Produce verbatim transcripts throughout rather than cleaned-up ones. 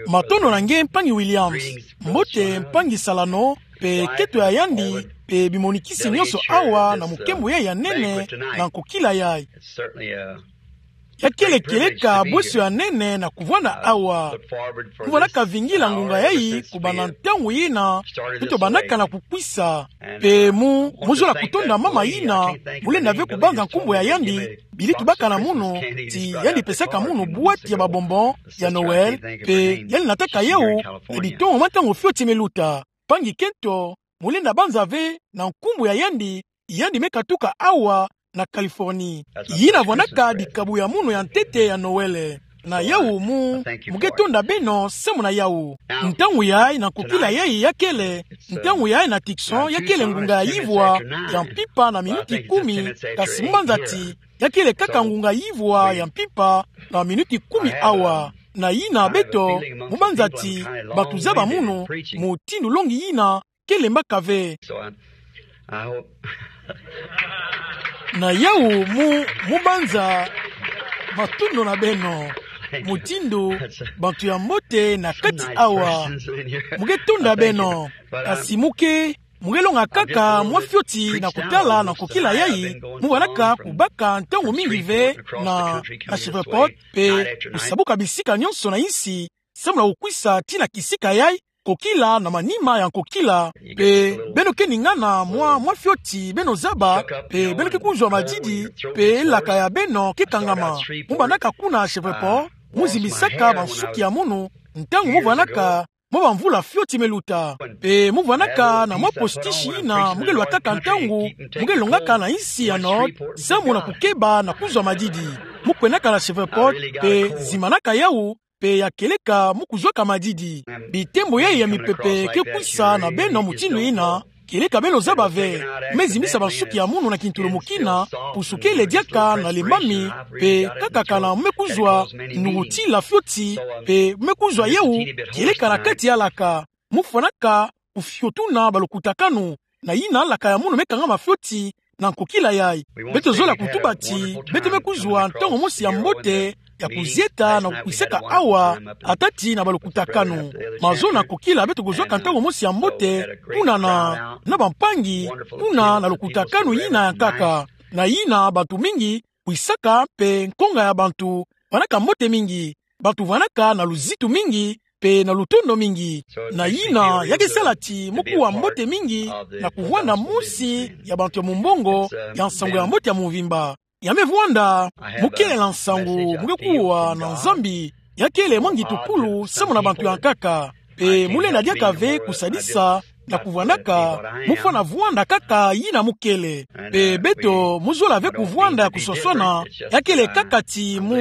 Matondo na nge mpangi Williams. Mbote mpangi Salano, pe kento ya yandi, pe bimonikisi nyonso awa na mukembo ya nene na nkokila yai. Ya kele kieleka bweso ya nene na kuvwanda awa. Mu vwandaka vingila ngunga yai kubanda ntangu yina beto bandaka na kukwisa. Pe mu, mu zola kutonda mama yina mu lenda ve kubanza nkumbu ya yandi, bili tubaka na munu ti yandi pesaka munu bwati ya babonbon ya Noël, pe yandi nataka yau na bitongo mwa ntangu fioti me luta. Mpangi kento, mu lenda banza ve na nkumbu ya yandi, yandi me katuka awa na Californie. Yina vwandaka dikabu ya munu ya ntete ya Noël. Na yau mu, mu ke tonda beno samu na yau. Ntangu yai na nkokila yai ya kele, ntangu yai na Tucson ya kele ngunga ya ivwa ya mpimpa na minuti kumi, kasi mu banza ti ya kele kaka ngunga ya ivwa ya mpimpa na minuti kumi awa. Na yina beto, mu banza ti bantu zaba munu mutindu longi yina kele mbaka ve. Na yau mu, mu banza matondo na beno. Mutindu bantu ya mbote na kati awa. Mu ke tonda beno. Kasi mu ke, mu ke longa kaka mwa fioti na kutala na nkokila yai. Mu vwandaka kubaka ntangu mingi ve na, na Shreveport, pe kusabuka bisika nyonso na insi, samu na kukwisa tii na kisika yai, nkokila na manima ya nkokila. Pe beno ke ningana mwa, mwa fioti beno zaba, pe beno ke kuzwa madidi, pe elaka ya beno ke kangama. Mu bandaka kuna Shreveport, mu zimbisaka bansuki ya munu, ntangu mu vwandaka mwa bamvula fioti me luta. Pe mu vwandaka na mwa postiche yina mu ke lwataka ntangu mu ke longaka na insi ya Nord, samu na kukeba na kuzwa madidi. Mu kwendaka na Shreveport, pe zimbanaka yau, pe ya kieleka mu kuzwaka madidi. Bitembo yai ya mipepe ke kwisa na beno mutindu yina, kieleka beno zaba ve. Me zimbisa bansuki ya munu na kintulumukina, pusu kele diaka na lembami, pe kakakana mu me kuzwa nukutila fioti, pe mu me kuzwa yau, kieleka na kati ya laka. Mu fwanaka kufiotuna balukutakanu, na yina laka ya munu me kangama fioti na nkokila yai. Beto zola kutuba ti beto me kuzwa ntangu mosi ya mbote ya kuzieta na kukwisaka awa, atati na balukutakanu. Mazo na nkokila beto kuzwaka ntangu mosi ya mbote, kuna na, na bampangi, kuna na lukutakanu yina ya nkaka. Na yina bantu mingi kwisaka, pe nkonga ya bantu vwandaka mbote mingi. Bantu vwandaka na luzitu mingi, pe na lutondo mingi. Na yina ya ke sala ti mu kuwa mbote mingi na kuvwanda mosi ya bantu ya mumbongo ya nsangu ya mbote ya mvimba. Ya me vwanda, mu kele na nsangu mu ke kuwa na Nzambi, ya kele mwa ngitukulu samu na bantu ya nkaka. Pe mu lenda diaka ve kusadisa na kuvwandaka, mu fwana vwanda kaka yina mu kele. Pe beto mu zola ve kuvwanda ya kuswaswana, ya kele kaka ti mu,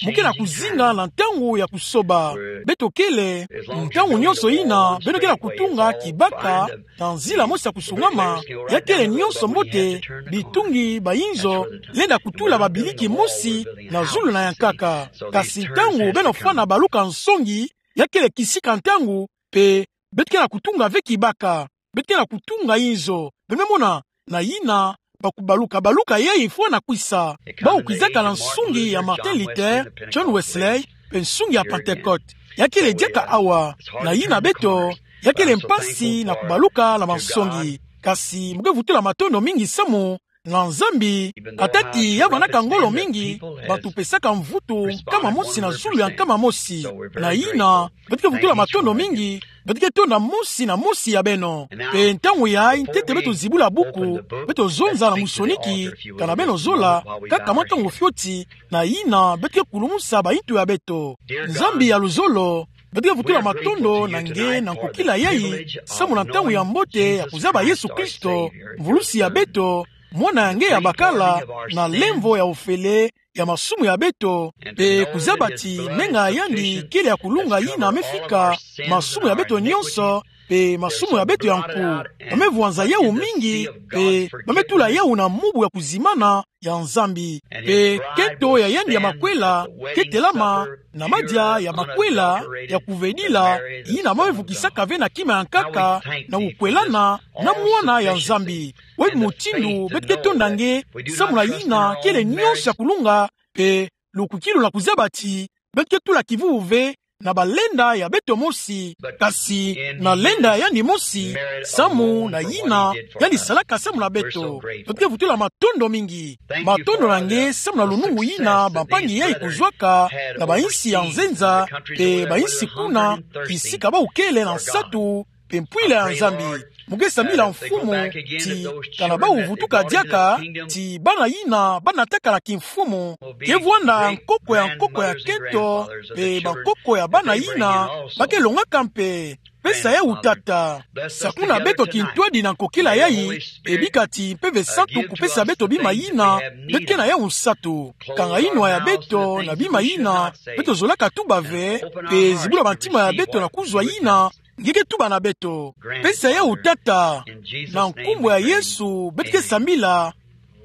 mu ke na kuzinga na ntangu ya kusoba. Beto kele, ntangu nyonso yina beno ke na kutunga kibaka na nzila mosi ya kusungama, ya kele nyonso mbote, bitungi, bayinzo, lenda kutula babiliki mosi na zulu na ya nkaka. Kasi ntangu beno fwana baluka nsongi, ya kele kisika ntangu, pe beto ke na kutunga ve kibaka, beto ke na kutunga inzo. Beno me mona, na yina bakubaluka baluka yai fwana kwisa. Bau kwizaka na nsungi ya Martin Luther, John Wesley, pe nsungi ya Pentecôte. Ya kele diaka awa, na yina beto, ya kele mpasi na kubaluka na bansongi. Kasi mu ke vutula matondo mingi samu na Nzambi, atati ya vwandaka ngolo mingi, bantu pesaka mvutu nkama mosi na zulu ya nkama mosi. Na yina, beto ke vutula matondo mingi, beto ke tonda mosi na mosi ya beno. Pe ntangu yai ntete beto zibula buku, beto zonza na musoniki, kana beno zola, kaka mwa ntangu fioti, na yina beto ke kulumusa bayintu ya beto. Nzambi ya luzolo, beto ke vutula matondo na nge na nkokila yai, samu na ntangu ya mbote ya kuzaba Yesu Kristo, mvulusi ya beto, mwana ya nge ya bakala, na lemvo ya ofele ya masumu ya beto, pe kuzaba ti menga ya yandi kele ya kulunga yina me fika masumu ya beto nyonso, pe masumu ya beto ya nku. Ba me vwanza yau mingi, pe ba me tula yau na mubu ya kuzimbana ya Nzambi. Pe kento ya yandi ya makwela ke telama na madia ya makwela ya kuvedila, yina ba me vukisaka ve na kima ya nkaka na kukwelana na mwana ya Nzambi. Wai mutindu beto ke tonda nge, samu na yina kele nyonso ya kulunga, pe lukwikilu na kuzaba ti beto ke tula kivuvu ve na balenda ya beto mosi, kasi na lenda ya yandi mosi, samu na yina yandi salaka samu na beto. Tote vutula matondo mingi. Matondo na nge samu na lunungu yina bampangi yai kuzwaka na bainsi ya nzenza, mpe bainsi kuna, kisika bau kele na nsatu, mpe mpwila ya Nzambi. Mu nge sambila Mfumu, ti kana bau vutuka diaka, ti bana yina bana taka na kimfumu, ke vwanda nkoko ya nkoko ya kento, mpe bankoko ya bana yina ba ke longaka mpe. Pesa yau Tata. Sakuna beto kintwadi na nkokila yai, mpe bika ti Mpeve Santu kupesa beto bima yina beto ke na yau nsatu. Kanga yinwa ya beto na bima yina beto zolaka tuba ve, mpe zibula bantima ya beto na kuzwa yina nge ke tuba na beto. Pesa yau Tata. Na nkumbu ya Yesu beto ke sambila.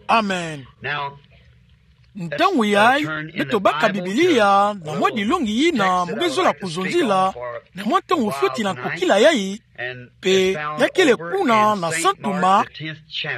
Amen. Ntangu yai, beto baka Biblia na mwa dilongi yina mu ke zola kuzonzila na mwa ntangu fioti na nkokila yai, mpe ya kele kuna na Santu Marc,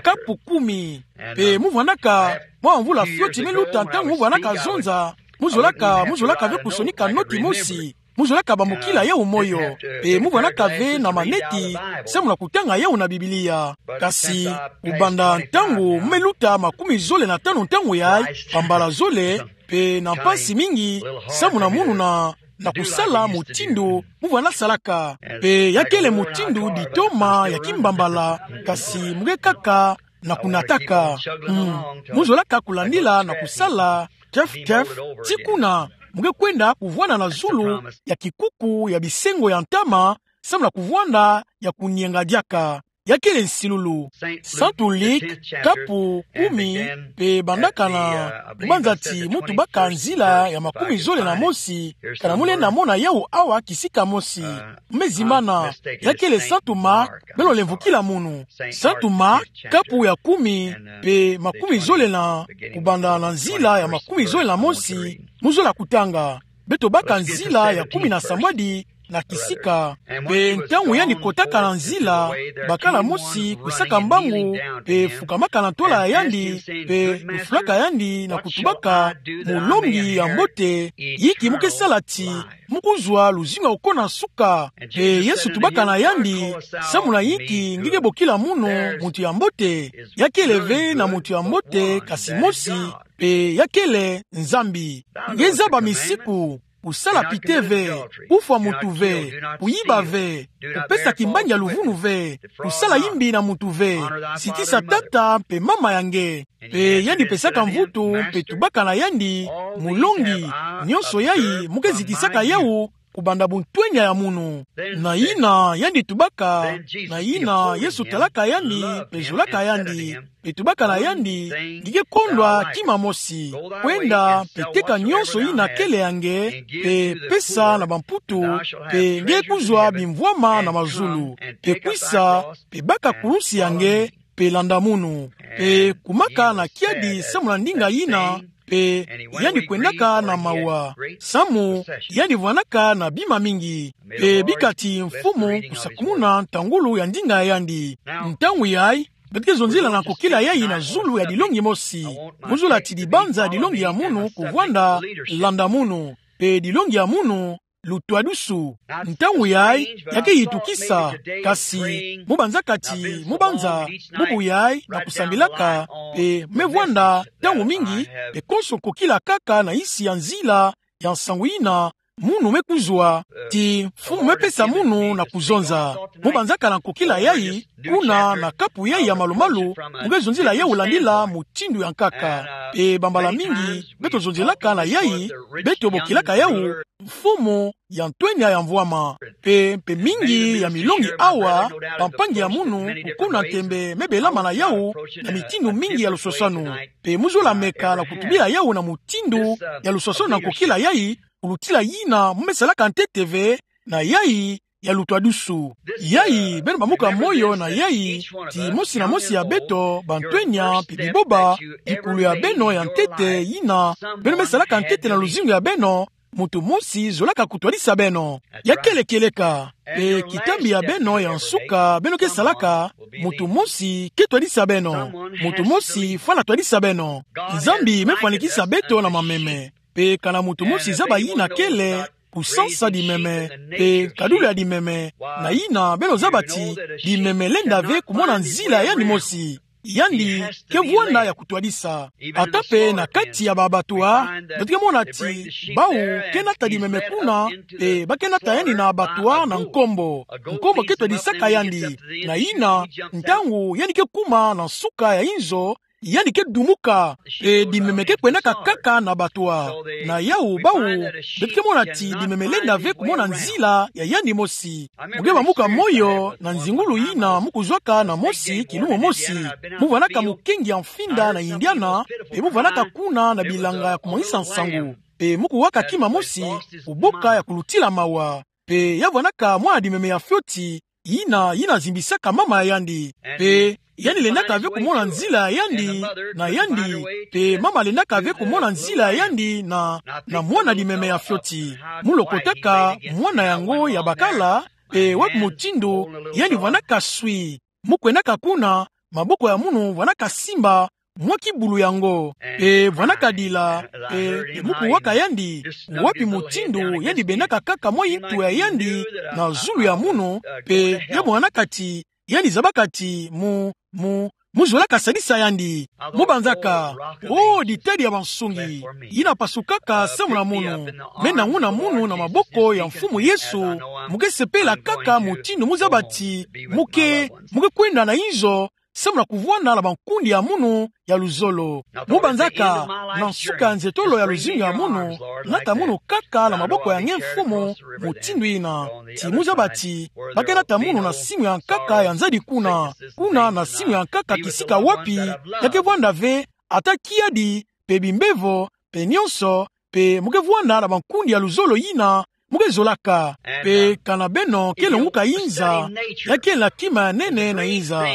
kapu kumi. Mpe mu vwandaka mwa mvula fioti me luta ntangu mu vwandaka zonza, mu zolaka, mu zolaka ve kusonika noti mosi, mu zolaka bambukila yau moyo, mpe mu vwandaka ve na maneti samu na kutanga yau na Biblia. Kasi, kubanda ntangu me luta makumi zole na tanu ntangu yai, bambala zole, mpe na mpasi mingi samu na munu na, na kusala mutindu mu vwanda salaka. Mpe ya kele mutindu ditoma ya kimbambala, kasi mu ke kaka na kunataka. Mm. Mu zolaka kulandila na kusala, tef, tef, ti kuna mu ke kwenda kuvwanda na zulu ya kikuku ya bisengo ya ntama, samu na kuvwanda ya kunienga diaka. Ya kele nsilulu. Santu Luc, kapu kumi, mpe bandaka na, mu banza ti mu tubaka nzila ya makumi zole na mosi, kana mu lenda mona yau awa kisika mosi. Me zimbana, ya kele Santu Marc, beno lemvukila munu. Santu Marc, kapu ya kumi, mpe makumi zole na, kubanda na nzila ya makumi zole na mosi, mu zola kutanga. Beto baka nzila ya kumi na sambwadi na kisika. Mpe ntangu yandi kotaka na nzila, bakala mosi kwisaka mbangu, mpe fukamaka na ntwala ya yandi, mpe lufulaka yandi na kutubaka: Molongi ya mbote, yinki mu ke sala ti mu kuzwa luzingu ya kokana nsuka? Mpe Yesu tubaka na yandi: Samu na yinki nge ke bokila munu muntu ya mbote? Ya kele ve na muntu ya mbote kasi mosi, mpe ya kele Nzambi. Nge zaba misiku: kusala pite ve, kufwa muntu ve, kuyiba ve, kupesa kimbangi ya luvunu ve, kusala yimbi na muntu ve, zitisa tata mpe mama ya nge. Mpe yandi pesaka mvutu mpe tubaka na yandi: Molongi, nyonso yai mu ke zitisaka yau kubanda buntwenya ya munu. Na yina yandi tubaka, na yina Yesu talaka yandi mpe zolaka yandi, mpe tubaka na yandi: Nge ke kondwa kima mosi. Kwenda mpe teka nyonso yina kele ya nge, mpe pesa na bamputu, mpe nge ke kuzwa bimvwama na mazulu. Mpe kwisa, mpe baka kulusi ya nge, mpe landa munu. Mpe kumaka na kiadi samu na ndinga yina, mpe yandi kwendaka na mawa, samu yandi vwandaka na bima mingi. Mpe bika ti Mfumu kusakumuna ntangulu ya ndinga ya yandi. Ntangu yai, beto ke zonzila na nkokila yai na zulu ya dilongi mosi. Mu zola ti dibanza ya dilongi ya munu kuvwanda: Landa munu. Mpe dilongi ya munu: Lutwadusu. Ntangu yai, ya ke yitukisa, kasi mu banzaka ti mu banza, bubu yai na kusambilaka, mpe me vwanda ntangu mingi, mpe konso nkokila kaka na nsi ya nzila ya nsangu yina munu me kuzwa, ti Mfumu me pesa munu na kuzonza. Mu banzaka na nkokila yai, kuna na kapu yai ya malu-malu, mu ke zonzila yau landila mutindu ya nkaka. Mpe bambala mingi, beto zonzelaka na yai, beto bokilaka yau: Mfumu ya ntwenya ya mvwama. Mpe, mpe mingi ya milongi awa, bampangi ya munu, kukuna ntembe me belama na yau na mitindu mingi ya lusosanu. Mpe mu zola meka na kutubila yau na mutindu ya lusosanu na nkokila yai, kulutila yina mu me salaka ntete ve na yai ya lutwadusu. Yai, beno bamuka moyo na yai, ti mosi na mosi ya beto, bantwenya mpe biboba, bikulu ya beno ya ntete yina beno me salaka ntete na luzingu ya beno, muntu mosi zolaka kutwadisa beno. Ya kele kieleka. Mpe kitambi ya beno ya nsuka beno ke salaka, muntu mosi ke twadisa beno. Muntu mosi fwana twadisa beno. Nzambi me fwanikisa beto na mameme. Mpe kana muntu mosi zaba yina kele, kusansa dimeme, pe kadulu ya dimeme, na yina beno zaba ti dimeme lenda ve kumona nzila ya yandi mosi. Yandi ke vwanda ya kutwadisa. Ata pe na kati ya ba abattoir, beto ke mona ti bawu ke nata dimeme kuna, pe ba ke nata yandi na abattoir na nkombo. Nkombo ke twadisaka yandi. Na yina, ntangu yandi ke kuma na nsuka ya inzo, yandi ke dumuka, pe dimeme ke kwendaka kaka na abattoir. Na yawu bawu, beto ke mona ti dimeme lenda ve kumona nzila ya yandi mosi. Mu ke bamuka moyo na nzingulu yina mu kuzwaka na mosi, kilumu mosi. Mu vwandaka mukengi ya mfinda na Indiana, pe mu vwandaka kuna na bilanga ya kumwangisa nsangu. Pe mu kuwaka kima mosi, kuboka ya kulutila mawa. Pe ya vwandaka mwana dimeme ya fioti, yina, yina zimbisaka mama ya yandi. Pe yandi lendaka ve kumona nzila ya yandi na yandi, pe mama lendaka ve kumona nzila ya yandi na, na mwana dimeme ya fioti. Mu lokotaka mwana yango ya bakala, pe wapi mutindu yandi vwandaka swi. Mu kwendaka kuna, maboko ya munu vwandaka simba mwa kibulu yango. Pe vwandaka dila, pe, pe mu kuwaka yandi, wapi mutindu yandi bendaka kaka mwa ntu ya yandi na zulu ya munu, pe ya monaka ti, yandi zabaka ti mu, mu, mu zolaka sadisa yandi. Mu banzaka, oh, ditadi ya bansungi, yina pasukaka samu na munu. Me na nguna munu na maboko ya Mfumu Yesu, mu ke sepela kaka mutindu mu zaba ti mu ke, mu ke kwenda na inzo, samu na kuvwanda na bankundi ya munu ya luzolo. Mu banzaka, na nsuka ya nzetolo ya luzingu ya munu, nata munu kaka na maboko ya nge Mfumu, mutindu yina. Ti mu zaba ti, ba ke nata munu na simu ya nkaka ya nzadi kuna. Kuna na simu ya nkaka kisika wapi, ya ke vwanda ve, ata kiadi, pe bimbevo, pe nyonso, pe mu ke vwanda na bankundi ya luzolo yina, mu ke zolaka. Pe kana beno ke longuka inza, ya kele na kima ya nene na inza.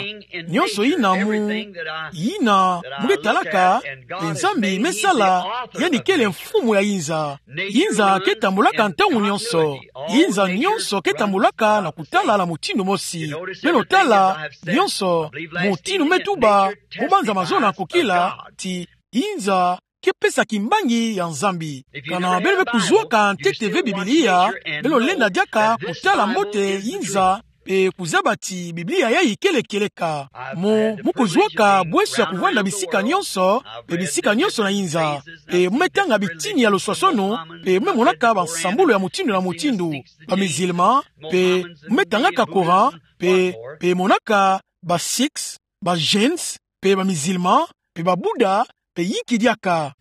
Nyonso yina mu, yina mu ke talaka, pe Nzambi me sala, yandi kele Mfumu ya inza. Inza ke tambulaka ntangu nyonso. Inza nyonso ke tambulaka na kutala na mutindu mosi. Beno tala, nyonso, mutindu me tuba, mu banza mazono ya kokila, ti inza ke pesa kimbangi ya Nzambi. Kana beno me kuzwaka ntete ve Biblia, beno lenda diaka kutala mbote inza, pe kuzaba ti Biblia yayi kele kieleka. Mu, mu kuzwaka bweso ya kuvwanda bisika nyonso, pe bisika nyonso na inza. Pe mu me tanga bitini ya luswaswanu, pe mu me monaka bansambulu ya mutindu na mutindu. Ba musulman, pe mu me tangaka Coran, pe, pe monaka ba Sikhs, ba Jains, pe ba musulman, pe ba Bouddha, pe yinki diaka.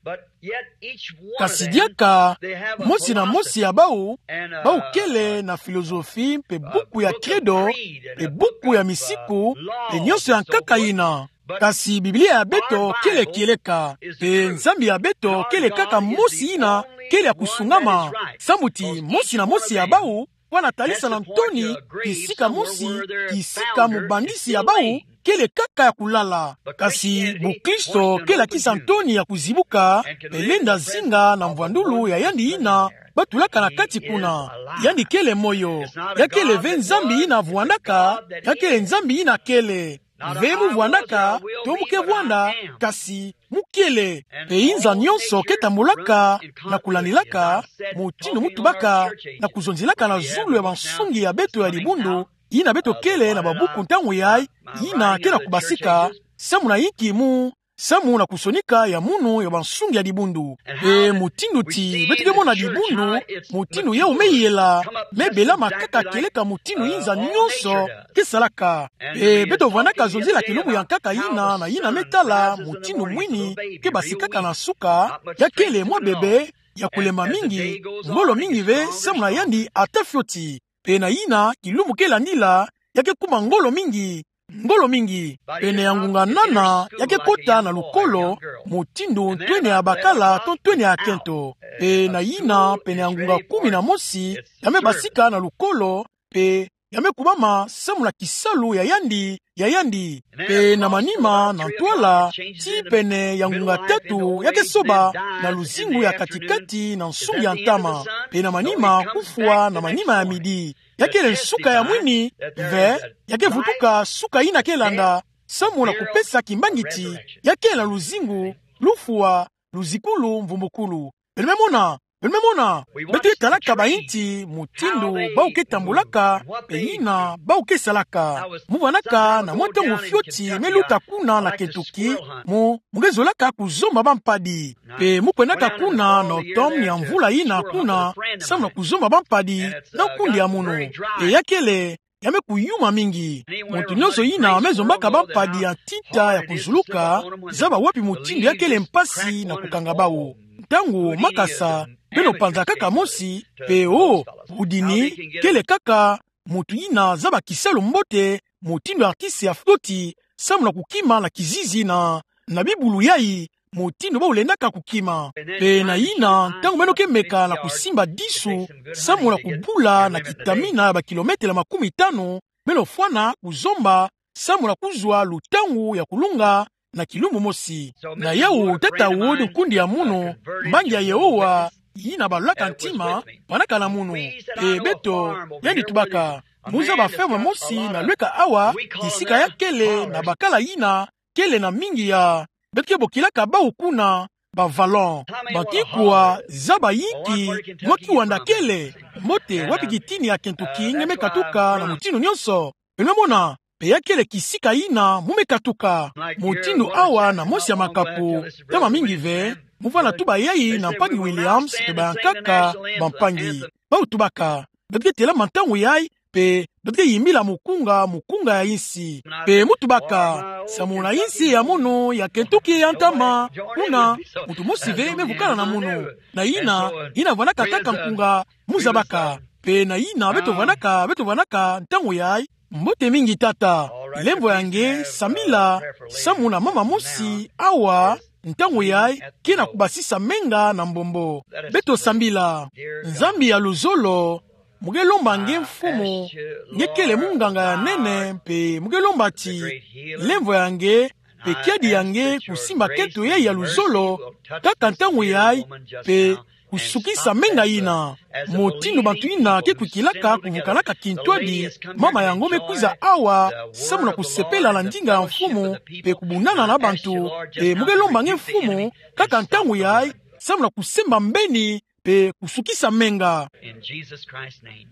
Kasi diaka, mosi na mosi ya bawu, bawu kele na philosophie, pe buku ya credo, pe buku ya misiku, pe nyonso ya nkaka yina. Kasi Biblia ya beto kele kieleka, pe Nzambi ya beto kele kaka mosi yina kele ya kusungama. Samu ti mosi na mosi ya bawu, kwa na talisa na ntoni, kisika mosi, kisika mubandisi ya bawu kele kaka ya kulala. Kasi bukristo kele ya kisa ntoni ya kuzibuka, pe lenda zinga na mvwandulu ya yandi yina ba tulaka na kati kuna. Yandi kele moyo. Ya kele ve Nzambi yina vwandaka, ya kele Nzambi yina kele. Ve mu vwandaka, to mu ke vwanda, kasi mu kele. Pe inza nyonso ke tambulaka na kulandilaka mutindu mu tubaka, na kuzonzelaka na zulu ya bansungi ya beto ya dibundu, yina beto kele na babuku ntangu yayi, yina ke na kubasika, samu na yinki mu, samu na kusonika ya munu ya bansungi ya dibundu. Pe mutindu ti beto ke mona dibundu, mutindu yawu me yela, me belama kaka kieleka mutindu inza nyonso ke salaka. Pe beto vwandaka zonzela kilubu ya nkaka yina na yina me tala mutindu mwini ke basikaka na nsuka, ya kele mwa bebe ya kulemba mingi, ngolo mingi ve samu na yandi ata fioti. Pe na yina kilubu ke landila, ya ke kuma ngolo mingi, ngolo mingi. Pene ya ngunga nana, ya ke kota na lukolo, mutindu ntwenia ya bakala to ntwenia ya kento. Pe na yina, pene ya ngunga kumi na mosi, ya me basika na lukolo, pe ya me kubama samu na kisalu ya yandi, ya yandi. Pe na manima na ntwala, tii pene ya ngunga tatu, ya ke soba na luzingu ya kati-kati na nsungi ya ntama. Pe na manima kufwa na manima ya midi. Ya kele nsuka ya mwini, ve, ya ke vutuka suka yina ke landa, samu na kupesa kimbangi ti ya kele na luzingu, lufwa, luzikulu, mvumbukulu. Beno me mona, Beno me mona, beto ke talaka bainti mutindu bau ke tambulaka, pe yina bau ke salaka. Mu vanaka na mwa ntangu fioti me luta kuna na Kentucky, mu, mu ke zolaka kuzomba bampadi. Pe mu kwendaka kuna na otomne ya mvula yina kuna, samu na kuzomba bampadi na kundi ya munu. Pe ya kele, ya me kuyuma mingi. Muntu nyonso yina me zombaka bampadi ya ntinta ya kuzuluka, zaba wapi mutindu ya kele mpasi na kukanga bau. Ntangu makasa, beno panza kaka mosi, pe o, budini, kele kaka muntu yina zaba kisalu mbote, mutindu artiste ya fioti, samu na kukima na kizizi na, na bibulu yayi, mutindu bau lendaka kukima. Pe na yina, ntangu beno ke meka na kusimba disu, samu na kubula na kitamina ya bakilometele makumi tanu, beno fwana kuzomba, samu na kuzwa lutangu ya kulunga na kilumbu mosi. Na yau, tata wodi nkundi ya munu, mbangi ya Yehowa, yina balulaka ntima, vanaka na munu. Pe beto, yandi tubaka, mu zaba ferme mosi na lweka awa, kisika ya kele na bakala yina, kele na mingi ya, beto ke bokilaka bau kuna, ba vallon. Bantu ikua zaba yinki mwa kiwanda kele, mbote wapi kitini ya Kentucky nge me katuka na mutindu nyonso. Beno me mona, pe ya kele kisika yina mu me katuka. Mutindu awa na mosi ya makapo, ntama mingi ve, mu vana tuba yayi na mpangi Williams, pe bayankaka, bampangi. Bau tubaka, beto ke telama ntangu yayi, pe beto ke yimbila mukunga, mukunga ya insi. Pe mu tubaka, samu na insi ya munu, ya Kentucky ya ntama, kuna, muntu mosi ve me vukana na munu. Na yina, yina vanaka kaka nkunga mu zabaka. Pe na yina, beto vanaka, beto vanaka, ntangu yayi. Mbote mingi tata, lemvo ya nge, sambila, samu na mama mosi, awa, ntangu yayi, ke na kubasisa menga na mbombo. Beto sambila. Nzambi ya luzolo, mu ke lomba nge mfumu, nge kele munganga ya nene, pe mu ke lomba ti, lemvo ya nge, pe kiadi ya nge, kusimba keto yayi ya luzolo, kaka ntangu yayi, pe kusukisa menga yina. Mutindu bantu yina ke kwikilaka kuvukanaka kintwadi, mama yango me kwiza awa, samu na kusepela na ndinga ya mfumu, pe kubunana na bantu, pe mu ke lomba nge mfumu, kaka ntangu yayi, samu na kusemba mbeni, pe kusukisa menga. In Jesus Christ's name.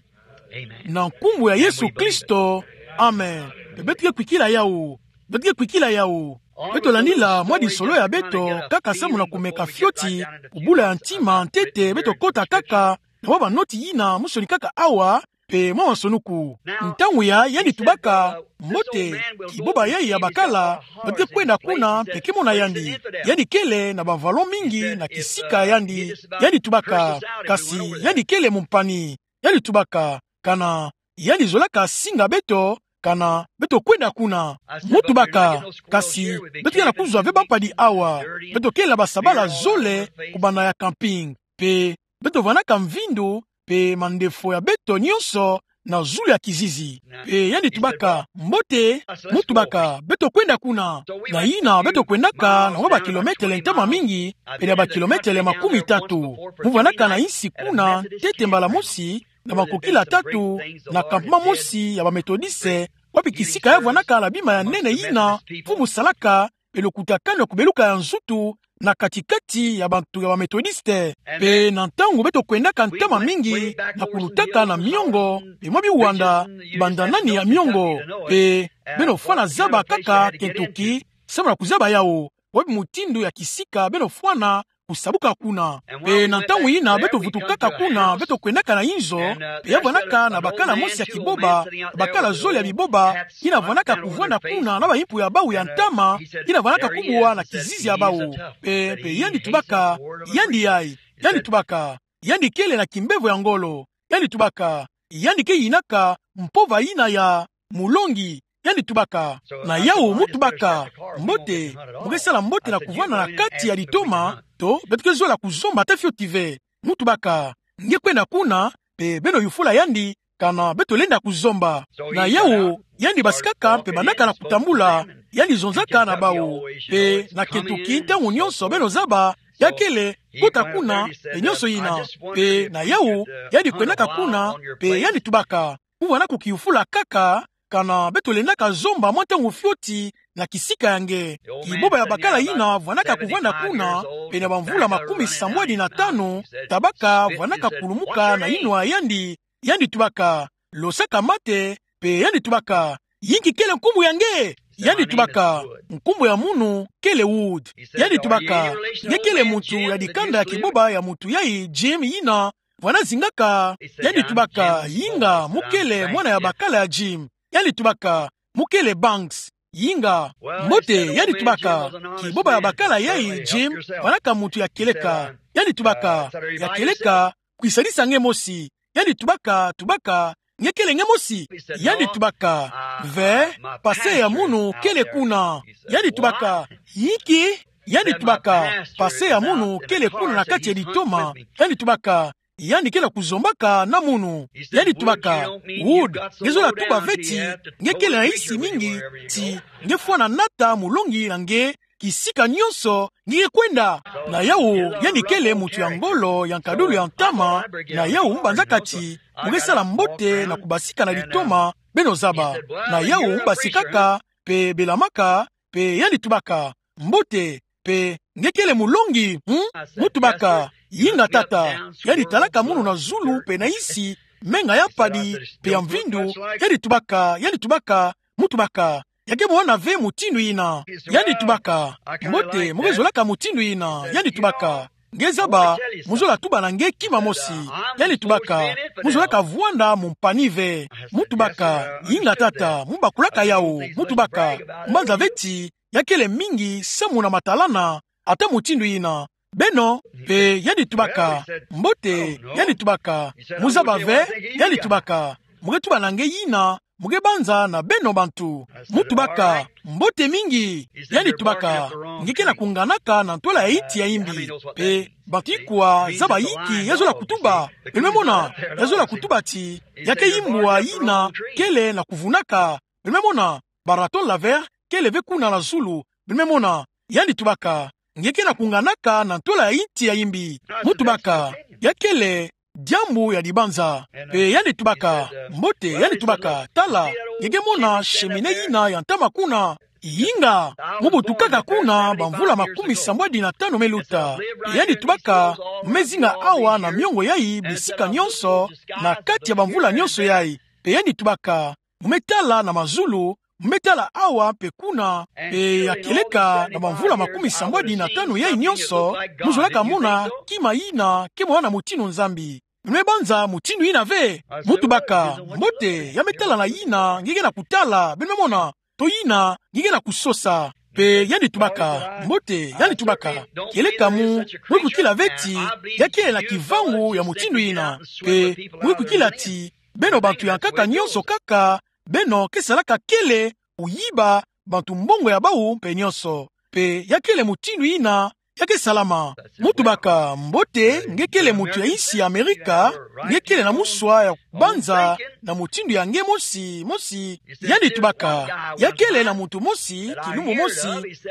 Amen. Na nkumbu ya Yesu Kristo. Amen. Pe beto ke kwikila yau. Beto ke kwikila yau. Beto landila mwa disolo ya beto, kaka samu na kumeka fioti, kubula ya ntima ntete, beto kota kaka, na mwa banoti yina, musoni kaka awa, pe mwa masonuku. Ntangu yayi yandi tubaka, mbote, kiboba yayi ya bakala, beto ke kwenda kuna, pe ke mona yandi. Yandi kele na ba vallon mingi na kisika yandi. Yandi tubaka, kasi yandi kele mompani. Yandi tubaka, kana, yandi zolaka singa beto, kana, beto kwenda kuna. Mu tubaka, kasi, beto ke na kuzwa ve bampadi awa. Beto kele na basabala zole, kubanda ya camping. Pe, beto vanaka mvindu, pe mandefo ya beto nyonso, na zulu ya kizizi. Pe yandi tubaka, mbote, mu tubaka, beto kwenda kuna. Na yina, beto kwendaka, na mwa bakilometele ntama mingi, pe na bakilometele makumi tatu. Mu vanaka na insi kuna, ntete mbala mosi, na bankokila tatu, na campement mosi ya ba Methodiste, wapi kisika ya vanaka na bima ya nene yina, mfumu salaka, pe lokutakanu ya kubeluka ya nzutu, na kati-kati ya bantu ya ba Methodiste. Pe na ntangu beto kwendaka ntama mingi, na kulutaka na miongo, pe mwa biwanda, banda nani ya miongo, pe beno fwana zaba kaka Kentucky, samu na kuzaba yau, wapi mutindu ya kisika beno fwana kusabuka kuna. Pe na ntangu yina beto vutukaka kuna, beto kwendaka na inzo, pe ya vanaka na bakala mosi ya kiboba, bakala zole ya biboba, yina vanaka kuvwanda kuna na baimpu ya bau ya ntama, yina vanaka kubwa na kizizi ya bau. Pe, pe yandi tubaka, yandi yayi, yandi tubaka, yandi kele na kimbevo ya ngolo, yandi tubaka, yandi ke yinaka mpova yina ya mulongi, yandi tubaka. Na yau mu tubaka, mbote, mu ke sala mbote na kuvwanda na kati ya litoma, to, beto ke zola kuzomba ata fioti ve. Mu tubaka, nge kwenda kuna, pe beno yufula yandi, kana beto lenda kuzomba. Na yau, yandi basikaka, pe bandaka na kutambula, yandi zonzaka na bau, pe na Kentucky ntangu nyonso beno zaba, ya kele, kota kuna, pe nyonso yina, pe na yau, yandi kwendaka kuna, pe yandi tubaka. Mu vwanda kukiyufula kaka, kana beto lendaka zomba mwa ntangu fioti, na kisika ya nge. Kiboba ya bakala yina vwanaka kuvwanda kuna, pe na bamvula makumi sambwadi na tanu, tabaka vwanaka kulumuka na inwa ya yandi, yandi tubaka, losaka mate, pe yandi tubaka, yinki kele nkumbu ya nge? Yandi tubaka, nkumbu ya munu kele Wood. Yandi tubaka, nge kele muntu ya dikanda ya kiboba ya muntu yayi Jim yina vwana zingaka? Yandi tubaka, yinga, mu kele mwana ya bakala ya Jim. Yandi tubaka, mu kele Banks. Yinga, mbote. Yandi tubaka, kiboba ya bakala yayi Jim vwanaka muntu ya kieleka. Yandi tubaka, ya kieleka, kwisadisa nge mosi. Yandi tubaka, tubaka, nge kele nge mosi? Yandi tubaka, ve, passé ya munu kele kuna. Yandi tubaka, yinki? Yandi tubaka, passé ya munu kele kuna na kati ya litoma. Yandi tubaka, yandi ke na kuzombaka na munu. Yandi tubaka, Wood, nge zola tuba ve ti nge kele na insi mingi, ti nge fwana nata mulongi na nge kisika nyonso nge ke kwenda. Na yawu, yandi kele muntu ya ngolo, ya nkadulu ya ntama. Na yawu, mu banzaka ti mu ke sala mbote na kubasika na litoma, beno zaba. Na yawu, mu basikaka, pe belamaka, pe yandi tubaka, mbote, pe nge kele mulongi, hmm? Mu tubaka, yinga tata. Yandi talaka munu na zulu pe na insi, menga ya mpadi pe ya mvindu. Yandi tubaka, yandi tubaka, mu tubaka, ya ke mona ve mutindu yina? Yandi tubaka, mbote, mu ke zolaka mutindu yina? Yandi tubaka, nge zaba, mu zola tuba na nge kima mosi. Yandi tubaka, mu zolaka vwanda mompani ve. Mu tubaka, yinga tata, mu bakulaka yawu. Mu tubaka, mu banza ve ti ya kele mingi samu na matalana ata mutindu yina. Beno, pe yandi tubaka, mbote. Yandi tubaka, mu zaba ve? Yandi tubaka, mu ke tuba na nge yina mu ke banza na beno bantu. Mu tubaka, mbote mingi. Yandi tubaka, nge ke na kunganaka na ntwala ya inti ya imbi. Pe bantu ikwa zaba inki ya zola kutuba? Beno me mona, ya zola kutuba ti ya ke imbwa yina kele na kuvunaka. Beno me mona, ba raton laveur kele ve kuna na zulu. Beno me mona, yandi tubaka, nge ke na kunganaka na ntwala ya inti ya imbi. Mu tubaka, ya kele diambu ya dibanza. Pe yandi tubaka, mbote. Yandi tubaka, tala, nge ke mona cheminée yina ya ntama kuna. Yinga, mu butukaka kuna bamvula makumi sambwadi na tanu me luta. Pe yandi tubaka, mu me zinga awa na miongo yayi bisika nyonso, na kati ya bamvula nyonso yayi. Pe yandi tubaka, mu me tala na mazulu, mu me tala awa mpe kuna, pe ya kieleka na bamvula makumi sambwadi na tanu yayi nyonso, mu zolaka mona kima yina ke mona na mutindu Nzambi. Beno me banza mutindu yina ve? Mu tubaka, mbote, ya me tala na yina nge ke na kutala. Beno me mona, to yina nge ke na kusosa. Pe yandi tubaka, mbote. Yandi tubaka, kieleka mu, mu ke kwikila ve ti ya kele na kivangu ya mutindu yina. Pe mu ke kwikila ti beno bantu ya nkaka nyonso kaka, beno ke salaka kele kuyiba bantu mbongo ya bawu mpe nyonso. Pe ya kele mutindu yina ya ke salama. Mu tubaka, mbote, nge kele muntu ya insi ya Amerika, nge kele na muswa ya kubanza na mutindu ya nge mosi, mosi. Yandi tubaka, ya kele na muntu mosi, kilumbu mosi,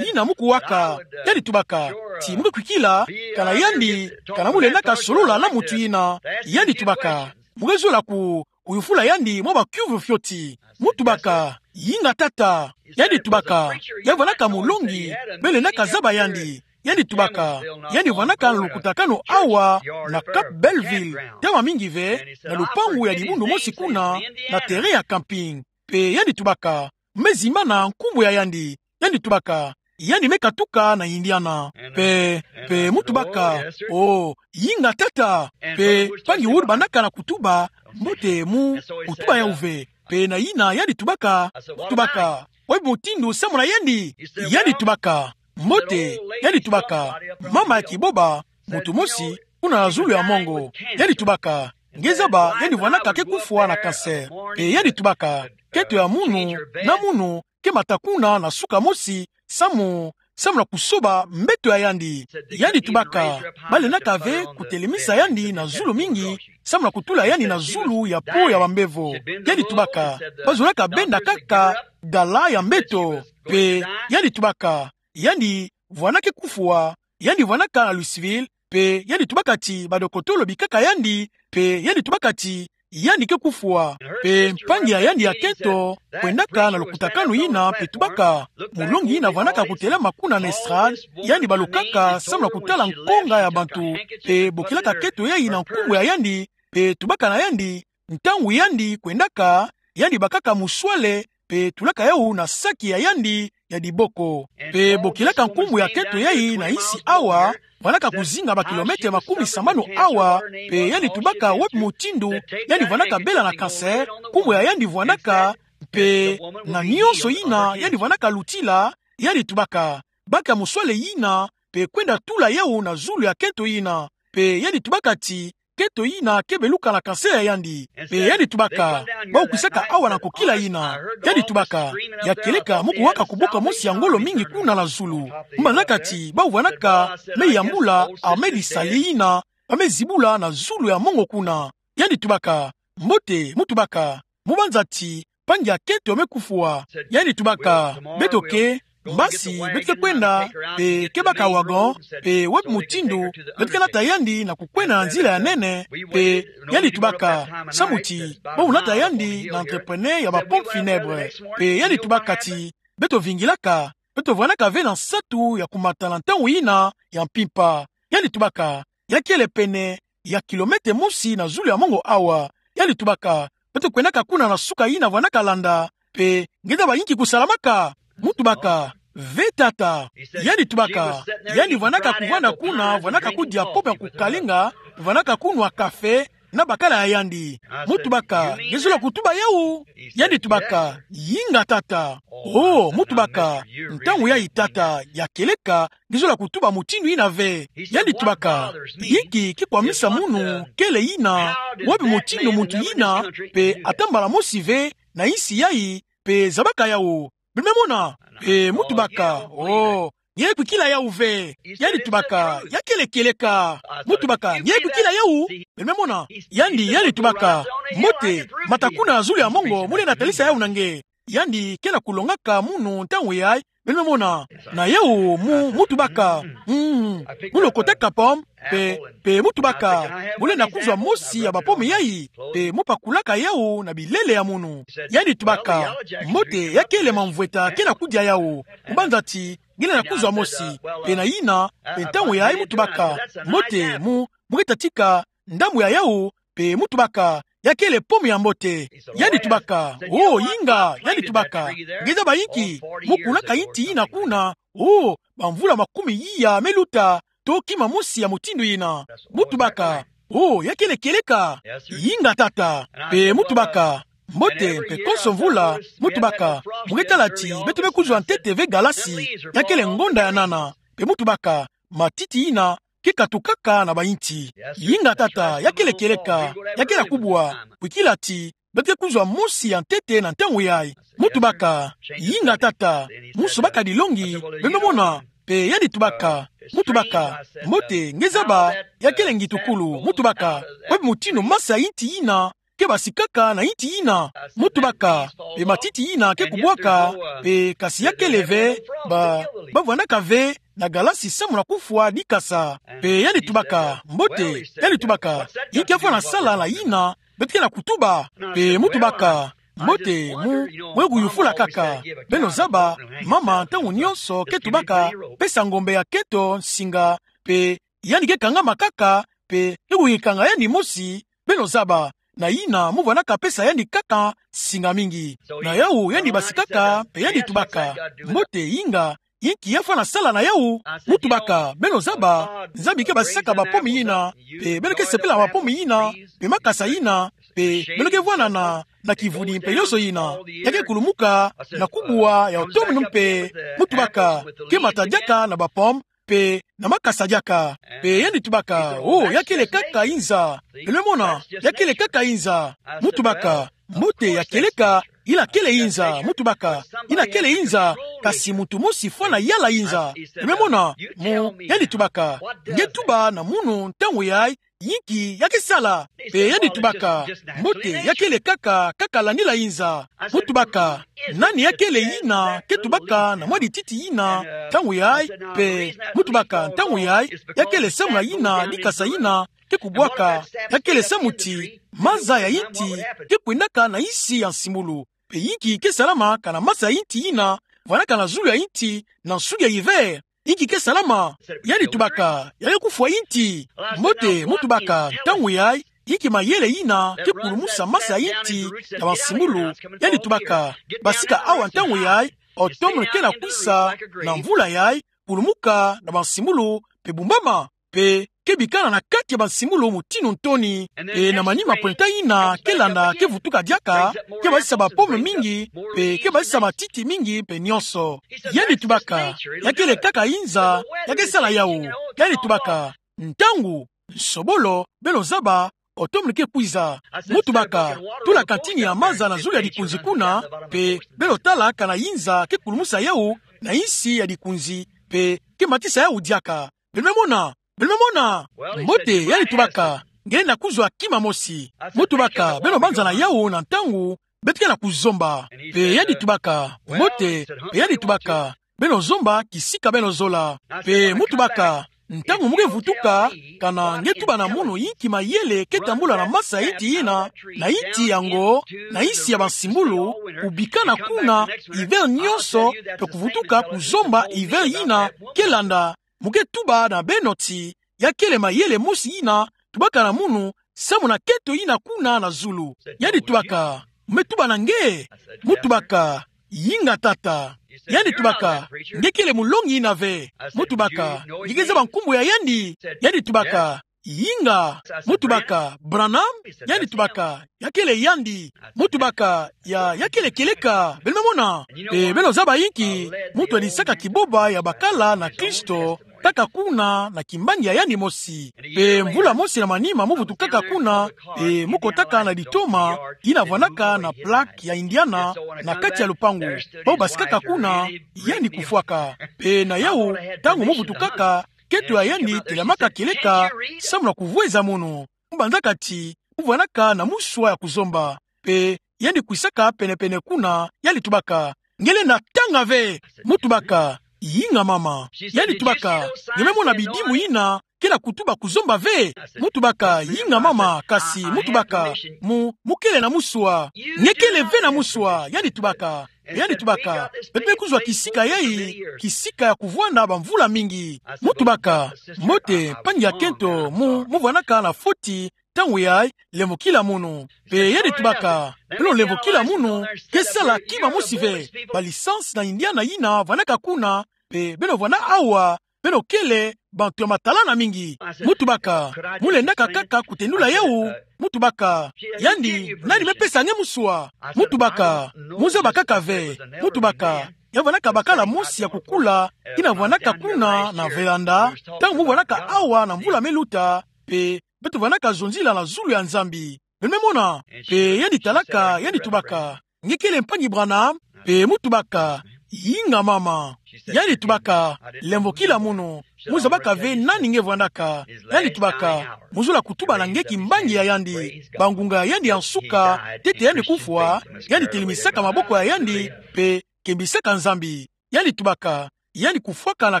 yina mu kuwaka. Yandi tubaka, ti mu ke kwikila, kana yandi, kana mu lendaka solola na muntu yina. Yandi tubaka, mu ke zola ku, kuyufula yandi mwa bakiuvu fioti. Mu tubaka, yinga tata. Yandi tubaka, ya vwanaka mulongi, beno lendaka zaba yandi. Yandi tubaka, yandi vwanaka na lukutakanu awa na Cap Belleville, ntama mingi ve, na lupangu ya dibundu mosi kuna, na terrain ya camping. Pe yandi tubaka, mu me zimbana nkumbu ya yandi. Yandi tubaka, yandi me katuka na Indiana. Pe, pe mu tubaka, o, yinga tata. Pe mpangi Wood bandaka na kutuba, mbote, mu kutuba yawu ve. Pe na yina yandi tubaka, mu tubaka, oyebi mutindu samu na yandi? Yandi tubaka, mbote. Yandi tubaka, mama ya kiboba, muntu mosi, kuna na zulu ya mongo. Yandi tubaka, nge zaba, yandi vwanaka ke kufwa na cancer. Pe yandi tubaka, keto ya munu na munu ke mata kuna na suka mosi, samu, samu na kusoba mbeto ya yandi. Yandi tubaka, ba lendaka ve kutelemisa yandi na zulu mingi, samu na kutula yandi na zulu ya po ya bambevo. Yandi tubaka, ba zolaka benda kaka dala ya mbeto. Pe yandi tubaka, yandi vwanaka ke kufwa, yandi vwanaka na Louisville, pe yandi tubaka ti badokotolo bikaka yandi, pe yandi tubaka ti yandi ke kufwa. Pe mpangi ya yandi ya kento kwendaka na lukutakanu yina pe tubaka: Mulongi yina vwandaka kutelama kuna na estrade, yandi balukaka samu na kutala nkonga ya bantu, pe bokilaka kento yayi na nkumbu ya yandi, pe tubaka na yandi, ntangu yandi kwendaka, yandi bakaka muswale, pe tulaka yawu na saki ya yandi ya diboko. Pe bokilaka nkumbu ya kento yayi na insi awa, vwandaka kuzinga ba kilomètre makumi sambanu awa, pe yandi tubaka wapi mutindu yandi vwandaka bela na cancer, nkumbu ya yandi vwandaka, pe na nionso yina yandi vwandaka lutila, yandi tubaka: Baka muswale yina, pe kwenda tula yawu na zulu ya kento yina. Pe yandi tubaka ti kento yina ke beluka na cancer ya yandi. Pe yandi tubaka: Bawu kwisaka awa na nkokila yina. Yandi tubaka: Ya kieleka mu kuwaka kuboka mosi ya ngolo mingi kuna na zulu. Mbanzaka ti bawu vwandaka me yambula armée du salut yina, ba me zibula na zulu ya mongo kuna. Yandi tubaka: Mbote, mu tubaka, mu banza ti mpangi ya kento me kufwa. Yandi tubaka: Beto ke, mbasi, beto ke kwenda, pe ke baka wagon, pe wapi mutindu beto ke nata yandi na kukwenda na nzila ya nene, pe yandi tubaka: Samu ti bawu nata yandi na entrepreneur ya ba pompes funèbres. Pe yandi tubaka ti: Beto vingilaka, beto vwandaka ve na nsatu ya kumata na ntangu yina ya mpimpa. Yandi tubaka: Ya kiele pene ya kilomètre mosi na zulu ya mongo awa. Yandi tubaka: Beto kwendaka kuna na suka yina vwandaka landa, pe nge zaba inki kusalamaka? Mu tubaka: Ve tata. Yandi tubaka: Yandi vwandaka kuvanda kuna, vwandaka kudia pomme ya kukalinga, vwandaka kunwa café na bakala ya yandi. Mu tubaka: Nge zola kutuba yawu? Yandi tubaka: Yinga tata. Oh, mu tubaka: Ntangu yayi tata, ya kieleka nge zola kutuba mutindu yina ve. Yandi tubaka: Inki ke kwamisa munu kele yina? Wapi mutindu muntu yina, pe ata mbala mosi ve na insi yayi, pe zabaka yawu? Beno me mona? Pe mu tubaka: Oh, nge kwikila yawu ve. Yandi tubaka: Ya kiele kieleka. Mu tubaka: Nge kwikila yawu? Beno me mona? Yandi, yandi tubaka: Mbote, mata kuna na zulu ya mongo, mu lenda talisa yawu na nge. Yandi ke na kulongaka munu ntangu yayi, beno me mona? Na yawu mu, mu tubaka: Mm, mu lokotaka pomme, pe, pe mu tubaka: Mu lenda kuzwa mosi ya ba pomme yayi? Pe mu pakulaka yawu na bilele ya munu. Yandi tubaka: Mbote, ya kiele mamvweta ke na kudia yawu. Mu banza ti nge lenda kuzwa mosi. Pe na yina, pe ntangu yayi mu tubaka: Mbote, mu, mu ke tatika ndambu ya yawu, pe mu tubaka: Ya kiele pomme ya mbote. Yandi tubaka: Oh, yinga. Yandi tubaka: Nge zaba inki? Mu kunaka inti yina kuna, oh, bamvula makumi iya me luta, to kima mosi ya mutindu yina. Mu tubaka: Oh, ya kiele kieleka. Yinga tata. Pe mu tubaka: Mbote, mpe konso mvula, mu tubaka, mu ke tala ti beto me kuzwa ntete ve galasi, ya kiele ngonda ya nana. Pe mu tubaka: Matiti yina ke katukaka na ba inti. Yinga tata, ya kiele kieleka, ya kiele kubwa. Kwikila ti beto ke kuzwa mosi ya ntete na ntangu yayi. Mu tubaka: Yinga tata. Mu sobaka dilongi, beno me mona? Pe yandi tubaka, mu tubaka: Mbote, nge zaba, ya kiele ngitukulu. Mu tubaka: Wapi mutindu masa ya inti yina ke basikaka na inti yina? Mu tubaka: Pe matiti yina ke kubwaka, pe kasi ya kiele ve, ba, ba vwandaka ve na galasi samu na kufwa dikasa. Pe yandi tubaka: Mbote. Yandi tubaka: Inki ya fwana sala na yina beto ke na kutuba? Pe mu tubaka: Mbote, mu, mu ke kuyufula kaka. Beno zaba, mama ntangu nionso ke tubaka pesa ngombe ya kento nsinga, pe yandi ke kangama kaka, pe ke kuyikanga yandi mosi, beno zaba, na yina mu vwandaka pesa yandi kaka nsinga mingi. Na yawu yandi basikaka, pe yandi tubaka: Mbote, yinga, inki ya fwana sala na yawu? Mu tubaka: Beno zaba, Nzambi ke basisaka ba pomme yina, pe beno ke sepela na ba pomme yina, pe makasa yina, pe beno ke vwanda na, na kivuni mpe nionso yina. Ya ke kulumuka na kubwa ya oto minu mpe. Mu tubaka: Ke mata diaka na ba pomme, pe na makasa diaka. Pe yandi tubaka: Oh, ya kiele kaka inza. Beno me mona? Ya kiele kaka inza. Mu tubaka: Mbote, ya kieleka, ila kiele inza. Mu tubaka: Ila kiele inza, kasi muntu mosi fwana yala inza. Beno me mona? Mu, yandi tubaka: Nge tuba na munu ntangu yayi, yinki ya ke sala. Pe yandi tubaka, mbote, ya kele kaka, kaka landila inza. Mu tubaka, nani ya kele yina ke tubaka na mwa dititi yina ntangu yayi? Pe mu tubaka, ntangu yayi, ya kele samu na yina dikasa yina ke kubwaka, ya kele samu ti maza ya yinti ke kwendaka na yinsi ya nsimbulu. Pe yinki ke salama kana maza ya yinti yina vwandaka na zulu ya yinti na nsudi ya hiver? Yinki ke salama? Yandi tubaka, ya ke kufwa yinti. Mbote, mu tubaka, ntangu yayi, yinki mayele yina ke kulumusa maza ya yinti na bansimbulu? Yandi tubaka, basika awa ntangu yayi, automne ke na kwisa, na mvula yayi, kulumuka na bansimbulu, pe bumbama, pe ke bikana na kati ya bansimbulu mutindu ntoni, pe na manima pwenta yina ke landa ke vutuka diaka, ke bazisa ba pomme mingi, pe ke bazisa matiti mingi, pe nionso. Yandi tubaka, ya kele kaka inza, ya ke sala yawu. Yandi tubaka, ntangu, nsobolo, beno zaba, automne ke kwiza. Mu tubaka, tula kantini ya maza na zulu ya dikunzi kuna, pe beno tala kana inza ke kulumusa yawu na yinsi ya dikunzi, pe ke matisa yawu diaka. Beno me mona, beno me mona. Mbote, yandi tubaka, nge na kuzwa kima mosi. Mu tubaka, beno banzana yawu na ntangu beto ke na kuzomba. Pe yandi tubaka, mbote, pe yandi tubaka, beno zomba kisika beno zola. Pe mu tubaka, ntangu mu ke vutuka, kana nge tuba na munu yinki mayele ke tambula na maza ya yinti yina, na yinti yango, na yinsi ya bansimbulu, kubikana kuna hiver nionso, pe kuvutuka kuzomba hiver yina ke landa, mu ke tuba na beno ti ya kele mayele mosi yina tubaka na munu samu na keto yina kuna na zulu. Yandi tubaka, mu me tuba na nge? Mu tubaka, yinga tata. Yandi tubaka, nge kele mulongi yina ve? Mu tubaka, nge ke zaba nkumbu ya yandi? Yandi tubaka, yinga. Mu tubaka, Branham? Yandi tubaka, ya kele yandi. Mu tubaka, ya, ya kele kieleka. Beno me mona. Pe beno zaba yinki muntu adisaka kiboba ya bakala na Kristo, kaka kuna na kimbangi ya yandi mosi. Pe mvula mosi na manima mu vutukaka kuna, pe mu kotaka na litoma yina vwandaka na plaque ya Indiana na kati ya lupangu. Bawu basikaka kuna, yandi kufwaka. Pe na yawu, ntangu mu vutukaka, keto ya yandi telamaka kieleka samu na kuvweza munu. Mu banzaka ti mu vwandaka na muswa ya kuzomba. Pe yandi kwisaka pene-pene kuna, yandi tubaka, nge lenda tanga ve? Mu tubaka, yinga mama. Yandi tubaka, nge me mona bidimu yina ke na kutuba kuzomba ve? Mu tubaka, yinga mama, kasi mu tubaka, mu, mu kele na muswa. Nge kele ve na muswa? Yandi tubaka. Yandi tubaka, beto me kuzwa kisika yayi, kisika ya kuvwanda bamvula mingi. Mu tubaka, mbote, mpangi ya kento, mu, mu vwandaka na foti, ntangu yayi, lemvokila munu. Pe yandi tubaka, beno lemvokila munu ke sala kima mosi ve? Ba licence na Indiana yina vwandaka kuna, pe beno vwanda awa, beno kele bantu ya matalana mingi. Mu tubaka, mu lendaka kaka kutendula yawu? Mu tubaka, yandi, nani me pesa nge muswa? Mu tubaka, mu zaba kaka ve. Mu tubaka, ya vwandaka bakala mosi ya kukula, yina vwandaka kuna na veranda, ntangu mu vwandaka awa na mvula me luta, pe beto vwandaka zonzila na zulu ya Nzambi. Beno me mona. Pe yandi talaka, yandi tubaka, nge kele mpangi Branham? Pe mu tubaka, yinga mama. Yandi tubaka, lemvokila munu, mu zabaka ve nani nge vwandaka. Yandi tubaka, mu zola kutuba na nge kimbangi ya yandi, bangunga ya yandi ya nsuka, ntete yandi kufwa, yandi telimisaka maboko ya yandi, pe kembisaka Nzambi. Yandi tubaka, yandi kufwaka na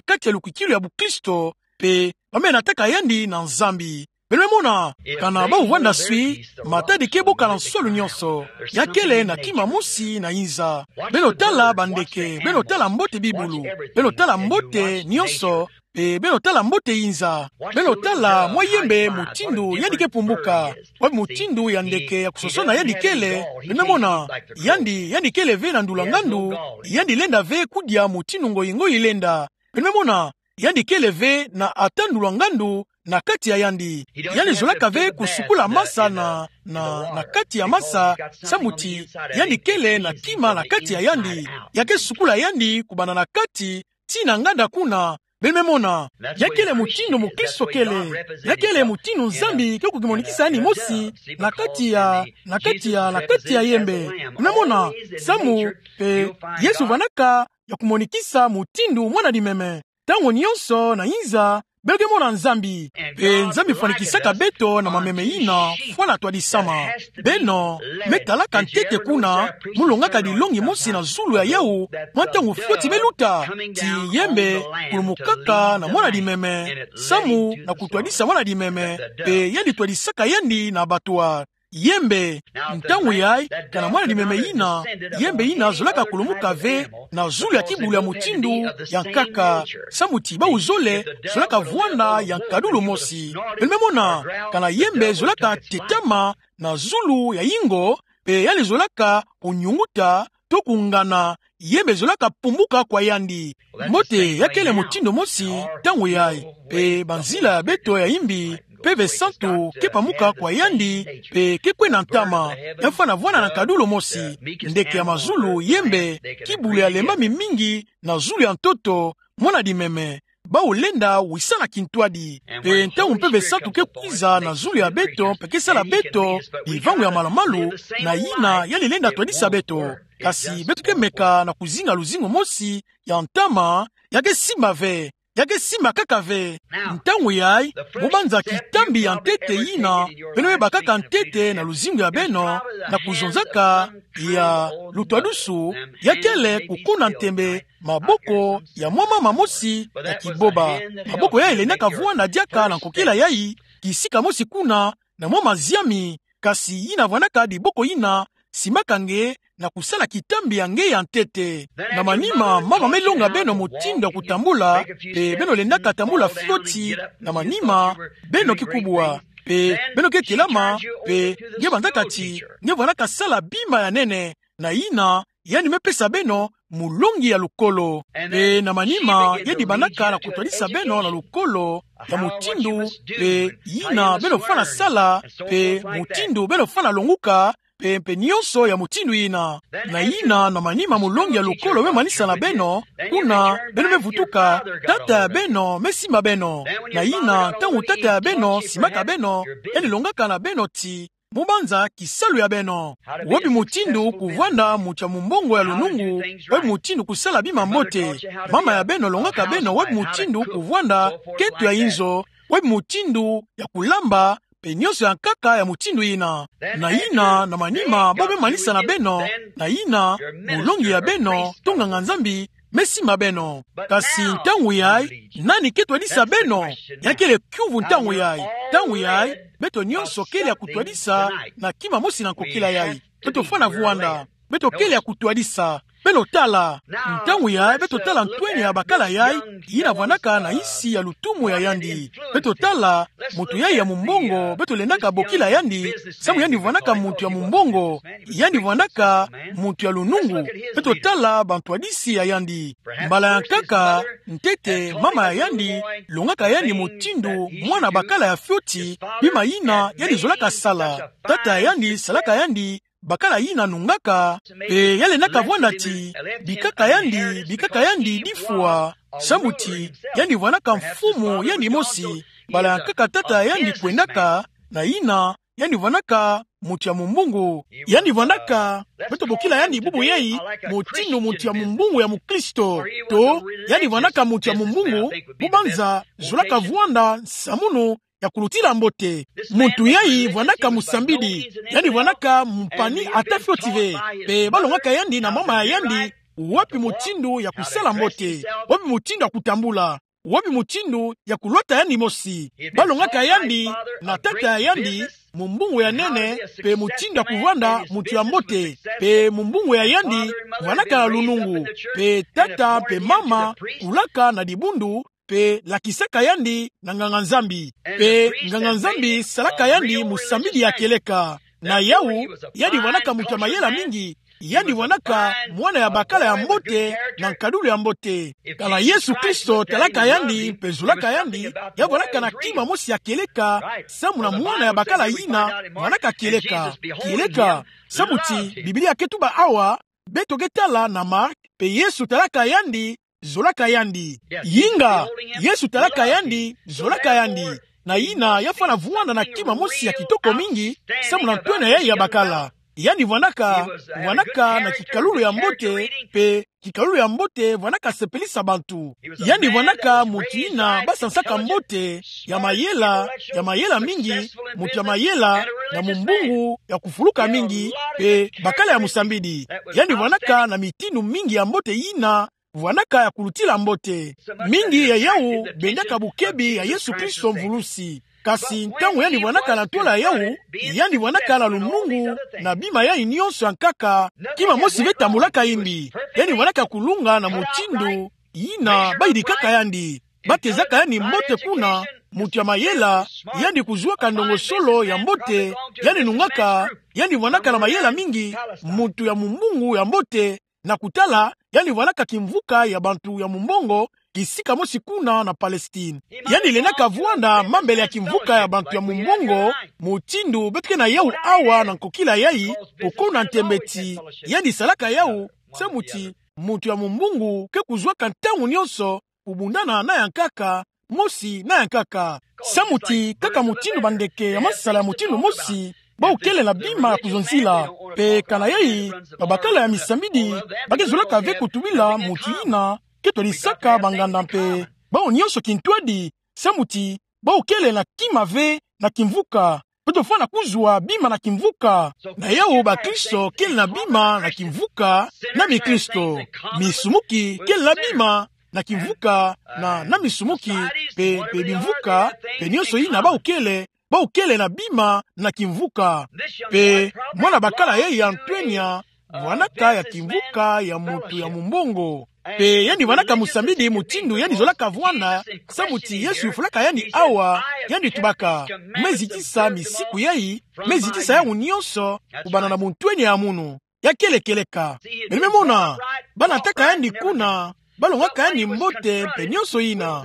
kati ya lukwikilu ya bukristo, pe ba me nataka yandi na Nzambi. Beno me mona, kana bawu vwanda swi, matadi ke boka na nswalu nionso, ya kele na kima mosi na inza. Beno tala bandeke, beno tala mbote bibulu, beno tala mbote nionso, pe beno tala mbote inza. Beno tala mwa yembe mutindu yandi ke pumbuka, wapi mutindu ya ndeke ya kusosona yandi kele. Beno me mona, yandi, yandi kele ve na ndula ngandu, yandi lenda ve kudia mutindu ngoyi ngoyi lenda. Beno me mona, yandi kele ve na ata ndula ngandu na kati ya yandi. Yandi zolaka ve kusukula masa na, na, na kati ya masa, samu ti yandi kele na kima na kati ya yandi. Ya ke sukula yandi kubanda na kati tii na nganda kuna. Beno me mona, ya kele mutindu mukristo kele. Ya kele mutindu Nzambi ke kukimonikisa yandi mosi na kati ya, na kati ya, na kati ya yembe. Beno me mona, samu, pe, Yesu vwandaka ya kumonikisa mutindu mwana limeme. Ntangu nionso na inza, Beto ke mona Nzambi. Mpe Nzambi fwanikisaka beto na mameme ina fwana twadisama. Beno me talaka ntete kuna, mu longaka dilongi mosi na zulu ya yawu mwa ntangu fioti me luta, ti yembe kulumukaka na mwana limeme, samu na kutwadisa mwana limeme, mpe yandi twadisaka yandi na abattoir. Yembe, ntangu yayi, kana mwana limeme ina, yembe ina zolaka kulumuka ve na zulu ya kibulu ya mutindu ya nkaka, samu ti bawu zole zolaka vwanda ya nkadulu mosi. Beno me mona, kana yembe zolaka tetama na zulu ya yingo, mpe yandi zolaka kunyunguta to kungana, yembe zolaka pumuka kwa yandi. Mbote, ya kele mutindu mosi ntangu yayi, mpe banzila ya beto ya imbi, Mpeve Santu ke pamuka kwa yandi, mpe ke kwena ntama, ya fwana vwanda na nkadulu mosi, ndeke ya mazulu, yembe, kibulu ya lembami mingi na zulu ya ntoto, mwana limeme. Bawu lenda wisa na kintwadi. Mpe ntangu Mpeve Santu ke kwiza na zulu ya beto, mpe ke sala beto bivangu ya malu-malu, na yina yandi lenda twadisa beto. Kasi beto ke meka na kuzinga luzingu mosi ya ntama, ya ke simba ve. Ya ke simba kaka ve. Ntangu yayi, mu banza kitambi ya ntete yina beno me bakaka ntete na luzingu ya beno, na kuzonzaka ya lutwadusu, ya kele kukuna ntembe maboko ya mwa mama mosi ya kiboba. Maboko yayi lendaka vwanda diaka na nkokila yayi, kisika mosi kuna, na mwa maziami, kasi yina vwandaka diboko yina simbaka nge na kusala kitambi ya nge ya ntete. Na manima, mama me longa beno mutindu ya kutambula, mpe beno lendaka tambula fioti, na manima, beno ke kubwa, mpe beno ke telama, mpe nge banzaka ti nge vwandaka sala bima ya nene, na yina yandi me pesa beno mulongi ya lukolo. Mpe na manima, yandi bandaka na kutwadisa beno na lukolo ya mutindu, mpe yina beno fwana sala, mpe mutindu beno fwana longuka, mpe, mpe nyonso ya mutindu yina. Na yina, na manima, mulongi ya lukolo me manisa na beno, kuna beno me vutuka, tata ya beno me simba beno. Na yina, ntangu tata ya beno simbaka beno, yandi longaka na beno ti, mu banza kisalu ya beno. Wapi mutindu kuvwanda muntu ya mumbongo ya lunungu, wapi mutindu kusala bima mbote. Mama ya beno longaka beno wapi mutindu kuvwanda keto ya inzo, wapi mutindu ya kulamba, mpe nyonso ya nkaka ya mutindu yina. Na yina, na manima, bawu me manisa na beno, na yina, mulongi ya beno, to nganga-Nzambi, me simba beno. Kasi ntangu yayi, nani ke twadisa beno? Ya kele kiuvu ntangu yayi. Ntangu yayi, beto nyonso kele ya kutwadisa na kima mosi na nkokila yayi. Beto fwana vwanda. Beto kele ya kutwadisa. Beno tala. Ntangu yayi, beto tala ntwenya ya bakala yayi, yina vwandaka na nsi ya lutumu ya yandi. Beto tala, muntu yayi ya mumbongo, beto lendaka bokila yandi, samu yandi vwandaka muntu ya mumbongo, yandi vwandaka muntu ya lunungu. Beto tala bantwadisi ya yandi. Mbala ya nkaka, ntete, mama ya yandi longaka yandi mutindu mwana bakala ya fioti, bima yina yandi zolaka sala. Tata ya yandi salaka yandi bakala yina nungaka, mpe ya lendaka vwanda ti bikaka yandi, bikaka yandi difwa, samu ti yandi vwandaka mfumu yandi mosi. Mbala ya nkaka tata ya yandi kwendaka, na yina yandi vwandaka muntu ya mumbongo. Yandi vwandaka, beto bokila yandi bubu yayi, mutindu muntu ya mumbongo ya mukristo. To, yandi vwandaka muntu ya mumbongo, mu banza zolaka vwanda nsamunu ya kulutila mbote. Muntu yayi vwandaka musambidi, yandi vwandaka mpani ata fioti ve. Mpe balongaka yandi na mama ya yandi, wapi mutindu ya kusala mbote, wapi mutindu ya kutambula, wapi mutindu ya kulwata yandi mosi. Balongaka yandi na tata ya yandi, mumbongo ya nene, mpe mutindu ya kuvwanda muntu ya mbote, mpe mumbongo ya yandi vwandaka na lunungu, mpe tata mpe mama kulaka na dibundu, mpe lakisaka yandi na nganga-Nzambi. Mpe nganga-Nzambi salaka yandi musambidi ya kieleka. Na yawu, yandi vwandaka muntu ya mayela mingi, yandi vwandaka mwana ya bakala ya mbote, na nkadulu ya mbote. Tala Yesu Kristo talaka yandi, mpe zolaka yandi, ya vwandaka na kima mosi ya kieleka, samu na mwana ya bakala yina vwandaka kieleka. Kieleka, samu ti Biblia ke tuba awa, beto ke tala na Mark, mpe Yesu talaka yandi, zolaka yandi. Yinga, Yesu talaka yandi, zolaka yandi. Na yina ya fwana vwanda na kima mosi ya kitoko mingi, samu na ntwenya yayi ya bakala. Yandi vwandaka, vwandaka na kikalulu ya mbote, mpe kikalulu ya mbote vwandaka sepelisa bantu. Yandi vwandaka muntu yina basansaka mbote, ya mayela, ya mayela mingi, muntu ya mayela, na mumbungu ya kufuluka mingi, mpe bakala ya musambidi. Yandi vwandaka na mitindu mingi ya mbote yina vwandaka ya kulutila mbote. Mingi ya yawu bendaka bukebi ya Yesu Kristo Mvulusi. Kasi ntangu yandi vwandaka na ntwala yawu, yandi vwandaka na lunungu na bima yayi nyonso ya nkaka, kima mosi ve tambulaka imbi. Yandi vwandaka kulunga na mutindu yina bayidikaka yandi. Batezaka yandi mbote kuna, muntu ya mayela, yandi kuzuaka ndongosolo ya mbote, yandi nungaka, yandi vwandaka na mayela mingi, muntu ya mumbungu ya mbote, na kutala, yandi vwandaka kimvuka ya bantu ya mumbongo, kisika mosi kuna na Palestine. Yandi lendaka vwanda mambele ya kimvuka ya bantu ya mumbongo, mutindu beto ke na yawu awa na nkokila yayi, oko na ntembe ti yandi salaka yawu, samu ti muntu ya mumbungu ke kuzuaka ntangu nyonso kubundana na ya nkaka, mosi na ya nkaka. Samu ti kaka mutindu bandeke ya masala ya mutindu mosi, bawu kele na bima ya kuzonzila. Mpe kana yayi, babakala ya misambidi, ba ke zolaka ve kutubila muntu yina ke twadisaka banganda mpe bawu nyonso kintwadi, samu ti bawu kele na kima ve na kimvuka. Beto fwana kuzwa bima na kimvuka. Na yawu bakristo kele na bima na kimvuka, na mikristo. Misumuki kele na bima na kimvuka, na, na misumuki, mpe, mpe bimvuka, mpe nyonso yina bawu kele, bawu kele na bima na kimvuka. Mpe mwana bakala yayi ya ntwenya, vwandaka ya kimvuka ya muntu ya mumbongo. Mpe yandi vwandaka musambidi mutindu yandi zolaka vwanda, samu ti Yesu yufulaka yandi awa, yandi tubaka: Me zitisa misiku yayi, me zitisa yawu nyonso, kubanda na buntwenya ya munu. Ya kele kieleka. Beno me mona, ba nataka yandi kuna, ba longaka yandi mbote mpe nyonso yina.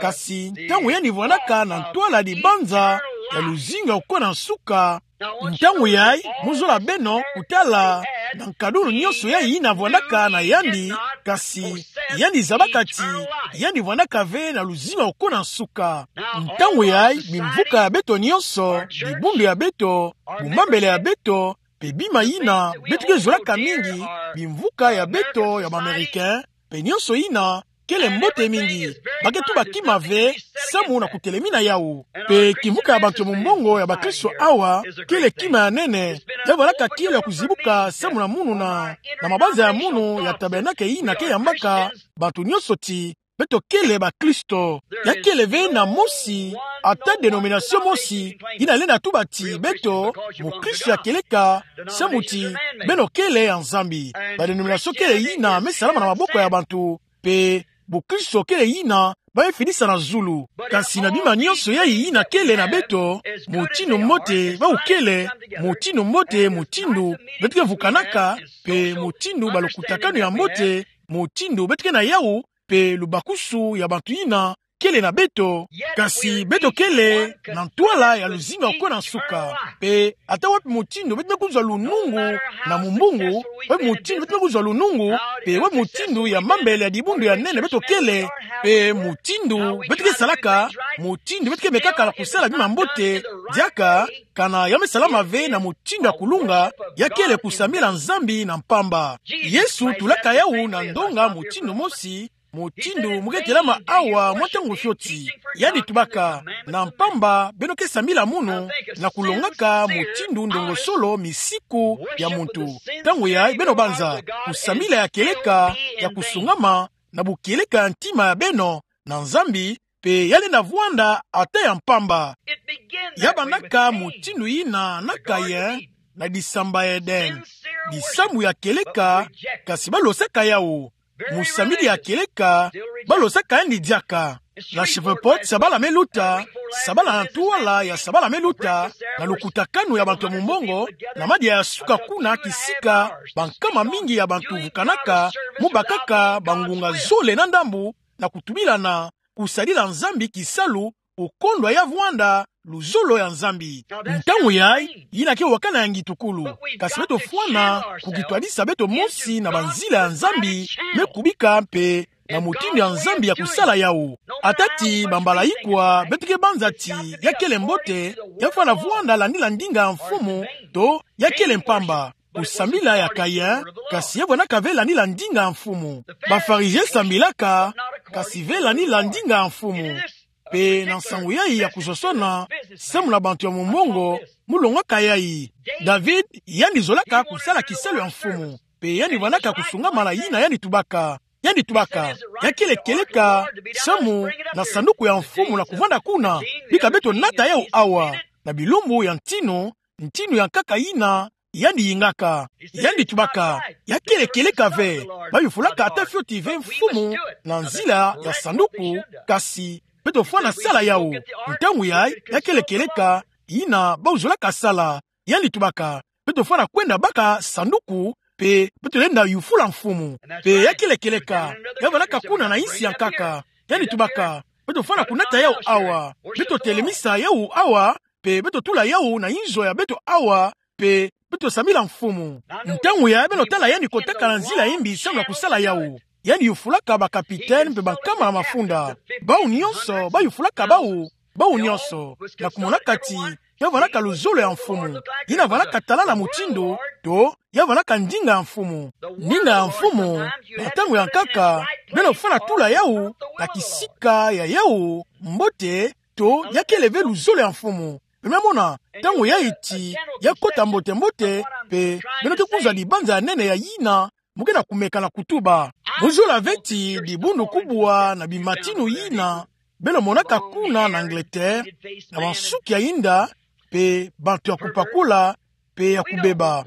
Kasi ntangu yandi vwandaka na ntwala dibanza ya luzingu ya kukona nsuka, ntangu yayi, mu zola beno kutala na nkadulu nyonso yayi yina vwandaka na yandi, kasi yandi zabaka ti yandi vwandaka ve na luzingu ya kukona nsuka. Ntangu yayi, bimvuka ya beto nyonso, dibundu ya beto, bumambele ya beto, mpe bima yina beto ke zolaka mingi, bimvuka ya beto ya ba Américains, mpe nyonso yina, kele mbote mingi. Ba ke tuba kima ve, samu na kutelemina yawu. Mpe kimvuka ya bantu ya mumbongo ya bakristo awa, kele kima ya nene, ya vwandaka kielo ya kuzibuka samu na munu na, na mabanza ya munu ya tabernacle yina ke yambaka bantu nyonso ti beto kele bakristo. Ya kele ve na mosi, ata denomination mosi, yina lenda tuba ti beto mukristo ya kieleka, samu ti beno kele ya Nzambi. Ba denomination kele yina me salama na maboko ya bantu, mpe bukristo kele yina ba me fidisa na zulu. Kasi na bima nyonso yayi yina kele na beto, mutindu mbote bawu kele, mutindu mbote, mutindu beto ke vukanaka, mpe mutindu ba lukutakanu ya mbote, mutindu beto ke na yawu, mpe lubakusu ya bantu yina kele na beto, kasi beto kele na ntwala ya luzingu ya kukona nsuka. Mpe ata wapi mutindu beto me kuzwa lunungu na mumbungu, wapi mutindu beto me kuzwa lunungu, mpe wapi mutindu ya mambele ya dibundu ya nene beto kele, mpe mutindu beto ke salaka, mutindu beto ke mekaka na kusala bima mbote, diaka kana ya me salama ve na mutindu ya kulunga, ya kele kusambila Nzambi na mpamba. Yesu tulaka yawu na ndonga mutindu mosi, mutindu mu ke telama awa mwa ntangu fioti. Yandi tubaka: Na mpamba beno ke sambila munu, na kulongaka mutindu ndongosolo misiku ya muntu. Ntangu yayi beno banza kusambila ya kieleka, ya kusungama, na bukieleka ya ntima ya beno na Nzambi, mpe ya lenda vwanda ata ya mpamba. Ya bandaka mutindu yina na Kayin, na disamba ya Eden. Disambu ya kieleka, kasi ba losaka yawu. Musambidi ya kieleka, ba losaka yandi diaka. Na Shavuot, sabala me luta, sabala na ntwala ya sabala me luta, na lukutakanu ya bantu ya mumbongo, na madia ya suka kuna kisika bankama mingi ya bantu vukanaka, mu bakaka bangunga zole na ndambu, na kutubilana, kusadila Nzambi kisalu, okondwa ya vwanda luzolo ya Nzambi. Ntangu yayi, yina ke wakana ya ngitukulu. Kasi beto fwana kukitwadisa beto mosi na banzila ya Nzambi me kubika mpe na mutindu ya Nzambi ya kusala yawu. Ata ti bambala ikwa beto ke banza ti ya kele mbote, ya fwana vwanda landila ndinga ya mfumu, to ya kele mpamba. Kusambila ya Kayin, kasi ya vwanaka ve landila ndinga ya mfumu. Ba Farizien sambilaka, kasi ve landila ndinga ya mfumu. Pe na nsangu yayi ya kuzosona, samu na bantu ya mumongo, mu longwaka yayi. David, yandi zolaka kusala kisalu ya mfumu. Pe yandi vwanaka kusungamana yina yandi tubaka. Yandi tubaka, ya kele kieleka, samu na sanduku ya mfumu na kuvwanda kuna, bika beto nata yawu awa, na bilumbu ya ntinu, ntinu ya nkaka yina yandi yingaka. Yandi tubaka, ya kele kieleka ve, bayufulaka ata fioti ve mfumu na nzila ya sanduku, kasi beto fwana sala yawu. Ntangu yayi, ya kele kieleka yina bawu zolaka sala. Yandi tubaka, beto fwana kwenda baka sanduku, pe beto lenda yufula mfumu. Pe ya kele kieleka, ya vwanaka kuna na insi ya nkaka. Yandi tubaka, beto fwana kunata yawu awa. Beto telemisa yawu awa, pe beto tula yawu na inzo ya beto awa, pe beto sambila mfumu. Ntangu yayi beno tala yandi kotaka na nzila ya imbi samu na kusala yawu. Yandi yufulaka ba capitaine pe bankama ya mafunda. Bawu nyonso, bayufulaka bawu, bawu nyonso. Na kumonaka ti, ya vwanaka luzolo ya mfumu. Yina vwanaka talala mutindu, to, ya vwanaka ndinga ya mfumu. Ndinga ya mfumu, na ntangu ya nkaka, beno fwana tula yawu, na kisika ya yawu, mbote, to, ya kele ve luzolo ya mfumu. Beno mona, ntangu yayi ti, ya kota mbote mbote, pe, beno ke kuzwa dibanza ya nene ya yina, mu ke na kumeka na kutuba. Mu zola ve ti, dibundu kubwa na bimatinu yina, beno monaka kuna na Angleterre, na bansuki ya inda, pe bantu ya kupakula, pe ya kubeba.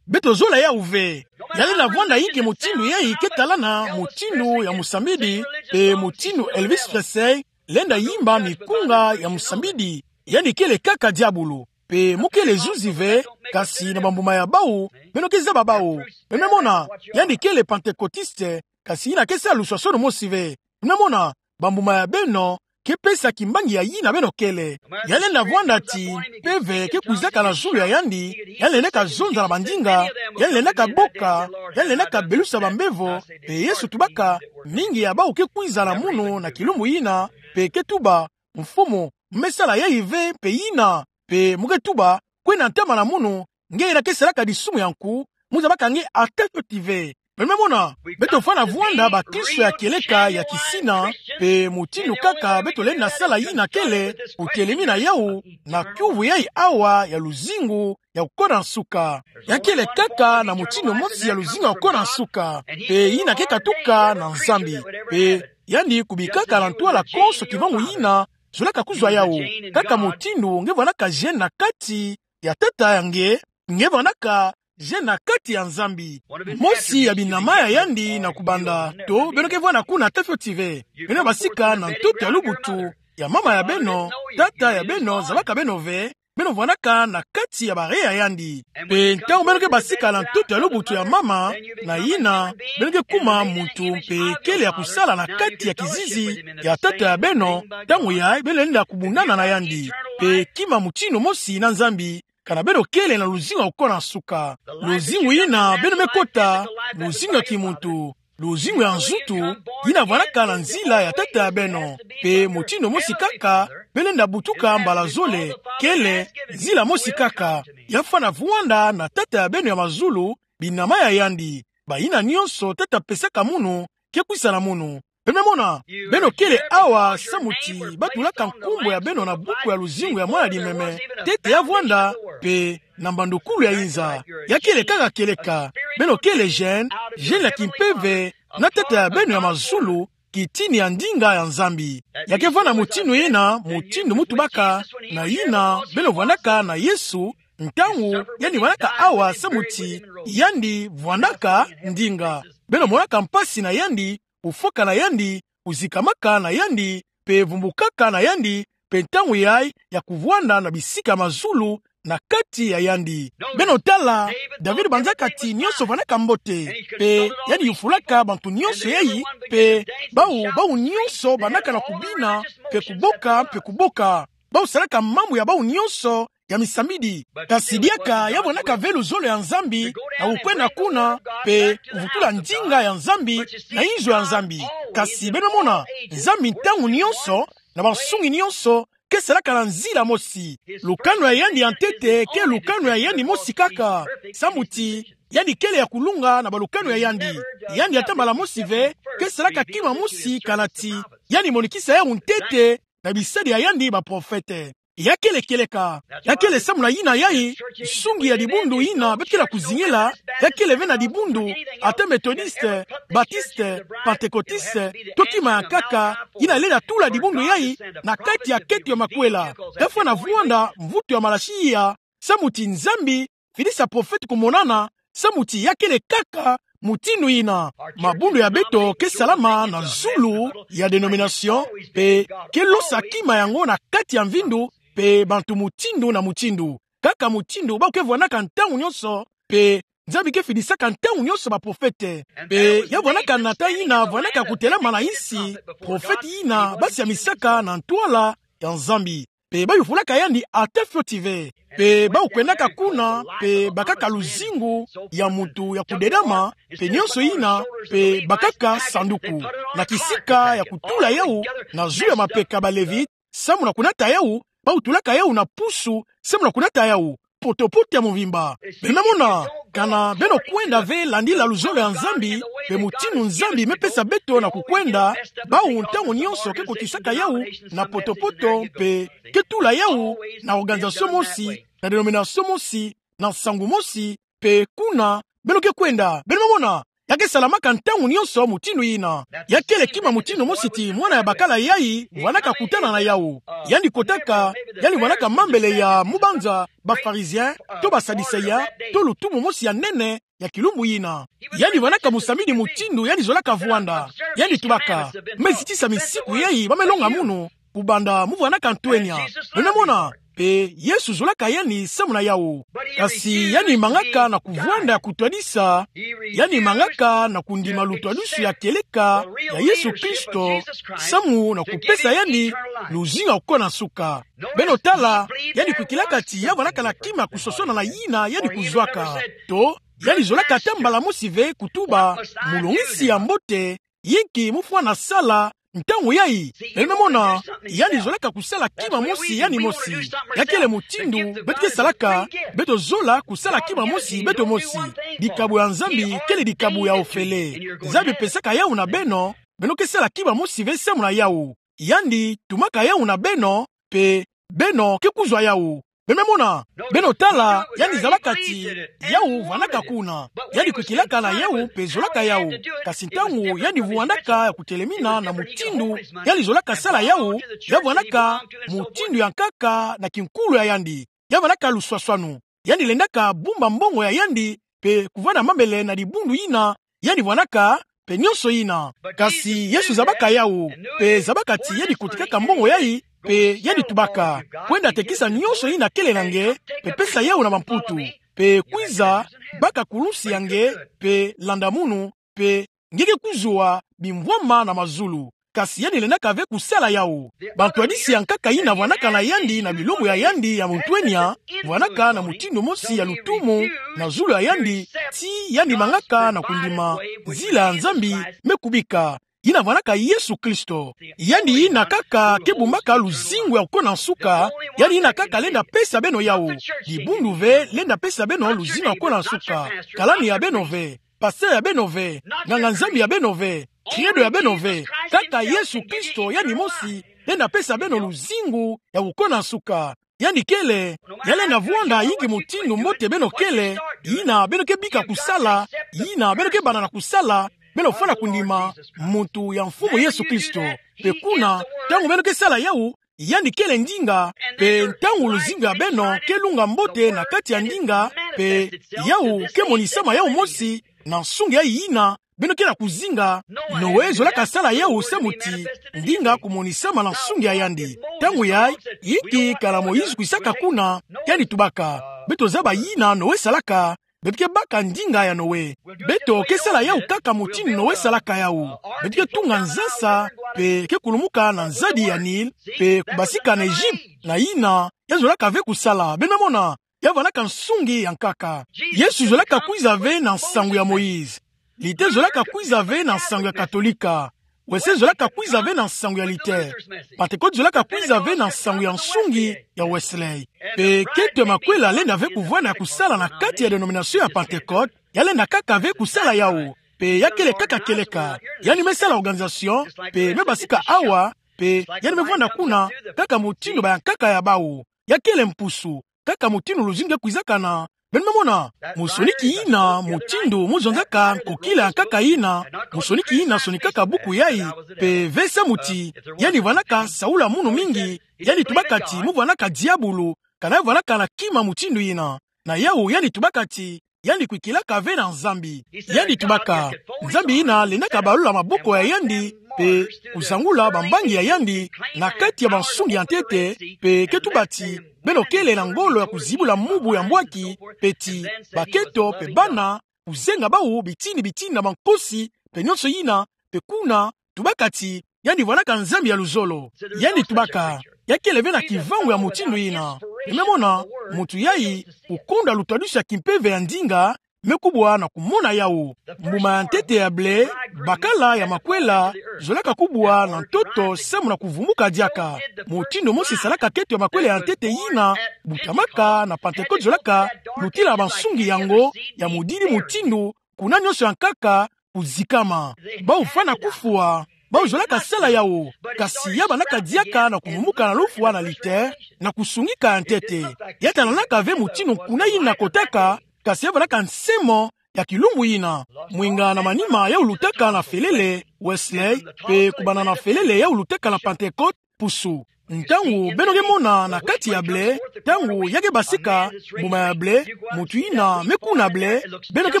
Beto zola yawu ve. Ya lenda vwanda inki mutindu yayi ke talana mutindu ya musambidi, pe mutindu Elvis Presley lenda yimba mikunga ya musambidi. Yandi kele kaka diabulu. Pe mu kele zuzi ve, kasi na bambuma ya bawu, beno ke zaba bawu. Beno mona, yandi kele Pentecôtiste, kasi yina ke sa luswasono mosi ve. Beno mona, bambuma ya beno, ke pesa kimbangi ya yina beno kele. Ya lenda vwanda ti, mpeve ke kwizaka na zulu ya yandi, ya lendaka zonza na bandinga, ya lendaka boka, ya lendaka belusa bambevo, pe Yesu tubaka, mingi ya bawu ke kwiza na munu na kilumbu yina, pe ke tuba, Mfumu, me sala yayi ve, pe yina, pe mu ke tuba, kwena ntama na munu, nge yina ke salaka disumu ya nku, mu zabaka nge ata fioti ve. Beno mona, beto fwana vwanda bakristo ya kieleka ya kisina, pe mutindu kaka beto lenda sala yina kele, kutelemi na yawu, na kiuvu yayi awa ya luzingu, ya kukona nsuka. Ya kele kaka na mutindu mosi ya luzingu ya kukona nsuka, pe yina ke katuka na Nzambi. Pe yandi kubikaka na ntwala konso kivwangu yina, zolaka kuzwa yawu. Kaka mutindu nge vwanaka gène na kati ya tata ya nge, nge vwanaka gène na kati ya Nzambi. Mosi ya binama ya yandi na kubanda, to beno ke vwanda kuna ata fioti ve. Beno basika na ntoto ya lubutu ya mama ya beno, tata ya beno zabaka beno ve, beno vwandaka na kati ya bare ya yandi. Pe ntangu beno ke basika na ntoto ya lubutu ya mama, na yina, beno ke kuma muntu mpe kele ya kusala na kati ya kizizi ya tata ya beno, ntangu yayi beno lenda kubundana na yandi. Pe kima mutindu mosi na Nzambi, kana beno kele na luzingu ya kukona nsuka. Luzingu yina beno me kota, luzingu ya kimuntu, luzingu ya nzutu, yina vwandaka na nzila ya tata ya beno. Pe mutindu mosi kaka, beno lenda butuka mbala zole, kele, nzila mosi kaka. Ya fwana vwanda na tata ya beno ya mazulu, binama ya yandi. Bayina nyonso tata pesaka munu, ke kwisa na munu. Beno mona, beno kele awa samu ti batulaka nkumbu ya beno na buku ya luzingu ya mwana dimeme, ntete ya vwanda, pe na mbandukulu ya inza. Ya kele kaka kieleka, beno kele gène, gène ya kimpeve, na tata ya beno ya mazulu, kitini ya ndinga ya Nzambi. Ya ke vwanda mutindu yina, mutindu mu tubaka, na yina, beno vwandaka na Yesu, ntangu, yandi vwandaka awa samu ti, yandi vwandaka ndinga. Beno monaka mpasi na yandi, kufwaka na yandi, kuzikamaka na yandi, pe vumbukaka na yandi, pe ntangu yayi ya kuvwanda na bisika ya mazulu na kati ya yandi. Beno tala, David banzaka ti nyonso vwandaka mbote, pe yandi yufulaka bantu nyonso yai, pe bawu, bawu nyonso bandaka na kubina, pe kuboka, pe kuboka. Bawu salaka mambu ya bawu nyonso ya misambidi. Kasi diaka ya vwandaka ve luzolo ya Nzambi, na kukwenda kuna, pe kuvutula ndinga ya Nzambi, na inzo ya Nzambi. Kasi beno mona, Nzambi ntangu nyonso, na bansungi nyonso, ke salaka na nzila mosi. Lukanu ya yandi ya ntete ke lukanu ya yandi mosi kaka. Samu ti yandi kele ya kulunga na balukanu ya yandi. Yandi ata mbala mosi ve ke salaka kima mosi kana ti yandi monikisa yawu ntete na bisadi ya yandi baprofete. Ya kele kieleka. Ya kele samu na yina yai, nsungi ya dibundu yina beto ke na kuzingela, ya kele ve na dibundu, ata Methodiste, Batiste, Pentecôtiste, to kima ya nkaka, yina lenda tula dibundu yai na kati ya kete ya makwela. Ya fwana vwanda mvutu ya malasi iya, samu ti Nzambi fidisa profete kumonana, samu ti ya kele kaka mutindu yina. Mabundu ya beto ke salama na zulu ya dénomination, pe ke losa kima yango na kati ya mvindu, pe bantu mutindu na mutindu. Kaka mutindu bawu ke vwandaka ntangu nyonso, pe Nzambi ke fidisaka ntangu nyonso baprofete. Pe ya vwandaka nata yina vwandaka kutelama na insi, profete yina basiamisaka na ntwala ya Nzambi. Pe bayufulaka yandi ata fioti ve. Pe bawu kwendaka kuna, pe bakaka luzingu ya muntu ya kudedama, pe nyonso yina, pe bakaka sanduku na kisika ya kutula yawu na zulu ya mapeka ba Levite, samu na kunata yawu, bawu tulaka yawu na pusu, samu na kunata yawu potopoto ya mvimba. Beno mona, kana beno kwenda ve landila luzolo ya Nzambi, pe mutindu Nzambi me pesa beto na kukwenda, bawu ntangu nyonso ke kotisaka yawu na potopoto, pe ke tula yawu na organisation mosi, na dénomination mosi, na nsangu mosi, pe kuna beno ke kwenda. Beno mona, ya ke salamaka ntangu nyonso mutindu yina. Ya kele kima mutindu mosi ti mwana ya bakala yai vwandaka kutana na yawu. Yandi kotaka, yandi vwandaka mambele ya mubanza, ba Pharisiens, to ba Sadducéens, to lutumu mosi ya nene ya kilumbu yina. Yandi vwandaka musamini mutindu yandi zolaka vwanda. Yandi tubaka: Me zitisa misiku yai ba me longa munu, kubanda mu vwandaka ntwenya? Beno mona, pe Yesu zolaka yandi samu na yawu. Kasi yandi mangaka na kuvwanda ya kutwadisa, yandi mangaka na kundima lutwadisu ya kieleka ya Yesu Kristo, samu na kupesa yandi luzingu ya kukona nsuka. Beno tala, yandi kwikilaka ti ya vwandaka na kima kusosona na yina yandi kuzwaka. To, yandi zolaka ata mbala mosi ve kutuba: Mulongisi ya mbote, yinki mu fwana sala ntangu yai? Beno mona, yandi zolaka kusala kima mosi yandi mosi. Ya kele mutindu beto ke salaka, beto zola kusala kima mosi beto mosi. Dikabu ya Nzambi kele dikabu ya ofele. Nzambi pesaka yawu na beno, beno ke sala kima mosi ve samu na yawu. Yandi tumaka yawu na beno, pe beno ke kuzwa yawu. Beno mona, beno tala, yandi zabaka ti yawu vwandaka kuna. Yandi kwikilaka na yawu pe zolaka yawu. Kasi ntangu yandi vwandaka ya kutelemina na mutindu yandi zolaka sala yawu, ya vwandaka mutindu ya nkaka na kinkulu ya yandi. Ya vwandaka luswaswanu. Yandi lendaka bumba mbongo ya yandi, pe kuvwanda mambele na dibundu yina yandi vwandaka, pe nyonso yina. Kasi Yesu zabaka yawu, pe zabaka ti yandi kotikaka mbongo yai, pe yandi tubaka: Kwenda tekisa nyonso yina kele na nge, pe pesa yawu na bamputu, pe kwiza, baka kulusi ya nge, pe landa munu, pe nge ke kuzwa bimvwama na mazulu. Kasi yandi lendaka ve kusala yawu. Bantwadisi ya nkaka yina vwandaka na yandi na bilumbu ya yandi ya muntwenya, vwandaka na mutindu mosi ya lutumu na zulu ya yandi, ti yandi mangaka na kundima nzila ya Nzambi me kubika, yina vwandaka Yesu Kristo. Yandi yina kaka ke bumbaka luzingu ya kukona nsuka, yandi yina kaka lenda pesa beno yawu. Dibundu ve lenda pesa beno luzingu ya kukona nsuka. Kalani ya beno ve, pasteur ya beno ve, nganga-Nzambi ya beno ve, credo ya beno ve. Kaka Yesu Kristo yandi mosi lenda pesa beno luzingu ya kukona nsuka. Yandi kele, ya lenda vwanda yinki mutindu mbote beno kele, yina beno ke bika kusala, yina beno ke banda na kusala, beno fwana kundima muntu ya Mfumu Yesu Kristo. Pe kuna, ntangu beno ke sala yawu, yandi kele ndinga, pe ntangu luzingu ya beno ke lunga mbote na kati ya ndinga, pe yawu ke monisama yawu mosi na nsungi yai yina beno ke na kuzinga. Noe zolaka sala yawu samu ti ndinga kumonisama na nsungi ya yandi. Ntangu yai, yinki kana Moïse kwisaka kuna, yandi tubaka: Beto zaba yina Noe salaka, beto ke baka ndinga ya Noe. Beto ke sala yawu kaka mutindu Noe salaka yawu. Beto ke tunga nzasa, pe ke kulumuka na nzadi ya Nil, pe kubasika na Egypte, na yina ya zolaka ve kusala. Beno mona, ya vwandaka nsungi ya nkaka. Yesu zolaka kwiza ve na nsangu ya Moïse. Li te zolaka kwiza ve na nsangu ya Katolika. Wesley zolaka kwiza ve na nsangu ya lite. Pantekote zolaka kwiza ve na nsangu ya nsungi ya Wesley. Pe kento ya makwela lenda ve kuvwanda ya kusala na kati ya denomination ya Pantekote, ya lenda kaka ve kusala yawu. Pe ya kele kaka kieleka. Yandi me sala organisation, pe me basika awa, pe yandi me vwanda kuna, kaka mutindu bayankaka ya bawu. Ya kele mpusu, kaka mutindu luzingu ke kwizaka na. Beno me mona, mu sonika yina mutindu mu zonzaka nkokila ya nkaka yina, mu sonika yina sonikaka buku yayi, pe ve samu ti, yandi vwanaka saula munu mingi, yandi tubaka ti mu vwanaka diabulu, kana vwanaka na kima mutindu yina. Na yawu yandi tubaka ti, yandi kwikilaka ve na Nzambi. Yandi tubaka, Nzambi yina lendaka balula maboko ya yandi, pe kuzangula bambangi ya yandi, na kati ya bansungi ya ntete, pe ke tuba ti, beno kele na ngolo ya kuzibula mubu ya mbwaki, pe ti, bakento, pe bana, kuzenga bawu bitini bitini na bankosi, pe nionso yina, pe kuna, tubaka ti, yandi vwanaka Nzambi ya luzolo. Yandi tubaka, ya kele ve na kivangu ya mutindu yina. Beno me mona, muntu yayi, kukonda lutwadusi ya kimpeve ya ndinga, me kubwa na kumona yawu. Mbuma ya ntete ya ble, bakala ya makwela, zolaka kubwa na ntoto samu na kuvumuka diaka. Mutindu mosi salaka kento ya makwela ya ntete yina, butamaka na Pantekote zolaka, lutila bansungi yango, ya mudidi mutindu, kuna nionso ya nkaka, kuzikama. Bawu fwana kufwa, bawu zolaka sala yawu, kasi ya bandaka diaka na kuvumuka na lufwa na lite, na kusungika ya ntete. Ya talanaka ve mutindu kuna yina kotaka, kasi ya bandaka nsemo ya kilumbu yina. Mwinga na manima yawu lutaka na felele, Wesley, pe kubanda na felele yawu lutaka na Pantekote, mpusu. Ntangu beno ke mona na kati ya ble, ntangu ya ke basika, mbuma ya ble, muntu yina me kuna ble, beno ke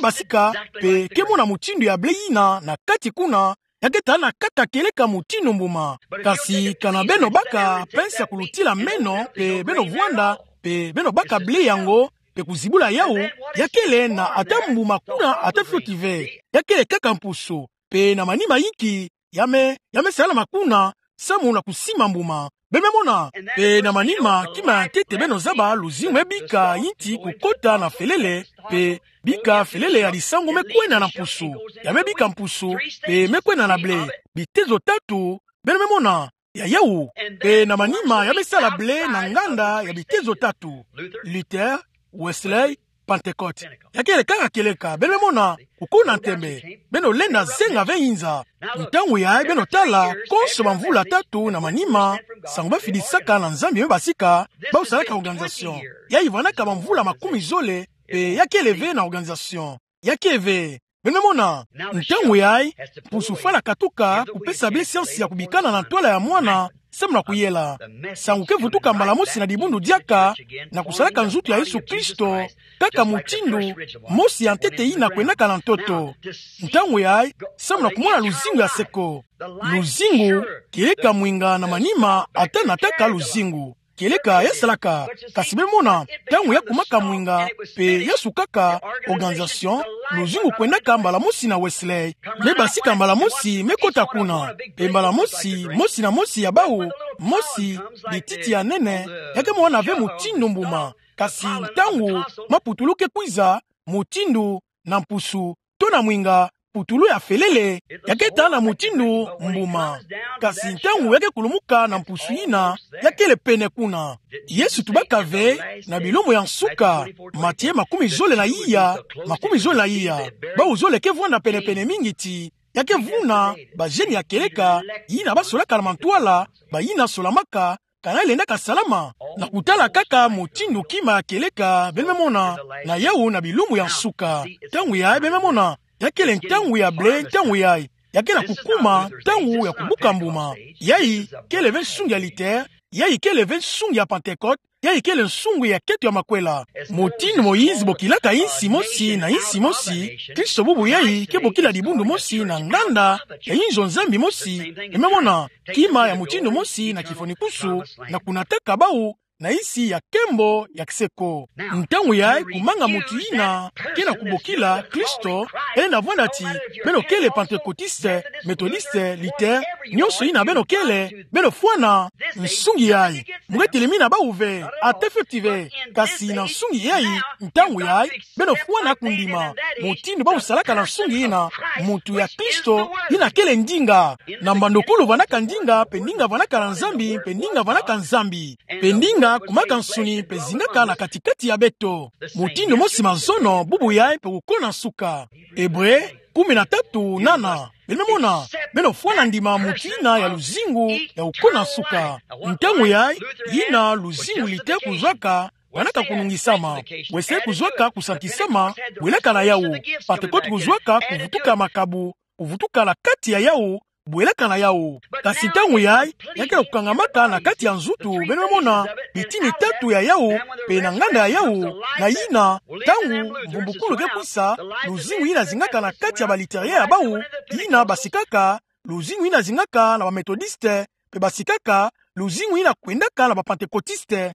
basika, pe ke mona mutindu ya ble yina na kati kuna, ya ke talana kaka kieleka mutindu mbuma. Kasi kana beno baka pensa kulutila meno, pe beno vwanda, pe beno baka ble yango, pe kuzibula yawu, ya kele na ata mbuma kuna ata fioti ve. Ya kele kaka mpusu, pe na manima yinki, ya me, ya me salama kuna, samu na kusima mbuma. Beno me mona, pe na manima, kima ya ntete beno zaba, luzingu me bika yinti kukota na felele, pe bika felele ya lisangu me kwenda na mpusu. Ya me bika mpusu, pe me kwenda na ble. Bitezo tatu, beno me mona, ya yawu. Pe na manima ya me sala ble na nganda ya bitezo tatu. Luther, Wesley, Pantekote. Ya kele kaka kieleka, beno me mona, kukuna ntembe. Beno lenda zenga ve yinza. Ntangu yayi beno tala, konso bamvula tatu na manima, nsangu bafidisaka na Nzambi me basika, bawu salaka organisation. Yayi vwanaka bamvula makumi zole, pe ya kele ve na organisation. Ya ke ve. Beno me mona, ntangu yayi, mpusu fwana katuka kupesa ble siansi ya kubikana na ntwala ya mwana, samu na kuyela. Nsangu ke vutuka mbala mosi na dibundu diaka, na kusalaka nzutu ya Yesu Kristo, kaka mutindu mosi ya ntete yina kwendaka na ntoto. Ntangu yayi, samu na kumona luzingu ya seko. Luzingu, kieleka mwinga na manima, ata na ntaka luzingu. Kieleka ya salaka, kasi beno me mona, ntangu ya kumaka mwinga, pe ya sukaka, organisation, luzingu kwendaka mbala mosi na Wesley. Me basika mbala mosi, me kota kuna. Pe mbala mosi, mosi na mosi ya bawu, mosi, bititi ya nene, ya ke mona ve mutindu mbuma. Kasi ntangu, maputulu ke kwiza, mutindu, na mpusu, to na mwinga, putulu ya felele, ya ke talana mutindu mbuma. Kasi ntangu ya ke kulumuka na mpusu yina, ya kele pene kuna. Yesu tubaka ve, na bilumbu ya nsuka, Matie makumi zole na iya, makumi zole na iya. Bawu zole ke vwanda pene-pene mingi ti, ya ke vuna, bazeni ya kieleka, yina basolaka na mantwala, bayina solamaka, kana lendaka salama, na kutala kaka mutindu kima ya kieleka, beno me mona, na yawu na bilumbu ya nsuka. Ntangu yayi beno me mona, ya kele ntangu ya ble, ntangu yayi, ya ke na kukuma, ntangu ya kubuka mbuma. Yayi, kele ve nsungi ya Luther, yayi kele ve nsungi ya Pantekote, yayi kele nsungi ya kento ya makwela. Mutindu Moïse bokilaka insi mosi na insi mosi, Kristo bubu yayi ke bokila dibundu mosi na nganda, ya inzo Nzambi mosi, beno me mona, kima ya mutindu mosi na kifwanikwisu, na kunataka bawu, na isi ya nkembo ya kiseko. Ntangu yayi, kumanga mutu yina ke na kubokila Kristo, bele na vwanda ti beno kele Pantekotiste, Metodiste, Luther, nionso yina beno kele, beno fwana nsungi yayi. Mu ke telemina bawu ve, ata fioti ve, kasi na nsungi yayi, ntangu yayi, beno fwana kundima mutindu bawu salaka na nsungi yina, mutu ya Kristo, yina kele ndinga. Na mbandokulu vwandaka ndinga, mpe ndinga vwandaka na Nzambi, mpe ndinga vwandaka Nzambi, mpe ndinga kumaka nsuni, mpe zingaka na kati-kati ya beto. Mutindu mosi mazono, bubu yayi, mpe kukona nsuka. Ebre kumi na tatu nana. Beno mona, beno fwana ndima mutu yina ya luzingu ya kukona nsuka. Ntangu yayi, yina luzingu Luther kuzwaka, vwandaka kunungisama. Wesele kuzwaka kusantisama, bwelaka na yawu. Pantekote kuzwaka kuvutuka makabu, kuvutuka na kati ya yawu, bwelaka na yawu. Kasi ntangu yayi, ya ke kukangamaka na kati ya nzutu, beno mona, bitini tatu ya yawu, mpe na nganda ya yawu, na yina, ntangu mvumbukulu ke kwisa, luzingu yina zingaka na kati ya ba Lutheriens ya bawu, yina basikaka, luzingu yina zingaka na ba Metodiste, mpe basikaka, luzingu yina kwendaka na ba Pantekotiste.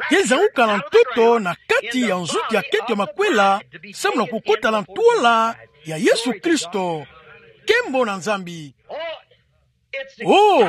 Ke zanguka na ntoto na kati ya nzutu ya nkento ya makwela, samu na kukota na ntwala ya Yesu Kristo. Nkembo na Nzambi. Oh,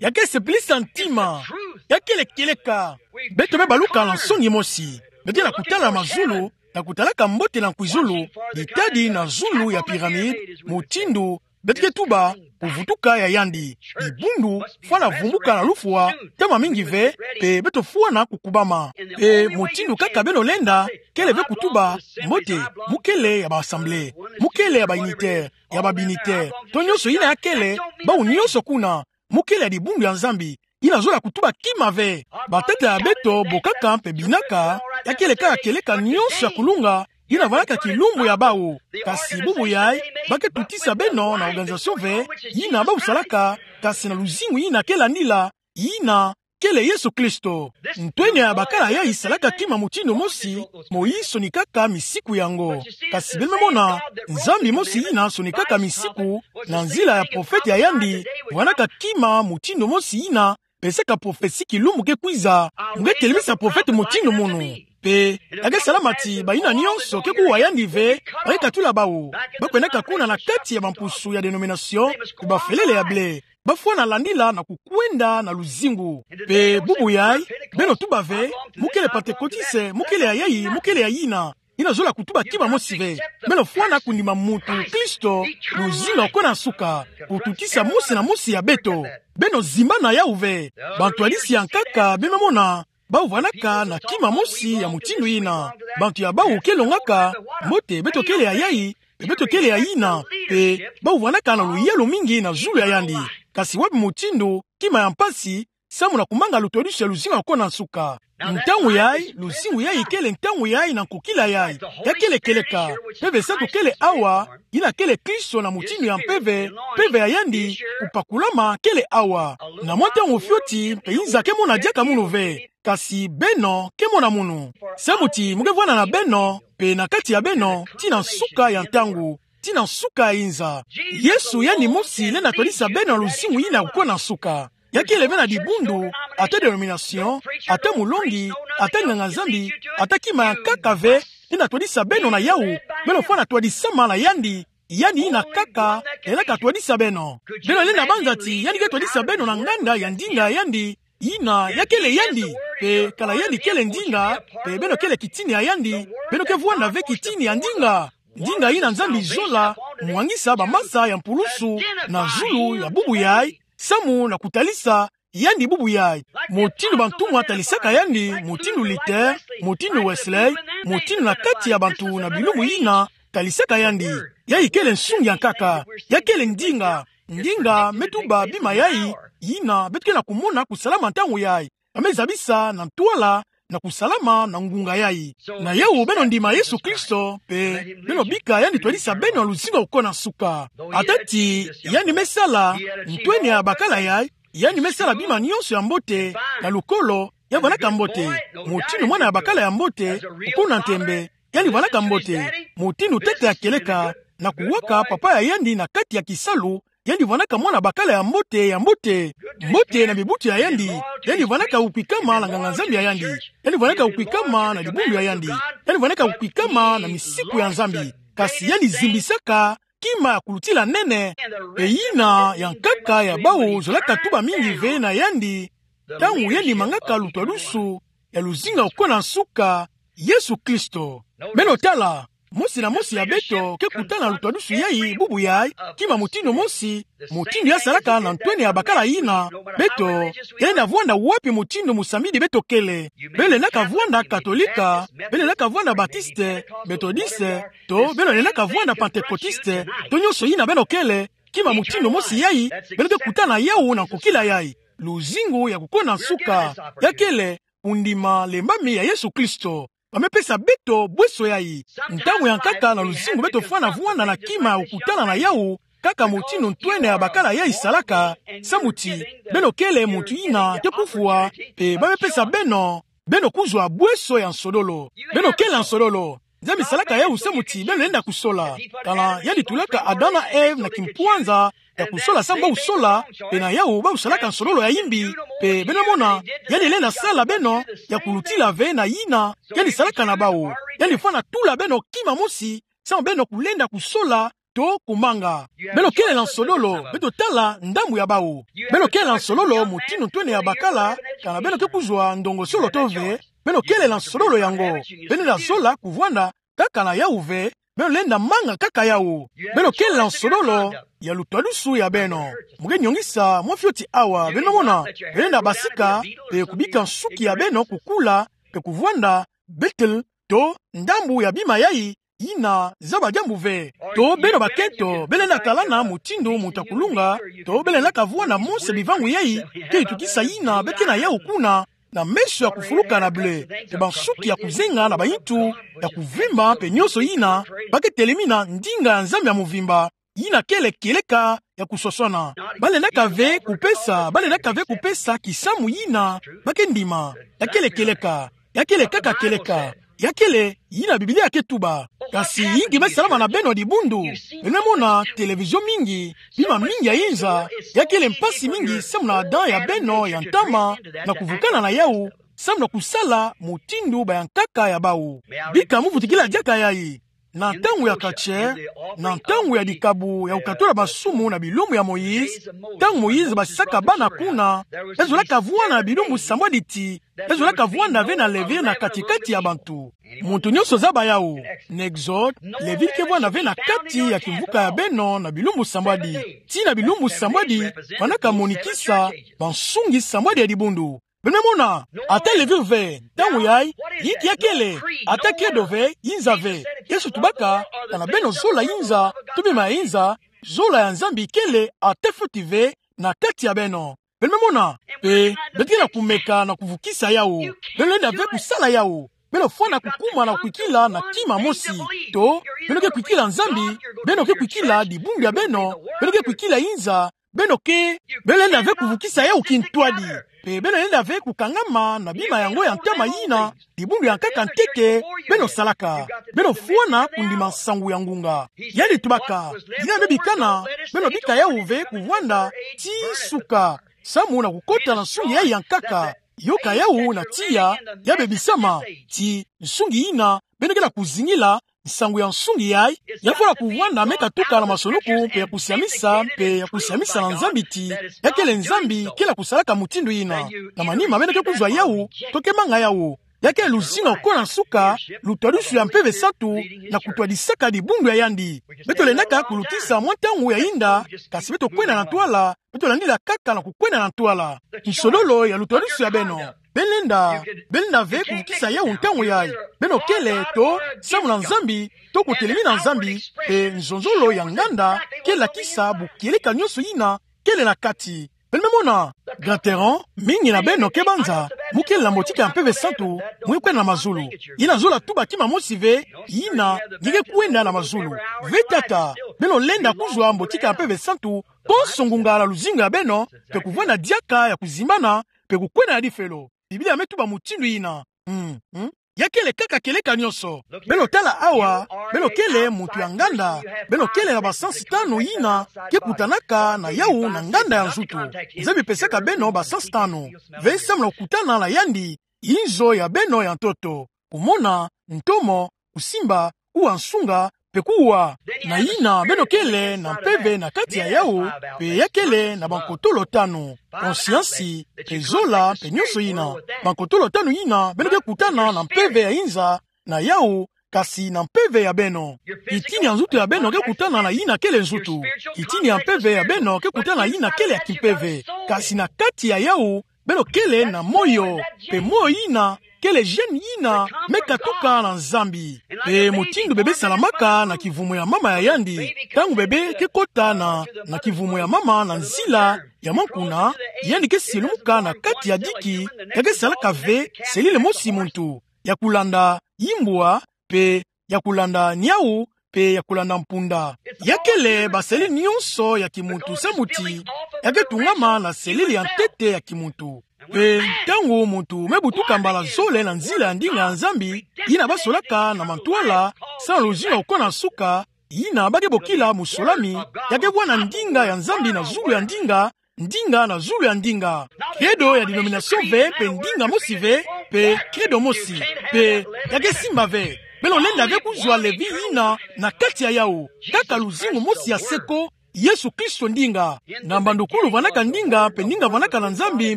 ya ke sepelisa ntima, ya kele kieleka. Beto me baluka na nsoni mosi. Beto ke na kutala na mazulu, na kutalaka mbote na kwizulu, ditadi na zulu ya pyramide, mutindu beto ke tuba, kuvutuka ya yandi. Dibundu fwana vumbuka na lufwa, ntama mingi ve, mpe beto fwana kukubama. Mpe mutindu kaka beno lenda, kele ve kutuba, mbote, mu kele ya ba Assemblée, mu kele ya ba Unitaires, ya ba Binitaires, to nionso yina ya kele, bawu nionso kuna, mu kele ya dibundu ya Nzambi, yina zola kutuba kima ve. Batata ya beto bokaka mpe binaka, ya kele kaka kieleka nionso ya kulunga, yina vwandaka kilumbu ya bawu. Kasi bubu yayi, ba ke tutisa beno na organisation ve, yina bawu salaka, kasi na luzingu yina ke landila, yina kele Yesu Kristo. Ntwenya ya bakala yayi salaka kima mutindu mosi, Moïse sonikaka misiku yango. Kasi beno me mona, Nzambi mosi yina sonikaka misiku, na nzila ya profete ya yandi, vwandaka kima mutindu mosi yina, pesaka prophetie kilumbu ke kwiza, mu ke telemisa profete mutindu munu. Mpe, ya ke salama ti bayina nionso ke kuwa yandi ve, ba ke katula bawu. Ba kwendaka kuna na kati ya bampusu ya dénomination, mpe bafelele ya blé. Ba fwana landila na kukwenda na luzingu. Mpe bubu yayi, beno tuba ve, mu kele Pantekotiste, mu kele ya yayi, mu kele ya yina. Yina zola kutuba kima mosi ve. Beno fwana kundima mutu Kristo, luzingu ya kukona nsuka, kututisa mosi na mosi ya beto. Beno zimbana yawu ve. Bantwadisi ya nkaka, beno me mona, bawu vwandaka na kima mosi ya mutindu yina. Bantu ya bawu ke longaka, mbote beto kele ya yayi, mpe beto kele ya yina, mpe bawu vwandaka na luyalu mingi na zulu ya yandi. Kasi wapi mutindu, kima ya mpasi, samu na kumanga lutwadisu ya luzingu ya kukona nsuka. Ntangu yayi, luzingu yayi kele ntangu yayi na nkokila yayi. Ya kele kieleka, mpeve sato kele awa, yina kele Kristo na mutindu ya mpeve, mpeve ya yandi, kupakulama kele awa. Na mwa ntangu fioti, mpe inza ke mona diaka munu ve. Kasi beno, ke mona munu. Samu ti, mu ke vwanda na beno, mpe na kati ya beno, tii na nsuka ya ntangu, tii na nsuka ya inza. Yesu yandi mosi lenda twadisa beno na luzingu yina ya kukona nsuka. Ya kele ve na dibundu, ata dénomination, ata mulongi, ata nganga-Nzambi, ata kima ya nkaka ve, lenda twadisa beno na yawu, beno fwana twadisama na yandi, yandi yina kaka, lenda katwadisa beno. Beno lenda banza ti, yandi ke twadisa beno na nganda ya ndinga ya yandi, yina ya kele yandi, mpe kala yandi kele ndinga, mpe beno kele kitini ya yandi, beno ke vwanda ve kitini ya ndinga. Ndinga yina Nzambi zola, mwangisa bamasa ya mpulusu, na zulu ya bubu yayi, samu na kutalisa, yandi bubu yayi. Mutindu bantumwa talisaka yandi, mutindu Luther, mutindu Wesley, mutindu na kati ya bantu na bilumbu yina, talisaka yandi. Yayi kele nsungi ya nkaka, ya kele ndinga, ndinga me tuba bima yayi, yina beto ke na kumona kusalama ntangu yayi. Ba me zabisa na ntwala, na kusalama na ngunga yayi. Na yawu beno ndima Yesu Kristo, mpe beno bika yandi twadisa beno na luzingu ya kukona nsuka. Ata ti, yandi me sala, ntwenya ya bakala yayi, yandi me sala bima nionso ya mbote, na lukolo, ya vwandaka mbote. Mutindu mwana ya bakala ya mbote, kukuna ntembe, yandi vwandaka mbote. Mutindu tata ya kieleka, na kuwaka papa ya yandi na kati ya kisalu, yandi vwanaka mwana bakala ya mbote, ya mbote, mbote na bibuti ya yandi. Yandi vwanaka kukwikama na nganga-Nzambi ya yandi. Yandi vwanaka kukwikama na dibundu ya yandi. Yandi vwanaka kukwikama na misiku ya Nzambi. Kasi yandi zimbisaka kima ya kulutila nene, mpe yina ya nkaka ya bawu zolaka tuba mingi ve na yandi, ntangu yandi mangaka lutwadusu ya luzingu ya kukwe na nsuka, Yesu Kristo. Beno tala, mosi na mosi ya beto ke kuta na lutwadusu yayi, bubu yayi, kima mutindu mosi, mutindu ya salaka na ntwenia ya bakala yina. Beto, yenda vwanda wapi mutindu musambidi beto kele. Beno lendaka vwanda Katolika, beno lendaka vwanda Batiste, Metodiste, to beno lendaka vwanda Pantekotiste, to nyonso yina beno kele, kima mutindu mosi yayi, beno ke kuta na yawu na nkokila yayi. Luzingu ya kukwe na nsuka, ya kele, kundima lembami ya Yesu Kristo. Ba me pesa beto bweso yayi. Ntangu ya nkaka na luzingu beto fwana vwanda na kima ya kukutana na yawu, kaka mutindu ntwenia ya bakala yayi salaka, samu ti beno kele muntu yina ke kufwa, mpe ba me pesa beno, beno kuzwa bweso ya nsodolo. Beno kele nsodolo. Nzambi salaka yawu samu ti beno lenda kusola. Kana yandi tulaka Adam na Ève na kimpwanza ya kusola samu ba kusola, mpe na yawu ba kusalaka nsodolo ya yimbi, mpe beno mona, yandi lenda sala beno ya kulutila ve na yina yandi salaka na bawu. Yandi fwana tula beno kima mosi, samu beno kulenda kusola, to kumanga. Beno kele na nsodolo, beto tala ndambu ya bawu. Beno kele na nsodolo mutindu ntwenia ya bakala, kana beno ke kuzwa ndongosolo to ve, beno kele na nsodolo yango. Beno lenda zola kuvwanda kaka na yawu ve, beno lenda manga kaka yawu. Beno kele na nsodolo ya lutwadusu ya beno. Mu ke nyongisa mwa fioti awa, beno mona, beno lenda basika, mpe kubika nsuki ya beno kukula, mpe kuvwanda Betel, to ndambu ya bima yayi, yina zaba diambu ve. To beno bakento, beno lenda talana mutindu muntu ya kulunga, to beno lendaka vwanda monse bivangu yayi, ke yitukisa yina be ke na yawu kuna, na meso ya kufuluka na ble, mpe bansuki ya kuzenga na bayintu ya kuvimba, mpe nyonso yina, ba ke telemina ndinga ya Nzambi ya muvimba, yina kele kieleka ya kuswaswana. Ba lendaka ve kupesa, ba lendaka ve kupesa kisamu yina ba ke ndima. Ya kele kieleka, ya kele kaka kieleka, ya kele yina Biblia ke tuba. Kasi yinki me salama na beno dibundu? Beno me mona televizio mingi, bima mingi ya inza, ya kele mpasi mingi samu na Adam ya beno ya ntama, na kuvukana na yawu, samu na kusala mutindu bayankaka ya bawu. Bika mu vutukila diaka yayi. Na ntangu ya katie, na ntangu ya dikabu ya kukatula masumu na bilumbu ya Moïse, ntangu Moïse basisaka bana kuna, be zolaka vwanda na bilumbu sambwadi ti, be zolaka vwanda ve na Levi na kati-kati ya bantu. Muntu nyonso zaba yawu, na Exode, Levi ke vwanda ve na kati ya kimvuka ya beno na bilumbu sambwadi. Tii na bilumbu sambwadi, fwanaka monikisa bansungi sambwadi ya dibundu. Beno me mona, ata Levi ve, ntangu yayi, yinki ya kele, ata credo ve, inza ve. Yesu tubaka, kana beno zola inza, to bima ya inza, zola ya Nzambi kele ata fioti ve na kati ya beno. Beno me mona, mpe beto ke na kumeka na kuvukisa yawu. Beno lenda ve kusala yawu. Beno fwana kukuma na kukwikila na kima mosi. To, beno ke kwikila Nzambi, beno ke kwikila dibundu ya beno, beno ke kwikila inza, beno ke, beno lenda ve kuvukisa yawu kintwadi. Mpe beno lenda ve kukangama na bima yango ya ntama yina, dibundu ya nkaka ntete, beno salaka. Beno fwana kundima nsangu ya ngunga. Yandi tubaka, yina me bikana, beno bika yawu ve kuvwanda, tii suka. Samu na kukota na nsungi yayi ya nkaka. Yoka yawu na tiya, ya bebisama, tii nsungi yina, beno ke na kuzingila, nsangu ya nsungi yayi, ya fwana kuvwanda me katuka na masonuku, mpe ya kusiamisa, mpe ya kusiamisa na Nzambi ti, ya kele Nzambi, kele kusalaka mutindu yina. Na manima beno ke kuzwa yawu, to ke manga yawu. Ya kele luzingu ya kukwe na nsuka, lutwadusu ya Mpeve Santu, na kutwadisaka dibundu ya yandi. Beto lendaka kulutisa mwa ntangu ya yinda, kasi beto kwenda na ntwala, beto landila kaka na kukwenda na ntwala. Nsodolo ya lutwadusu ya beno. Beno lenda, beno lenda ve kuvukisa yawu ntangu yayi. Beno kele to, samu na Nzambi, to kutelemina Nzambi, mpe nzonzolo ya nganda, ke lakisa bukieleka nyonso yina, kele na kati. Beno me mona, Grand Terrain, mingi na beno ke banza, mu kele na mbotika ya Mpeve Santu, mu kwenda na mazulu. Yina zola tuba kima mosi ve, yina, nge ke kwenda na mazulu. Ve tata, beno lenda kuzwa mbotika ya Mpeve Santu, konso ngunga na luzingu ya beno, mpe kuvwanda diaka ya kuzimbana, mpe kukwenda na difelo. Biblia me tuba mutindu yina. Mm, mm. Ya kele kaka kieleka nyonso. Beno tala awa, beno kele muntu ya nganda, beno kele na basansi tanu yina ke kutanaka na yawu na nganda ya nzutu. Nzambi pesaka beno basansi tanu ve samu na kukutana na yandi, inzo ya beno ya ntoto, kumona, ntomo, kusimba, kuwa nsunga, mpe kuwa. Na yina beno kele na mpeve na kati ya yawu, mpe ya kele na bankotolo tanu, konsiansi, mpe zola, mpe nyonso yina. Bankotolo tanu yina beno ke kutana na mpeve ya inza na yawu, kasi na mpeve ya beno. Kitini ya nzutu ya beno ke kutana na yina kele nzutu. Kitini ya mpeve ya beno ke kutana na yina kele ya kimpeve. Kasi na kati ya yawu, beno kele na moyo, mpe moyo yina kele gène yina me katuka na Nzambi. Mpe mutindu bebe salamaka na kivumu ya mama ya yandi, ntangu bebe ke kota na, na kivumu ya mama na nzila ya mwa nkuna, yandi ke silumuka na kati ya diki, ya ke salaka ve selile mosi muntu, ya kulanda yimbwa, mpe ya kulanda niawu, mpe ya kulanda mpunda. Ya kele baselile nyonso ya kimuntu samu ti ya ke tungama na selile ya ntete ya kimuntu. Mpe ntangu muntu me butuka mbala zole na nzila ya ndinga ya Nzambi, yina basolaka na mantwala, samu na luzingu ya kukuna nsuka, yina ba ke bokila musulami, ya ke bwana ndinga ya Nzambi na zulu ya ndinga, ndinga na zulu ya ndinga. Credo ya dénomination ve, mpe ndinga mosi ve, mpe credo mosi, mpe ya ke simba ve. Beno lenda ve kuzwa levi yina na kati ya yawu, kaka luzingu mosi ya seko, Yesu Kristo ndinga. Na mbandukulu vandaka ndinga, mpe ndinga vandaka na Nzambi,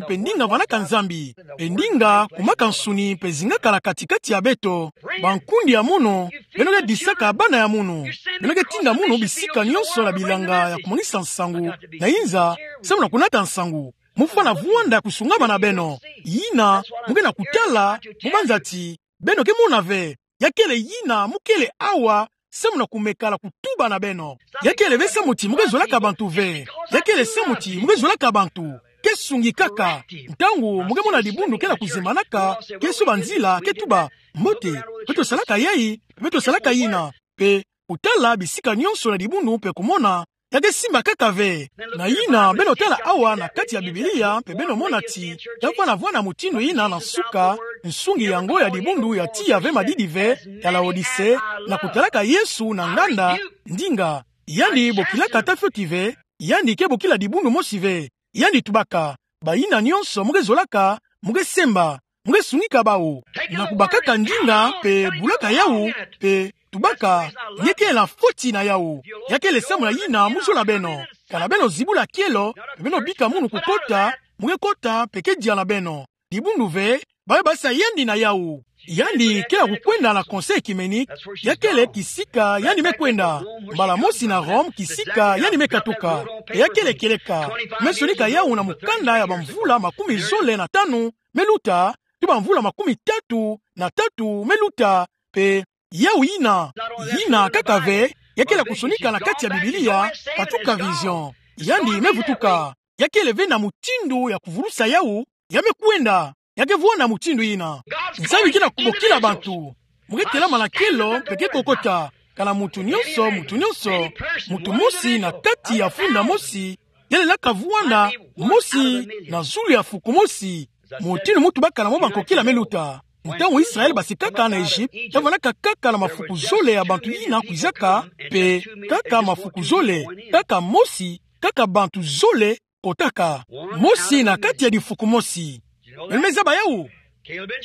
mpe ndinga vandaka Nzambi. Mpe ndinga kumaka nsuni, mpe zingaka na kati-kati ya beto. Bankundi ya munu, beno ke disaka bana ya munu. Beno ke tinda munu bisika nyonso na bilanga ya kumwangisa nsangu na inza, samu na kunata nsangu. Mufwana vwanda kusungama na beno. Yina mu ke na kutala, mu banza ti beno ke mona ve. Ya kele yina mu kele awa, samu na kumeka na kutuba na beno. Ya kele ve samu ti mu ke zolaka bantu ve. Ya kele samu ti mu ke zolaka bantu. Ke sungikaka. Ntangu mu ke mona dibundu ke na kuzimbanaka, ke soba nzila, ke tuba: Mbote, beto salaka yayi, beto salaka yina. Mpe kutala bisika nyonso na dibundu mpe kumona, ya ke simba kaka ve. Na yina, beno tala awa na kati ya Biblia, mpe beno mona ti ya fwana vwanda mutindu yina na nsuka, nsungi yango ya dibundu ya tiya ve madidi ve, ya Laodise, na kutalaka Yesu na nganda, ndinga. Yandi bokilaka ata fioti ve, yandi ke bokila dibundu mosi ve. Yandi tubaka: Bayina nyonso mu ke zolaka, mu ke semba, mu ke sungika bawu. Na kubakaka ndinga, mpe bulaka yawu, mpe tubaka: Nge ke na fioti na yawu. Ya kele samu na yina mu zola beno. Kana beno zibula kielo, mpe beno bika munu kukota, mu ke kota, mpe ke dia na beno. Dibundu ve, ba ke basa yandi na yawu. Yandi ke na kukwenda na Conseil œcuménique, ya kele kisika yandi me kwenda. Mbala mosi na Rome, kisika yandi me katuka. Mpe ya kele kieleka. Me sonika yawu na mukanda ya bamvula makumi zole na tanu me luta, to bamvula makumi tatu na tatu me luta, mpe yawu yina, yina kaka ve, ya kele kusonika na kati ya Biblia, katuka vision. Yandi me vutuka. Ya kele ve na mutindu ya kuvulusa yawu, ya me kwenda, ya ke vwanda mutindu yina. Nzambi ke na kubokila bantu: Mu ke telama na kielo, mpe ke kokota. Kana muntu nyonso, muntu nyonso, muntu mosi na kati ya funda mosi, ya lelaka vwanda mosi na zulu ya fuku mosi. Mutindu mu tubaka na mo bankokila me luta. Ntangu Israël basikaka na Egypte, ya vandaka kaka na mafuku zole ya bantu yina kwizaka, mpe kaka mafuku zole, kaka mosi, kaka bantu zole kotaka. Mosi na kati ya difuku mosi. Beno me zaba yawu?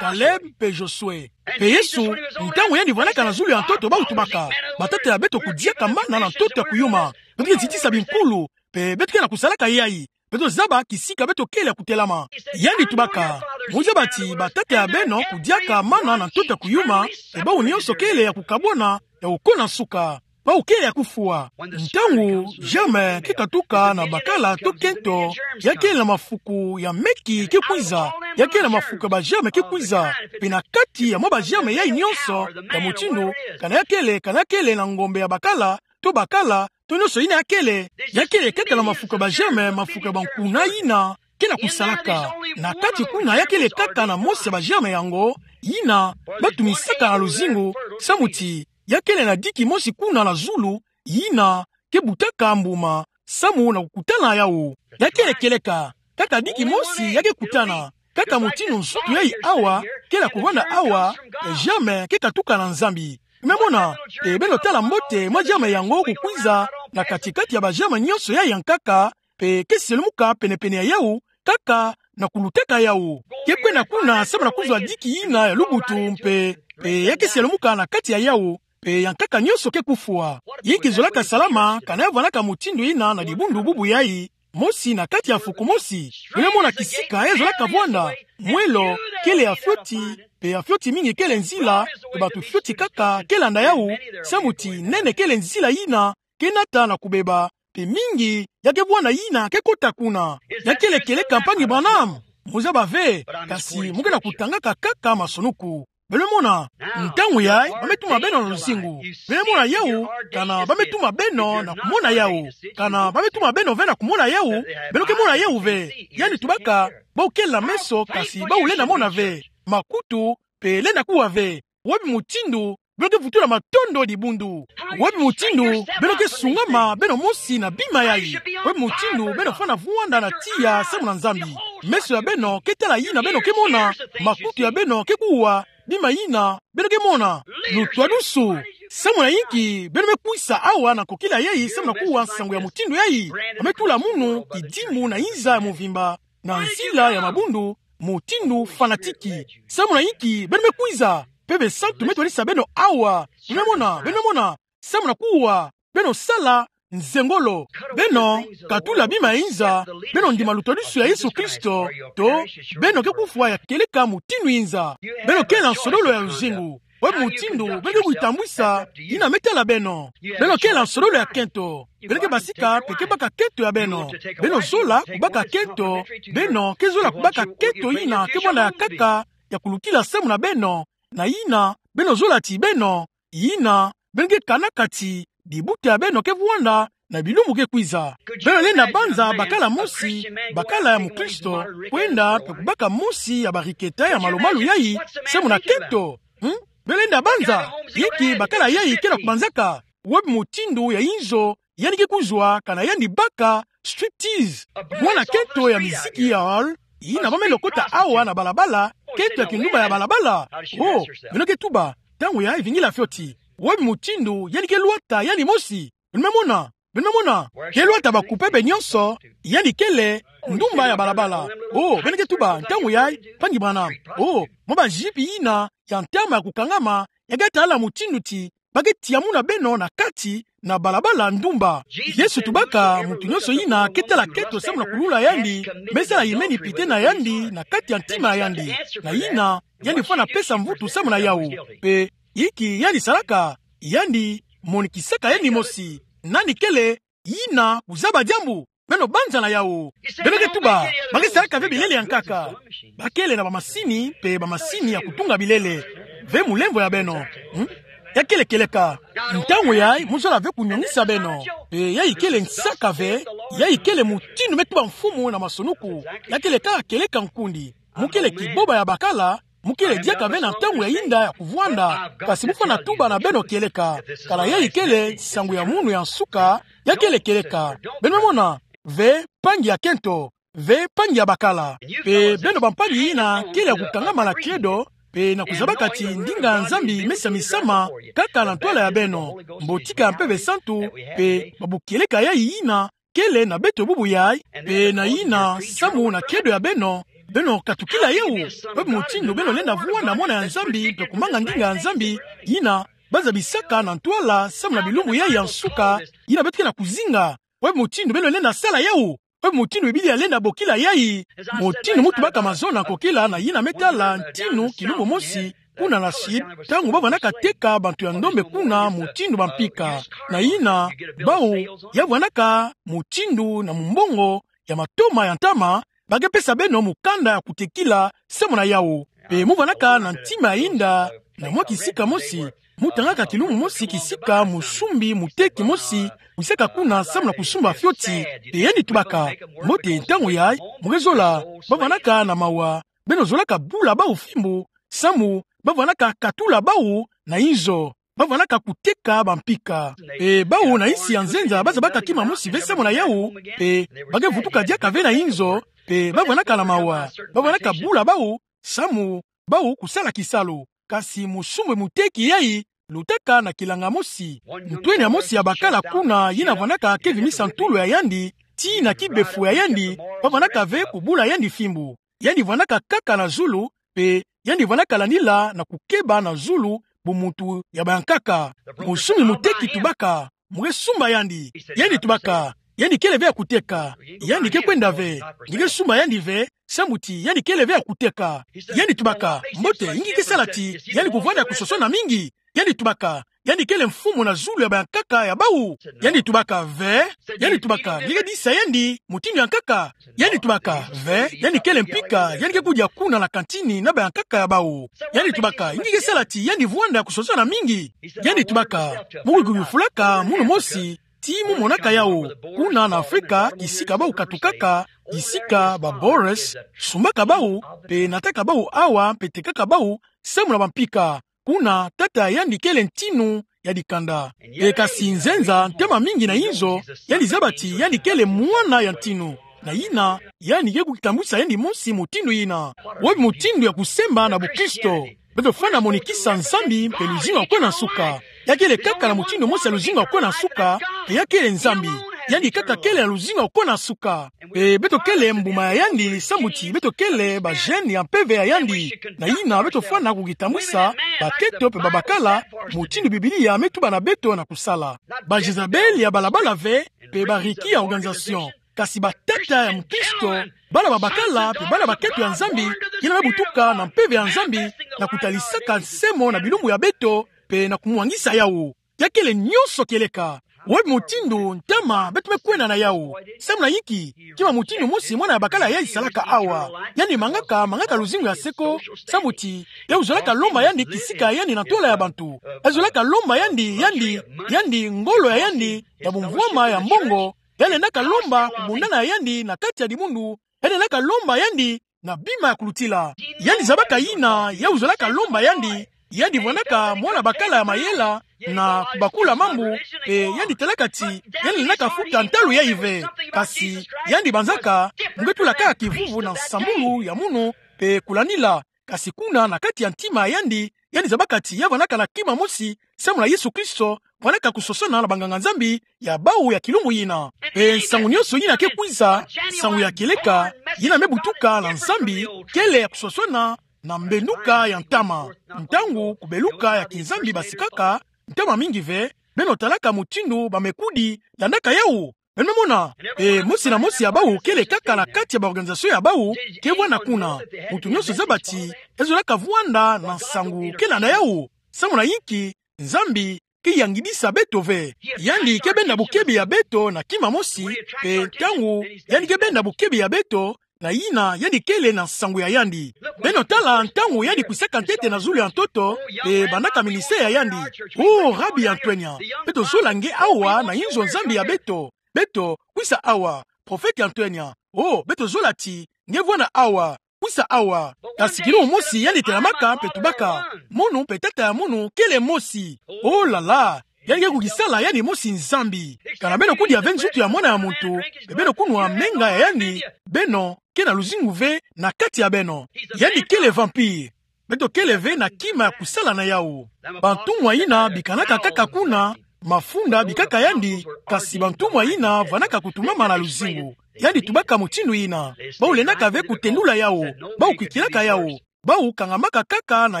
Caleb mpe Josué. Mpe Yesu, ntangu yandi vandaka na zulu ya ntoto, bawu tubaka: Batata ya beto kudiaka mana na ntoto ya kuyuma. Beto ke zitisa binkulu, mpe beto ke na kusalaka yayi. Beto zaba kisika beto kele ya kutelama. Yandi tubaka: Mu zaba ti batata ya beno kudiaka mana na ntoto ya kuyuma, mpe bawu nyonso kele ya kukabwana, ya kukuna nsuka. Bawu kele ya kufwa. Ntangu germe ke katuka na bakala to kento, ya kele na mafuku ya meki ke kwiza, ya kele na mafuku ya ba germe ke kwiza, mpe na kati ya mwa ba germe yayi nyonso ya mutindu, kana ya kele, kana ya kele na ngombe ya bakala, to bakala, to nyonso yina ya kele, ya kele kaka na mafuku ya ba germe, mafuku ya bankuna yina ke na kusalaka. Na kati kuna ya kele kaka na mosi ya ba germe yango, yina batumisaka na luzingu, samu ti ya kele na diki mosi kuna na zulu, yina ke butaka mbuma, samu na kukutana yawu. Ya kele kieleka, kaka diki mosi ya ke kutana. kaka mutindu nsutu yayi awa, kele ya kuvanda awa, eh, germe ke katuka na Nzambi. Beno mona, eh, beno tala mbote mwa germe yango kukwiza na kati-kati ya ba germe nyonso yayi ya nkaka, mpe ke selumuka pene-pene ya yawu, kaka na kulutaka yawu. Ke kwenda kuna samu na kuzwa diki yina ya lubutu mpe, mpe ya ke selumuka na kati ya yawu, mpe ya nkaka nyonso ke kufwa. Inki zolaka salama, kana ya vwandaka mutindu yina na dibundu bubu yayi, mosi na kati ya fuku mosi? Beno mona kisika ya zolaka vwanda, mwelo, kele ya fioti, mpe ya fioti mingi kele nzila, mpe bantu fioti kaka ke landa yawu, samu ti nene kele nzila yina ke nata na kubeba, mpe mingi ya ke vwanda yina ke kota kuna. Ya kele kieleka, mpangi Branham? Muzaba ve, kasi mu ke na kutangaka kaka masoniku. Beno mona, ntangu yayi, ba me tuma beno na luzingu. Beno mona yawu, kana ba me tuma beno na kumona yawu. Kana ba me tuma beno ve na kumona yawu, beno ke mona yawu ve. Yandi tubaka, bo kele na meso, kasi bawu lenda mona ve. Makutu, mpe lenda kuwa ve. Wapi mutindu beno ke vutula matondo dibundu? Wapi mutindu beno ke sungama beno mosi na bima yayi? Wapi mutindu beno fwana vwanda na tiya samu na Nzambi? Meso ya beno ke tala yina beno ke mona, makutu ya beno ke kuwa bima yina beno ke mona. Lutwadusu. Samu na inki beno me kwisa awa na nkokila yayi samu na kuwa nsangu ya mutindu yayi? Ba me tula munu kidimu na inza ya muvimba, na nzila ya mabundu, mutindu fanatiki. Samu na inki beno me kwiza? Mpe besantu me twadisa beno awa. Beno mona, beno mona, samu na kuwa beno sala nzengolo. Beno katula bima ya inza, beno ndima lutwadusu ya Yesu Kristo, to beno ke kufwa ya kieleka mutindu inza. Beno kele na nsololo ya luzingu. Wapi mutindu beno ke kwitambwisa? Yina me tala beno. Beno kele na nsololo ya kento. Beno ke basika mpe ke baka kento ya beno. Beno zola kubaka kento. Beno ke zola kubaka kento yina ke vwanda ya nkaka ya kulukila samu na beno. Na yina beno zola ti beno, yina beno ke kanaka ti dibuta ya beno ke vwanda na bilumbu ke kwiza. Beno lenda banza bakala mosi, bakala ya mukristo, kwenda mpe kubaka mosi ya bariketa ya malu-malu yayi samu na kento? Hmm? Beno lenda banza? Inki bakala yayi ke na kubanzaka? Wapi mutindu ya inzo yandi ke kuzwa, kana yandi baka striptease? Mwana kento ya miziki ya hall, yina ba me lokota awa na balabala, kento ya kindumba ya balabala. Oh, beno ke tuba, ntangu yayi vingila fioti. Wapi mutindu yandi ke lwata yandi mosi? Beno me mona, beno me mona. Ke lwata ba-coupes be nyonso, yandi kele ndumba ya balabala. Oh, beno ke tuba, ntangu yayi, mpangi Branham, oh, mwa bajipe yina ya ntama ya kukangama, ya ke tala mutindu ti ba ke tia muna beno na kati na balabala ndumba. Yesu tubaka, muntu nyonso yina ke tala kento samu na kulula yandi, me sala yimeni pite na yandi na kati ya ntima ya yandi. Na yina, yandi fwana pesa mvutu samu na yawu. Mpe inki yandi salaka? Yandi monikisaka yandi mosi. Nani kele yina kuzaba diambu? Beno banza na yawu. Beno ke tuba, ba ke salaka ve bilele ya nkaka. Ba kele na bamasini, mpe bamasini ya kutunga bilele. Ve mulemvo ya beno. Hmm? Ya kele kieleka. Ntangu yayi, mu zola ve kunyongisa beno. Mpe yayi kele nsaka ve, yayi kele mutindu me tuba mfumu na masoniku. Ya kele kaka kieleka nkundi. Mu kele kiboba ya bakala, mu kele diaka ve na ntangu ya yinda ya kuvwanda, kasi mu fwana tuba na beno kieleka. Kana yayi kele nsangu ya munu ya nsuka, ya kele kieleka. Beno me mona, ve mpangi ya kento, ve mpangi ya bakala. Mpe beno bampangi yina kele ya kukangama na credo, mpe na kuzabaka ti ndinga ya Nzambi me samisama kaka na ntwala ya beno, mbotika ya Mpeve Santu, mpe babu kieleka yayi yina kele na beto bubu yayi, mpe na yina samu na credo ya beno, beno katukila yawu. Wapi mutindu beno lenda vwanda mwana ya Nzambi mpe kumanga ndinga ya Nzambi, yina ba zabisaka na ntwala samu na bilumbu yayi ya nsuka, yina beto ke na kuzinga? Wapi mutindu beno lenda sala yawu? Wapi mutindu Biblia lenda bokila yayi? Mutindu mu tubaka mazono ya nkokila na yina me tala ntinu kilumbu mosi, kuna na Chine, ntangu ba vwandaka teka bantu ya ndombe kuna mutindu bampika. Na yina, bawu, ya vwandaka mutindu na mumbongo ya matoma ya ntama, ba ke pesa beno mukanda ya kutekila samu na yawu. Mpe mu vwandaka na ntima ya yinda, na mwa kisika mosi, mu tangaka kilumbu mosi kisika musumbi muteki mosi kwisaka kuna samu na kusumba fioti, mpe yandi tubaka: Mbote, ntangu yayi, mu ke zola, ba vwandaka na mawa, beno zolaka bula bawu fimbu, samu ba vwandaka katula bawu na inzo, ba vwandaka kuteka bampika. Mpe bawu na insi ya nzenza ba zabaka kima mosi ve samu na yawu, mpe ba ke vutuka diaka ve na inzo, Pe bavwanaka na mawa, bavwanaka bula bau, samu bau kusala kisalu. Kasi mosumu moteki yai, lutaka na kilanga mosi. Ntwenia mosi ya bakala kuna yina vwanaka kevimisa ntulu ya yandi, tii na kibefu ya yandi, bavwanaka ve kubula yandi fimbu. Yandi vwanaka kaka na zulu, pe yandi vwanaka landila na kukeba na zulu, bu muntu ya bayankaka. Mosumu moteki tubaka, mu ke sumba yandi. Yandi tubaka, yandi kele ve ya kuteka. Yandi ke kwenda ve. Nge ke sumba yandi ve, samu ti yandi kele ve ya kuteka. Yandi tubaka, mbote, inki ke sala ti yandi kuvwanda ya kusosa na mingi? Yandi tubaka, yandi kele mfumu na zulu ya bayankaka ya bau. Yandi tubaka, ve. Yandi tubaka, nge ke disa yandi mutindu ya nkaka? Yandi tubaka, ve, yandi kele mpika, yandi ke kudia kuna na kantini na bayankaka ya bau. Yandi tubaka, inki ke sala ti yandi vwanda ya kusosa na mingi? Yandi tubaka, mu ke kuyufulaka munu mosi, tii mu monaka yau, kuna na Afrika, kisika bau katukaka, kisika ba Boers sumbaka bau, pe nataka bau awa, pe tekaka bau, samu na bampika. Kuna tata yandi kele ntinu ya dikanda. Pe kasi nzenza, ntama mingi na inzo, yandi zaba ti yandi kele mwana ya ntinu. Na yina, yandi ke kukitambwisa yandi mosi mutindu yina. Wapi mutindu ya kusemba na bukristo? Beto fwana monikisa Nzambi mpe luzingu ya kona nsuka. Ya kele kaka na mutindu mosi ya luzingu ya kona nsuka, mpe ya kele Nzambi. Yandi kaka kele na luzingu ya kona nsuka. Mpe beto kele mbuma ya yandi, samu ti beto kele ba gènes ya mpeve ya yandi. Na yina beto fwana kukitambwisa baketo mpe babakala, mutindu Biblia me tuba na beto na kusala. Ba Jezabel ya balabala ve, mpe ba Ricky ya organisation. Kasi batata ya mukristo, bala babakala, mpe bala baketo ya Nzambi, yina me butuka na mpeve ya Nzambi, na kutalisaka nsemo na bilumbu ya beto, mpe na kumwangisa yau. Ya kele nyonso kieleka. Wapi mutindu ntama beto me kwenda na yau? Samu na inki? Kima mutindu mosi mwana ya bakala yai salaka awa. Yandi mangaka, mangaka luzingu ya seko, samu ti, ya kuzolaka lomba yandi kisika ya yandi na ntwala ya bantu. Ya kuzolaka lomba yandi, yandi, yandi, ngolo ya yandi, ya bumvwama ya mbongo, ya lendaka lomba kubundana ya yandi na kati ya dibundu, ya lendaka lomba yandi na bima ya kulutila. Yandi zabaka yina, ya kuzolaka lomba yandi, yandi vwanaka mwana bakala ya mayela, na kubakula mambu, mpe yandi talaka ti, yandi lendaka futa ntalu yai ve. Kasi, yandi banzaka, mu ke tula kaka kivuvu na nsambulu ya munu, mpe kulanila, kasi kuna na kati ya ntima ya yandi, yandi zabaka ti ya vwanaka na kima mosi, samu na Yesu Kristo, vwanaka kusosona na banganga-Nzambi ya bau ya kilumbu yina. Mpe nsangu nyonso yina ke kwiza, nsangu ya kieleka, yina me butuka na Nzambi, kele ya kusosona na mbenuka ya ntama. Ntangu kubeluka ya kinzambi basikaka, ntama mingi ve, beno talaka mutindu bamekudi landaka yau. Beno me mona, e, mosi na mosi ya bau kele kaka na kati ya ba organisation ya bau, ke vwanda kuna. Muntu nyonso zaba ti, ya zolaka vwanda na nsangu ke landa yau. Samu na inki, Nzambi ke yangidisa beto ve. Yandi ke benda bokebi ya beto na kima mosi, mpe ntangu yandi ke benda bokebi ya beto, na yina yandi kele na nsangu ya yandi. Beno tala ntangu yandi kwisaka ntete na zulu ya ntoto, mpe bandaka ministère ya yandi. O, Rabi ya ntwenya, beto zola nge awa na inzo Nzambi ya beto. Beto, kwisa awa, prophète ya ntwenya. O, beto zola ti, nge vwanda awa, kwisa awa. Kasi kilumbu mosi yandi telamaka mpe tubaka, mono mpe tata ya mono kele mosi. O la la, yandi ke kukisala yandi mosi Nzambi. Kana beno kudia ve nzutu ya Mwana ya muntu, mpe beno kunwa menga ya yandi, beno ke na luzingu ve na kati ya beno. Yandi kele vampire. Beto kele ve na kima ya kusala na yau. Bantumwa yina bikanaka kaka kuna, mafunda bikaka yandi, kasi bantumwa yina vwanaka kutumbama na luzingu. Yandi tubaka mutindu yina. Bau lendaka ve kutendula yau. Bau kwikilaka yau. Bau kangamaka kaka na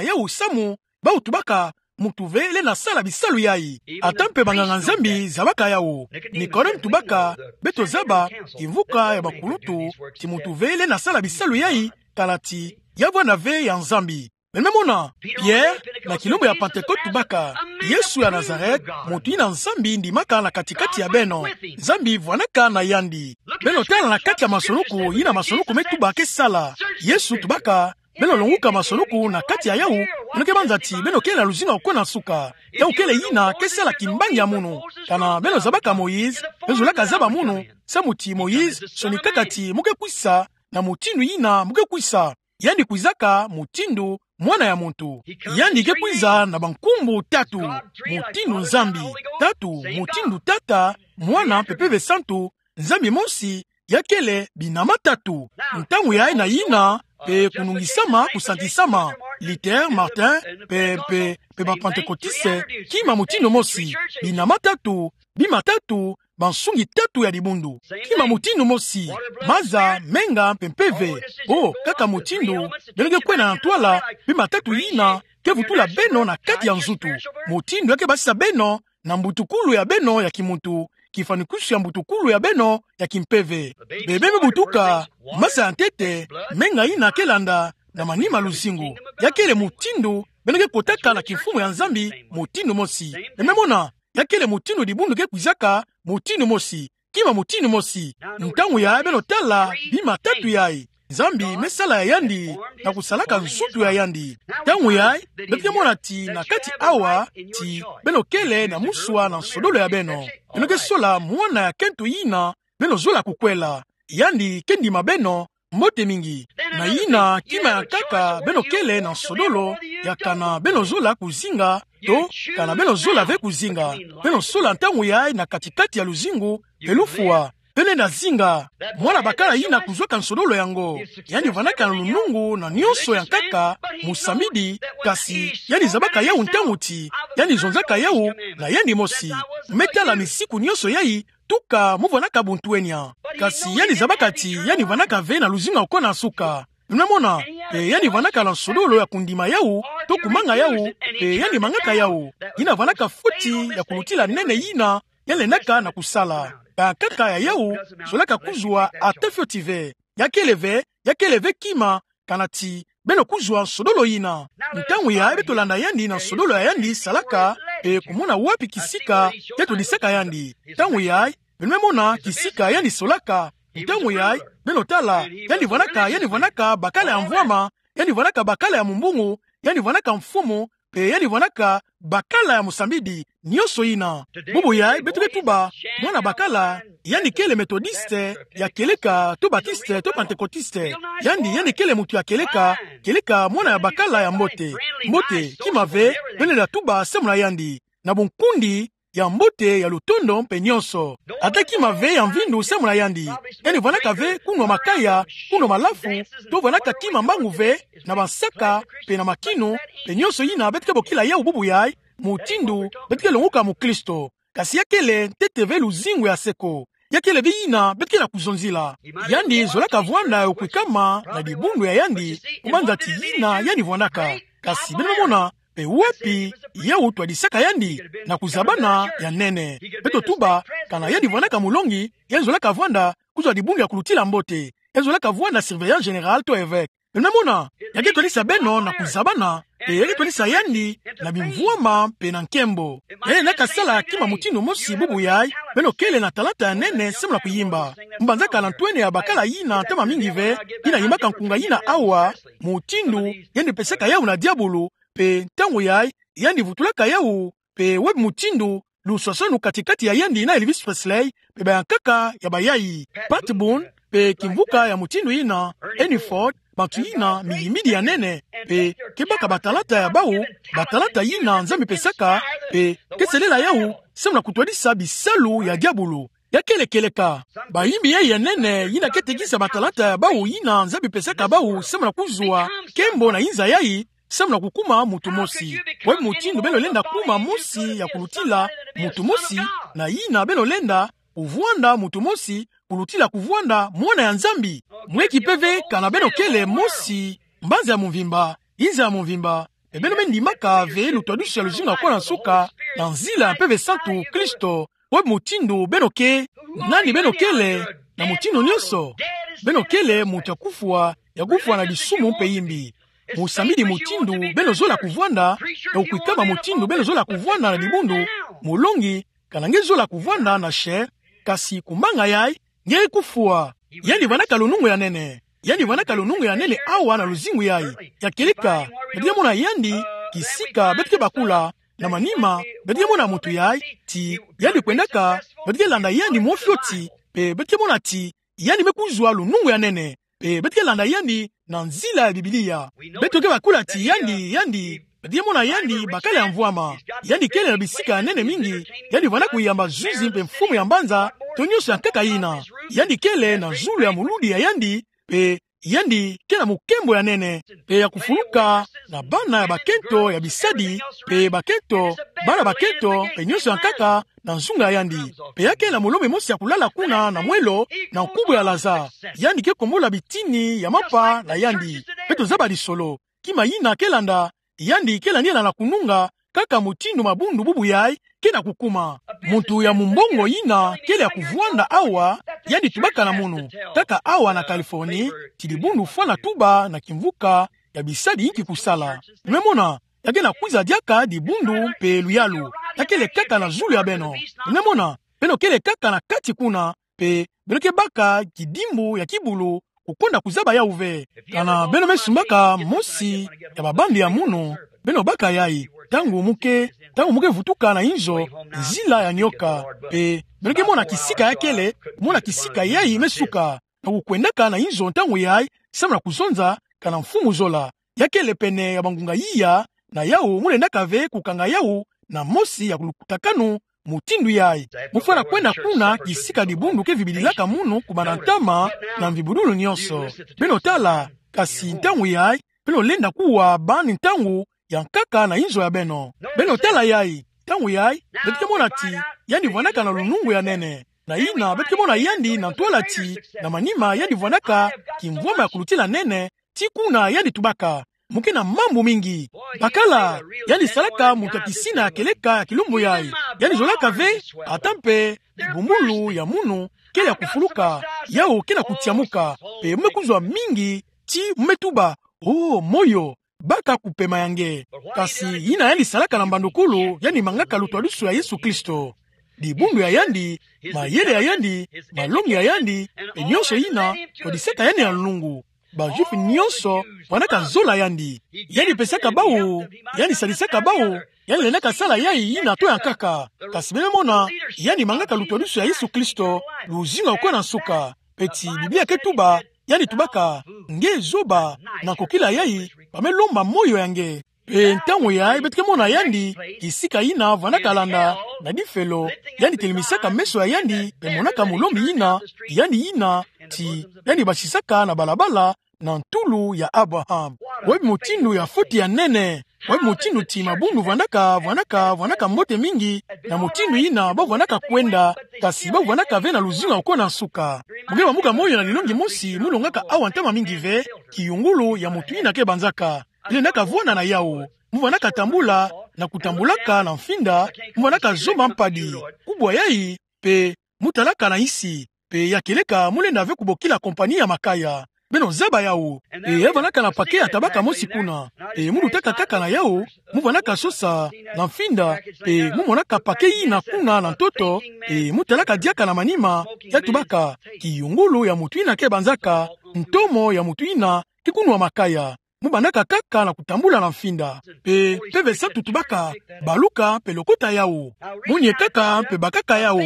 yau samu. Bau tubaka, muntu ve lenda sala bisalu yai. Ata mpe banganga-Nzambi zabaka yau. Nikodème tubaka, beto zaba, kimvuka ya bakulutu, ti muntu ve lenda sala bisalu yai, kala ti, ya vwanda ve ya Nzambi. Beno me mona, Pierre, na kilumbu ya Pentecôte tubaka, Yesu ya Nazareth, muntu yina Nzambi ndimaka na kati-kati ya beno. Nzambi vwanaka na yandi. Beno tala na kati ya masoloku, yina masoloku me tuba ke sala. Yesu tubaka, beno longuka masoloku na kati ya yau, beno ke banza ti, beno kele na luzingu ya kona nsuka. Yau kele yina ke sala kimbangi ya mono. Kana beno zabaka Moïse, beno zolaka zaba mono, samu ti Moïse, sonikaka ti mu ke kwisa, na mutindu yina mu ke kwisa. Yandi kwizaka mutindu Mwana ya muntu. Yandi ke kwiza na bankumbu tatu. Mutindu Nzambi. Tatu, mutindu Tata, Mwana, mpe Mpeve Santu, Nzambi mosi, Ya kele binama tatu. Ntangu yayi na yina, pe kunungisama, kusantisama, Luther, Martin, pe, pe, pe ba Pantekotiste, kima mutindu mosi. Binama tatu, bima tatu, bansungi tatu ya dibundu. Kima mutindu mosi, maza, menga, mpe mpeve. O, kaka mutindu beno ke kwenda na ntwala, bima tatu yina ke vutula beno na kati ya nzutu. Mutindu ya ke basisa beno na mbutukulu ya beno ya kimuntu, kifanikwisu ya mbutukulu ya beno ya kimpeve. Bebe me butuka, maza ya ntete, menga yina ke landa, na manima luzingu. Ya kele mutindu beno ke kotaka na kimfumu ya Nzambi, mutindu mosi. Beno me mona, ya kele mutindu dibundu ke kwizaka, mutindu mosi. Kima mutindu mosi. Ntangu yayi beno tala bima tatu yayi, Nzambi me sala ya yandi na kusalaka nsutu ya yandi. Ntangu yayi beto ke mona ti na kati awa, ti beno kele na muswa na nsodolo ya beno. Beno ke sola mwana ya kento yina beno zola kukwela. Yandi ke ndima beno mbote mingi. Na yina kima ya nkaka beno kele na nsodolo ya kana beno zola kuzinga, to kana beno zola ve kuzinga. Beno sola ntangu yayi na kati-kati ya luzingu, pe lufwa. Beno lenda zinga. Mwana bakala yina kuzwaka nsodolo yango, yandi vandaka na lunungu na nionso ya nkaka, musambidi, kasi yandi zabaka yawu ntangu ti yandi zonzaka yawu na yandi mosi. Me tala misiku nionso yayi, tuka mu vandaka buntwenia. Kasi yandi zabaka ti yandi vandaka ve na luzingu ya kona nsuka. Beno me mona, pe yandi vandaka na nsodolo ya kundima yawu, to kumanga yawu, pe yandi mangaka yawu. Yina vandaka foti ya kulutila nene yina yandi lendaka na kusala. Bankaka ya yawu zolaka kuzwa ata fioti ve. Ya kele ve, ya kele ve kima, kana ti beno kuzwa nsodolo yina. Ntangu yayi beto landa yandi na nsodolo ya yandi salaka, pe kumona wapi kisika ke twadisaka yandi. Ntangu yayi beno me mona kisika yandi solaka. Ntangu yayi beno tala, yandi vandaka, yandi vandaka bakala ya mvwama, yandi vandaka bakala ya mumbungu, yandi vandaka mfumu, pe yandi vandaka bakala ya musambidi, nionso yina. Bubu yayi beto ke tuba mwana bakala, yandi kele Metodiste ya kieleka, to Batiste, to Pantekotiste. Yandi, yandi kele muntu ya kieleka, kieleka mwana ya bakala ya mbote. Mbote, kima ve beno lenda tuba samu na yandi, na bunkundi, ya mbote, ya lutondo, mpe nionso. Ata kima ve ya mvindu samu na yandi. Yandi vandaka ve kunwa makaya, kunwa malafu, to vandaka kima mbangu ve, na bansaka, pe na makinu, pe nionso yina beto ke bokila yawu bubu yayi, mutindu beto ke longoka mukristo. Kasi ya kele ntete ve luzingu ya seko. Ya kele ve yina beto ke na kuzonzila. Yandi zolaka vwanda ya kwikama na dibundu ya yandi, kumanza ti yina yandi vwandaka. Kasi beno me mona, pe wapi yawu twadisaka yandi? Na kuzabana ya nene. Beto tuba, kana yandi vandaka mulongi, yandi zolaka vwanda kuzwa dibundu ya kulutila mbote. Yandi zolaka vwanda surveillant général to évêque. Beno me mona, ya ke twadisa beno na kuzabana, pe ya ke twadisa yandi na bimvwama pe na nkembo. Yandi lenda kasala kima mutindu mosi bubu yayi, beno kele na talanta ya nene samu na kuyimba. Mbanzaka na ntwenia ya bakala yina ntama mingi ve, yina yimbaka nkunga yina awa, mutindu yandi pesaka yawu na diabulu, pe ntangu yayi, yandi vutulaka yawu, pe wapi mutindu, luswaswanu kati-kati ya yandi na Elvis Presley, pe bayankaka ya bayayi. Pat Boone, pe kimvuka ya mutindu yina, Ernie Ford, bantu yina miyimbidi ya nene, pe ke baka batalanta ya bawu, batalanta yina Nzambi pesaka, pe ke selela yawu samu na kutwadisa bisalu ya diabulu. Ya kele kieleka bayimbi yayi ya nene, yina ke tekisa batalanta ya bawu yina Nzambi pesaka bawu samu na kuzwa nkembo na inza yayi, samu na kukuma muntu mosi. Wapi mutindu beno lenda kuma mosi ya kulutila muntu mosi, na yina beno lenda kuvwanda muntu mosi kulutila kuvwanda mwana ya Nzambi? Mweki mpeve kana beno kele mosi, mbanza ya mvimba, inza ya mvimba, e beno me ndimaka ve lutwadusu ya luzingu ya kona nsuka, na nzila ya Mpeve Santu Kristo. Wapi mutindu beno ke, nani beno kele, na mutindu nionso? Beno kele muntu ya kufwa, ya kufwa na disumu mpe yimbi. Musambidi mutindu beno zola kuvwanda, ya kwikama mutindu beno zola kuvwanda na dibundu, mulongi, kana nge zola kuvwanda na she, kasi kumanga yayi, nge kufwa. Yandi vandaka lunungu ya nene. Yandi vandaka lunungu ya nene awa na luzingu yayi. Ya kieleka, beto ke mona yandi, kisika beto ke bakula, na manima, beto ke mona muntu yayi, ti yandi kwendaka, beto ke landa yandi mwa fioti, pe beto ke mona ti yandi me kuzwa lunungu ya nene, pe beto ke landa yandi na nzila ya Biblia. Beto ke bakula ti yandi, yandi, beto ke mona yandi bakala ya mvwama. Yandi kele na bisika ya nene mingi, yandi vanda kuyamba zuzi mpe mfumu ya mbanza, to nionso ya nkaka yina. Yandi kele na zulu ya moludi ya yandi, pe yandi ke na mukembo ya nene, pe ya kufuluka na bana ya bakento ya bisadi, pe bakento, bana bakento, pe nyonso ya nkaka na nzunga ya yandi. Pe ya ke na molombe mosi ya kulala kuna na mwelo, na nkubu ya laza. Yandi ke kombola bitini ya mampa na yandi. Pe tozaba lisolo. Kima yina ke landa, yandi ke landila na kununga, kaka mutindu mabundu bubu yai ke na kukuma. Muntu ya mumbongo yina kele ya kuvwanda awa, yandi tubaka na munu, kaka awa na Californie, ti dibundu fwana tuba na kimvuka ya bisadi inki kusala. Muna mona, ya ke na kwiza diaka dibundu pe luyalu. Ya kele kaka na zulu ya beno. Muna mona, beno kele kaka na kati kuna, pe beno ke baka kidimbu ya kibulu, kukonda kuzaba yau ve. Kana beno me sumbaka mosi ya babandi ya munu, beno baka yai. Ntangu mu ke, ntangu mu ke vutuka na inzo, nzila ya nioka. Pe beno ke mona kisika ya kele, mona kisika yai me suka. Na kukwendaka na inzo ntangu yai, samu na kuzonza, kana mfumu zola. Ya kele pene ya bangunga iya, na yau mu lendaka ve kukanga yau na mosi ya kulutakanu mutindu yai. Mu fwana kwenda kuna kisika dibundu ke vibililaka munu kumana ntama na mvibudulu nyonso. Beno tala, kasi ntangu yai, beno lenda kuwa bani ntangu ya nkaka na inzo ya beno. Beno tala yai, ntangu yai, beto ke mona ti, yandi vwandaka na lunungu ya nene. Na yina, beto ke mona yandi na ntwala ti, na manima yandi vwandaka kimvwama ya kulutila nene, ti kuna yandi tubaka. Mu ke na mambu mingi. Bakala, yandi salaka muntu ya kisina ya kieleka ya kilumbu yai. Yandi zolaka ve, ata mpe, bumbulu ya munu, kele ya kufuluka, yau ke na kutiamuka, pe mu me kuzwa mingi, ti mu me tuba, o, moyo, baka kupema ya nge. Kasi yina yandi salaka na mbandukulu, yandi mangaka lutwadusu ya Yesu Kristo. Dibundu ya yandi, mayele ya yandi, malongi ya yandi, pe nyonso yina, twadisaka yandi na lunungu. Ba-Juif nyonso, vwandaka zola yandi. Yandi pesaka bau, yandi sadisaka bau, yandi lendaka sala yai yina to ya nkaka. Kasi beno mona, yandi mangaka lutwadusu ya Yesu Kristo, luzingu ya kona nsuka. Pe ti Biblia ke tuba, yandi tubaka, nge zoba, na kokila yai, ba me lomba moyo ya nge. Pe ntangu yai beto ke mona yandi, kisika yina vwandaka landa, na difelo, yandi telimisaka meso ya yandi, pe monaka molombi yina, yandi yina, ti, yandi basisaka na balabala, na ntulu ya Abraham. Wapi mutindu ya foti ya nene, wapi mutindu ti mabundu vwandaka, vwandaka, vwandaka mbote mingi, na mutindu yina bau vwandaka kwenda, kasi bau vwandaka ve na luzingu ya kona nsuka. Mu ke bambuka moyo na lilongi mosi, mu longaka awa ntama mingi ve, kiyungulu ya mutu yina ke banzaka. Lendaka vwanda na yau. Mu vwandaka tambula, na kutambulaka na mfinda, mu vwandaka zomba mpadi. Kubwa yai, pe mu talaka na nsi, pe ya kieleka mu lenda ve kubokila kompani ya makaya. Beno zaba yau. Pe ya vwandaka na pake ya tabaka mosi kuna. Pe mu lutaka kaka na yau, mu vwandaka sosa, na mfinda, pe mu monaka pake yina kuna na ntoto, pe mu talaka diaka na manima, ya tubaka, kiyungulu ya mutu yina ke banzaka, ntomo ya mutu yina ke kunwa makaya. Mu bandaka kaka na kutambula na mfinda. Pe, mpeve satu tubaka, baluka, pe lokota yau. Mu niekaka, pe bakaka yau.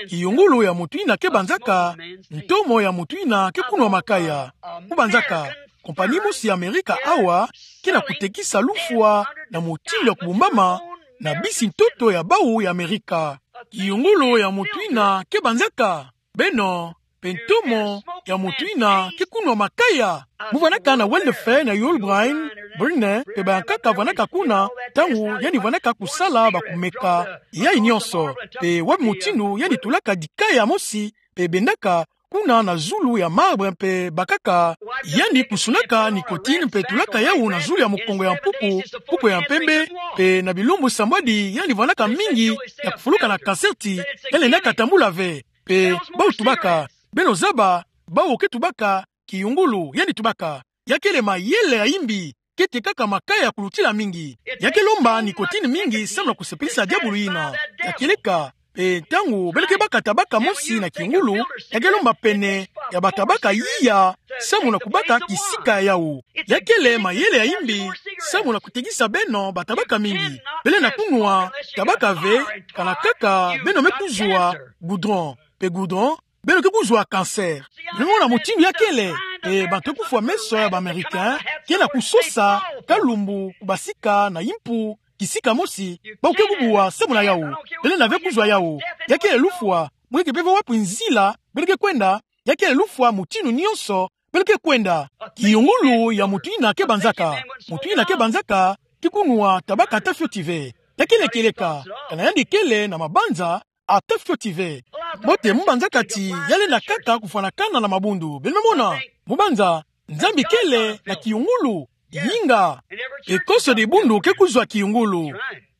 Kiyungulu ya mutu yina ke banzaka, ntomo ya mutu yina ke kunwa makaya. Mu banzaka, kompani mosi ya Amerika awa, ke na kutekisa lufwa, na mutindu ya kubumbama, na bisi ntoto ya bau ya Amerika. Kiyungulu ya mutu yina ke banzaka. Beno, pe ntomo ya mutu yina ke kunwa makaya. Mu vwandaka na Wendell Phillips na Yul Brynner, Brynner, pe bayankaka vwandaka kuna, ntangu yandi vwandaka kusala bakumeka yai nyonso. Pe wapi mutindu yandi tulaka dikaya mosi, pe bendaka, kuna na zulu ya marbre mpe bakaka, yandi kusunaka nicotine mpe tulaka yau na zulu ya mukongo ya mpuku, mpuku ya mpembe, pe na bilumbu sambwadi yandi vwandaka mingi ya kufuluka na cancer ti, yandi lendaka tambula ve. Pe, bau tubaka, beno zaba, bau ke tubaka, kiyungulu, yandi tubaka. Ya kele mayele ya imbi, kete kaka makaya ya kulutila mingi. Ya ke lomba nicotine mingi samu na kusepelisa diabulu yina. Ya kieleka, pe ntangu beno ke baka tabaka mosi na kiyungulu, ya ke lomba pene ya batabaka iya, samu na kubaka kisika ya yau. Ya kele mayele ya imbi, samu na kutekisa beno batabaka mingi. Beno lenda kunwa tabaka ve, kana kaka beno me kuzwa goudron. Pe goudron, beno ke kuzwa cancer. Beno mona mutindu ya kele, e, bantu kufwa meso ya ba Américain, ke na kusosa, kalumbu, kubasika na impu, kisika mosi, bau ke kubwa samu na yau. Beno lenda ve kuzwa yau. Ya kele lufwa, Mo keke pe vwa wapi nzila beno ke kwenda. Ya kele lufwa mutindu nyonso beno ke kwenda. Kiyungulu ya mutu yina ke banzaka. Mutu yina ke banzaka, ki kunua tabaka ata fioti ve. Ya kele kieleka, kana yandi kele na mabanza, ata fioti ve. Mbote, mo banzaka ti ya lenda kaka kufwanakana na mabundu. Beno me mona, mo banza, Nzambi kele na kiyungulu, yinga. Pe konso dibundu ke kuzwa kiyungulu.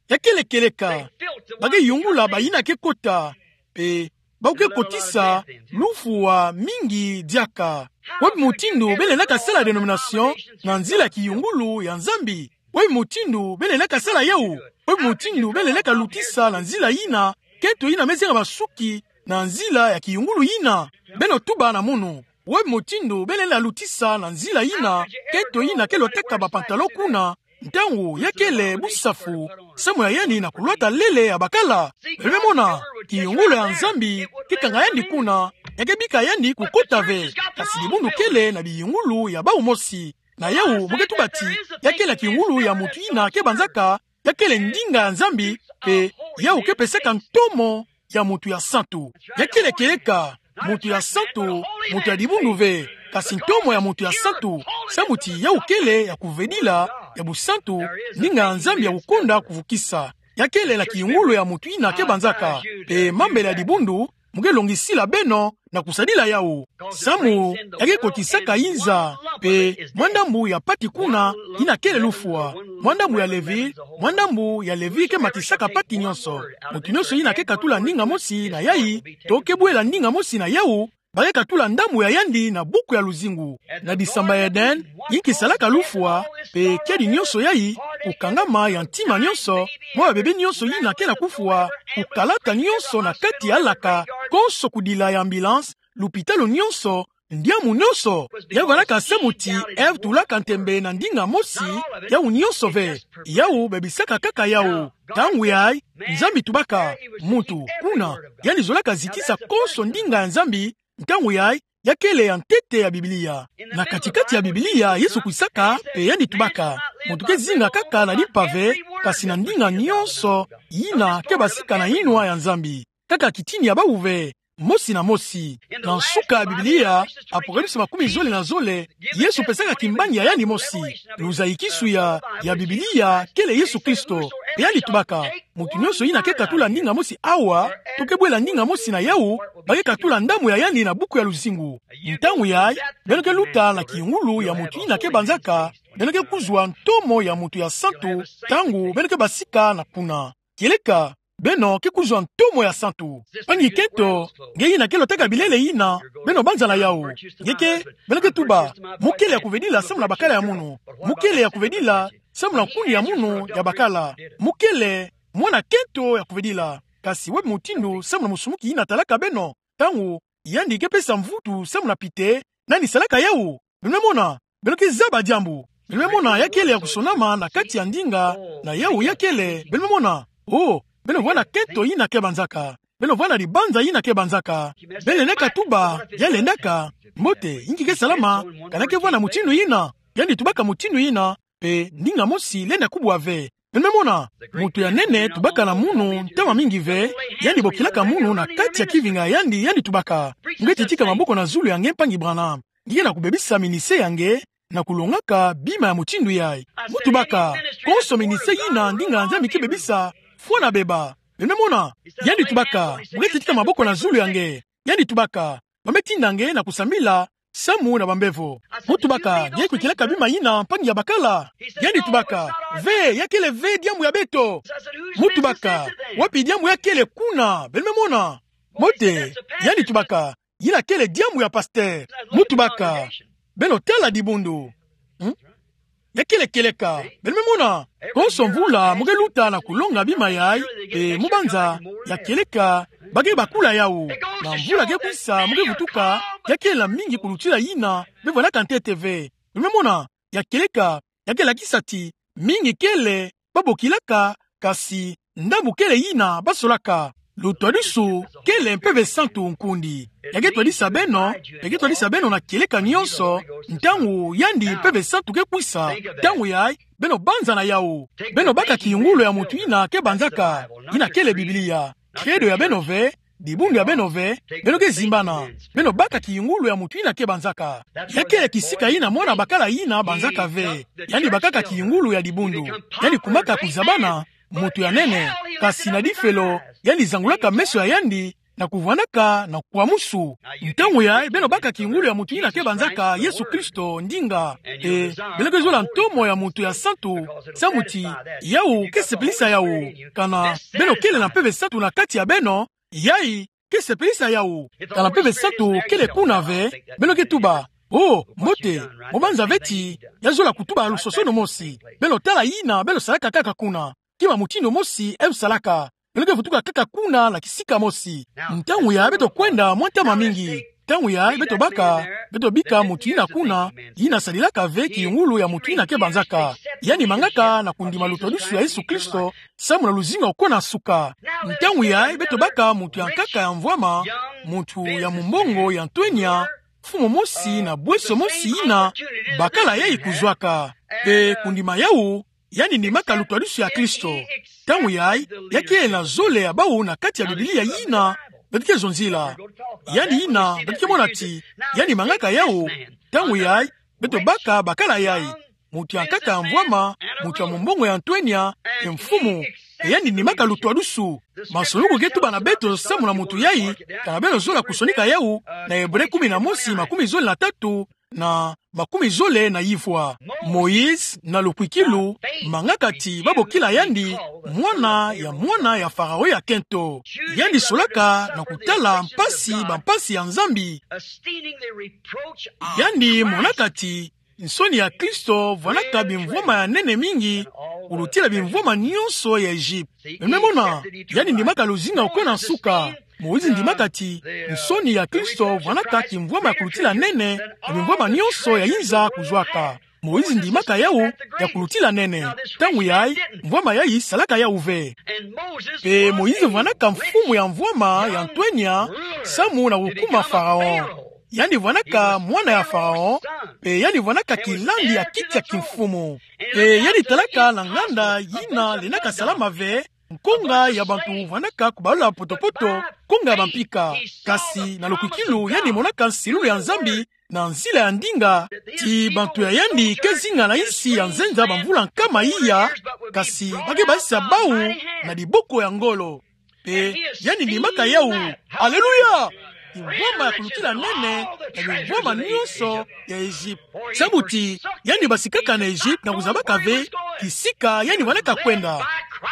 Ya kele kieleka, ba ke yungula bayina ke kota. Pe ba ke kotisa lufwa mingi diaka. Wapi mutindu beno lendaka sala dénomination na nzila kiyungulu ya Nzambi? Wapi mutindu beno lendaka sala yawu? Wapi mutindu beno lendaka lutisa na nzila yina, kento yina me zenga masuki na nzila ya kiyungulu yina? Beno tuba na munu. Wapi mutindu beno lenda lutisa na nzila yina, kento yina ke lwataka ba pantalon kuna, ntangu ya kele busafu, samu ya yandi na kulwata lele ya bakala? Beno me mona, kiyungulu ya Nzambi ke kanga yandi kuna, ya ke bika yandi kukota ve. Kasi dibundu kele na biyungulu ya bawu mosi. Na yawu, mo ke tuba ti, ya kele kiyungulu ya mutu yina ke banzaka, ya kele ndinga ya Nzambi, pe yawu ke pesaka ntomo ya mutu ya santu. Ya kele kieleka, mutu ya santu, mutu ya dibundu ve. Kasi ntomo ya mutu ya santu, samu ti yawu kele ya kuvedila, ya busantu, ndinga ya Nzambi ya kukonda kuvukisa. Ya kele na kiyungulu ya mutu yina ke banzaka. Pe mambele ya dibundu, mo ke longisila beno na kusadila yawu. Samu ya ke kotisaka inza, pe mwa ndambu ya pati kuna, yina kele lufwa. Mwa ndambu ya Levi, mwa ndambu ya Levi ke matisaka pati nyonso. Mutu nyonso yina ke katula ndinga mosi na yayi, to ke bwela ndinga mosi na yawu, ba ke katula ndambu ya yandi na buku ya luzingu. Na disamba ya Eden, yinki salaka lufwa, pe kiadi nyonso yayi, kukangama ya ntima nyonso, mwa babebe nyonso yina ke na kufwa, kukalata nyonso na kati ya laka, konso kudila ya ambulance, lupitalu nyonso, ndiamu nyonso. Ya vandaka samu ti Ève tulaka ntembe na ndinga mosi, yawu nyonso ve. Yawu babisaka kaka yawu. Ntangu yayi, Nzambi tubaka, mutu, kuna, yandi zolaka zitisa konso ndinga ya Nzambi, ntangu yayi, ya kele ya ntete ya Biblia. Na kati-kati ya Biblia, Yesu kwisaka, pe yandi tubaka, mutu ke zinga kaka na limpa ve, kasi na ndinga nyonso yina ke basika na yinwa ya Nzambi. Kaka kitini ya bawu ve, mosi na mosi. Na nsuka ya Biblia, Apocalypse makumi zole na zole, Yesu pesaka kimbangi ya yandi mosi. Luzayikisu ya, ya Biblia, kele Yesu Kristo. Pe yandi tubaka, mutu nyonso yina ke katula ndinga mosi awa, to ke bwela ndinga mosi na yawu, ba ke katula ndambu ya yandi na buku ya luzingu. Ntangu yayi, beno ke luta na kiyungulu ya mutu yina ke banzaka, beno ke kuzwa ntomo ya mutu ya santu, ntangu beno ke basika na kuna. Kieleka, beno ke kuzwa ntomo ya santu. Mpangi kento, nge yina ke lwataka bilele yina, beno banza na yawu. Nge ke, beno ke tuba, mo kele ya kuvedila samu na bakala ya munu. Mo kele ya kuvedila samu na nkuni ya munu ya bakala. Mo kele mwana kento ya kuvedila. Kasi wapi mutindu samu na musumuki yina talaka beno? Ntangu yandi ke pesa mvutu samu na pite, nani salaka yawu? Beno me mona, beno ke zaba diambu. Beno me mona ya kele ya kusonama na kati ya ndinga, na yawu ya kele, beno me mona. Oh, beno vwanda kento yina ke banzaka. Beno vwanda dibanza yina ke banzaka. Beno lendaka tuba, ya lendaka, mbote, inki ke salama, kana ke vwanda mutindu yina, yandi tubaka mutindu yina, pe ndinga mosi lenda kubwa ve. Beno me mona, mutu ya nene tubaka na munu ntama mingi ve, yandi bokilaka munu na kati ya kivinga ya yandi, yandi tubaka: Nge titika maboko na zulu ya nge, mpangi Branham. Nge ke na kubebisa ministère ya nge na kulongaka bima ya mutindu yayi. Mo tubaka: Konso ministère yina ndinga ya Nzambi ke bebisa, fwana beba. Beno me mona, yandi tubaka: Nge titika maboko na zulu ya nge. Yandi tubaka: Ba me tinda nge na kusambila samu na bambevo. Mo tubaka: Nge kwikilaka bima yina, mpangi ya bakala? Yandi tubaka: Ve, ya kele ve diambu ya beto. Mo tubaka: Wapi diambu ya kele kuna? Beno me mona. Mbote, yandi tubaka: Yina kele diambu ya pasteur. Mo tubaka: Beno tala dibundu. Hmm? Ya kele kieleka. Beno me mona. Konso mvula mo ke luta na kulonga bima yayi, pe mo banza, ya kieleka, ba ke bakula yawu. Na mvula ke kwisa, mo ke vutuka, ya kele mingi kulutila yina be vwandaka ntete ve. Beno me mona, ya kieleka, ya ke lakisa ti mingi kele ba bokilaka, kasi ndambu kele yina ba solaka. Lutwadisu kele Mpeve Santu nkundi. Ya ke twadisa beno, ya ke twadisa beno na kieleka nyonso, ntangu yandi Mpeve Santu ke kwisa, ntangu yayi, beno banza na yawu. Beno baka kiyungulu ya mutu yina ke banzaka, yina kele Biblia. Credo ya beno ve, dibundu ya beno ve, beno ke zimbana, beno baka kiyungulu ya mutu yina ke banzaka. Ya kele kisika yina mwana bakala yina banzaka ve. Yandi bakaka kiyungulu ya dibundu. Yandi kumaka kuzabana mutu ya nene, kasi na difelo, yandi zangulaka meso ya yandi, na kuvwandaka na kukwa musu. Ntangu yayi, beno baka kiyungulu ya mutu yina ke banzaka Yesu Kristo ndinga. E, beno ke zola ntomo ya mutu ya santu, samu ti yawu ke sepelisa yawu. Kana beno kele na mpeve santu na kati ya beno, yayi ke sepelisa yawu. Kana mpeve santu kele kuna ve, beno ke tuba: "O, mbote, mo banza ve ti ya zola kutuba lusosono mosi." Beno tala yina beno salaka kaka kuna. Kima mutindu mosi e salaka. Beno ke vutuka kaka kuna na kisika mosi. Ntangu yayi beto kwenda mwa ntama mingi. Ntangu yayi beto baka, beto bika mutu yina kuna, yina sadilaka ve kiyungulu ya mutu yina ke banzaka. Yandi mangaka na kundima lutwadusu ya Yesu Kristo, samu na luzingu ya kona suka. Ntangu yayi beto baka mutu ya nkaka ya mvwama, mutu ya mumbongo ya ntwenya, mfumu mosi na bweso mosi yina bakala yayi kuzwaka. Mpe kundima yawu, yandi ndimaka lutwadusu ya Kristo. Ntangu yayi, ya kele na zole ya bawu na kati ya Biblia yina beto ke zonzila. Yandi yina beto ke mona ti yandi mangaka yawu. Ntangu yayi, beto baka bakala yayi: mutu ya nkaka ya mvwama, mutu ya mumbongo ya ntwenya, e mfumu. E yandi ndimaka lutwadusu. Masuluku ke tuba na beto samu na mutu yayi, kana beno zola kusonika yawu na Ebre kumi na mosi, makumi zole na tatu na makumi zole na yivwa. Moïse na lukwikilu mangaka ti babokila yandi mwana ya mwana ya Faraon ya kento. Yandi solaka na kutala mpasi, bampasi ya Nzambi. Yandi monaka ti nsoni ya Kristo vwanaka bimvwama ya nene mingi kulutila bimvwama nyonso ya Egypte. Beno me mona, yandi ndimaka luzingu ya kona suka. Moïse ndimaka ti nsoni ya Kristo vwanaka kimvwama ya kulutila nene na bimvwama nyonso ya inza kuzwaka. Moïse ndimaka yawu ya kulutila nene. Ntangu yayi, mvwama yayi salaka yawu ve. Mpe Moïse vwanaka mfumu ya mvwama ya ntwenya samu na kukuma Faraon. Yandi vwanaka mwana ya Faraon, mpe yandi vwanaka kilandi ya kiti ya kimfumu. Mpe yandi talaka na nganda yina lendaka salama ve, nkonga ya bantu vwanaka kubalula potopoto, nkonga ya bampika. Kasi na lukwikilu yandi monaka nsilulu ya Nzambi na nzila ya ndinga, ti bantu ya yandi ke zinga na insi ya nzenza bamvula nkama iya, kasi ba ke basisa bawu na diboko ya ngolo. Mpe yandi ndimaka yawu. Aleluya! Kimvwama ya kulutila nene ya bimvwama nyonso ya Egypte. Samu ti yandi basikaka na Egypte na kuzabaka ve kisika yandi vwanaka kwenda.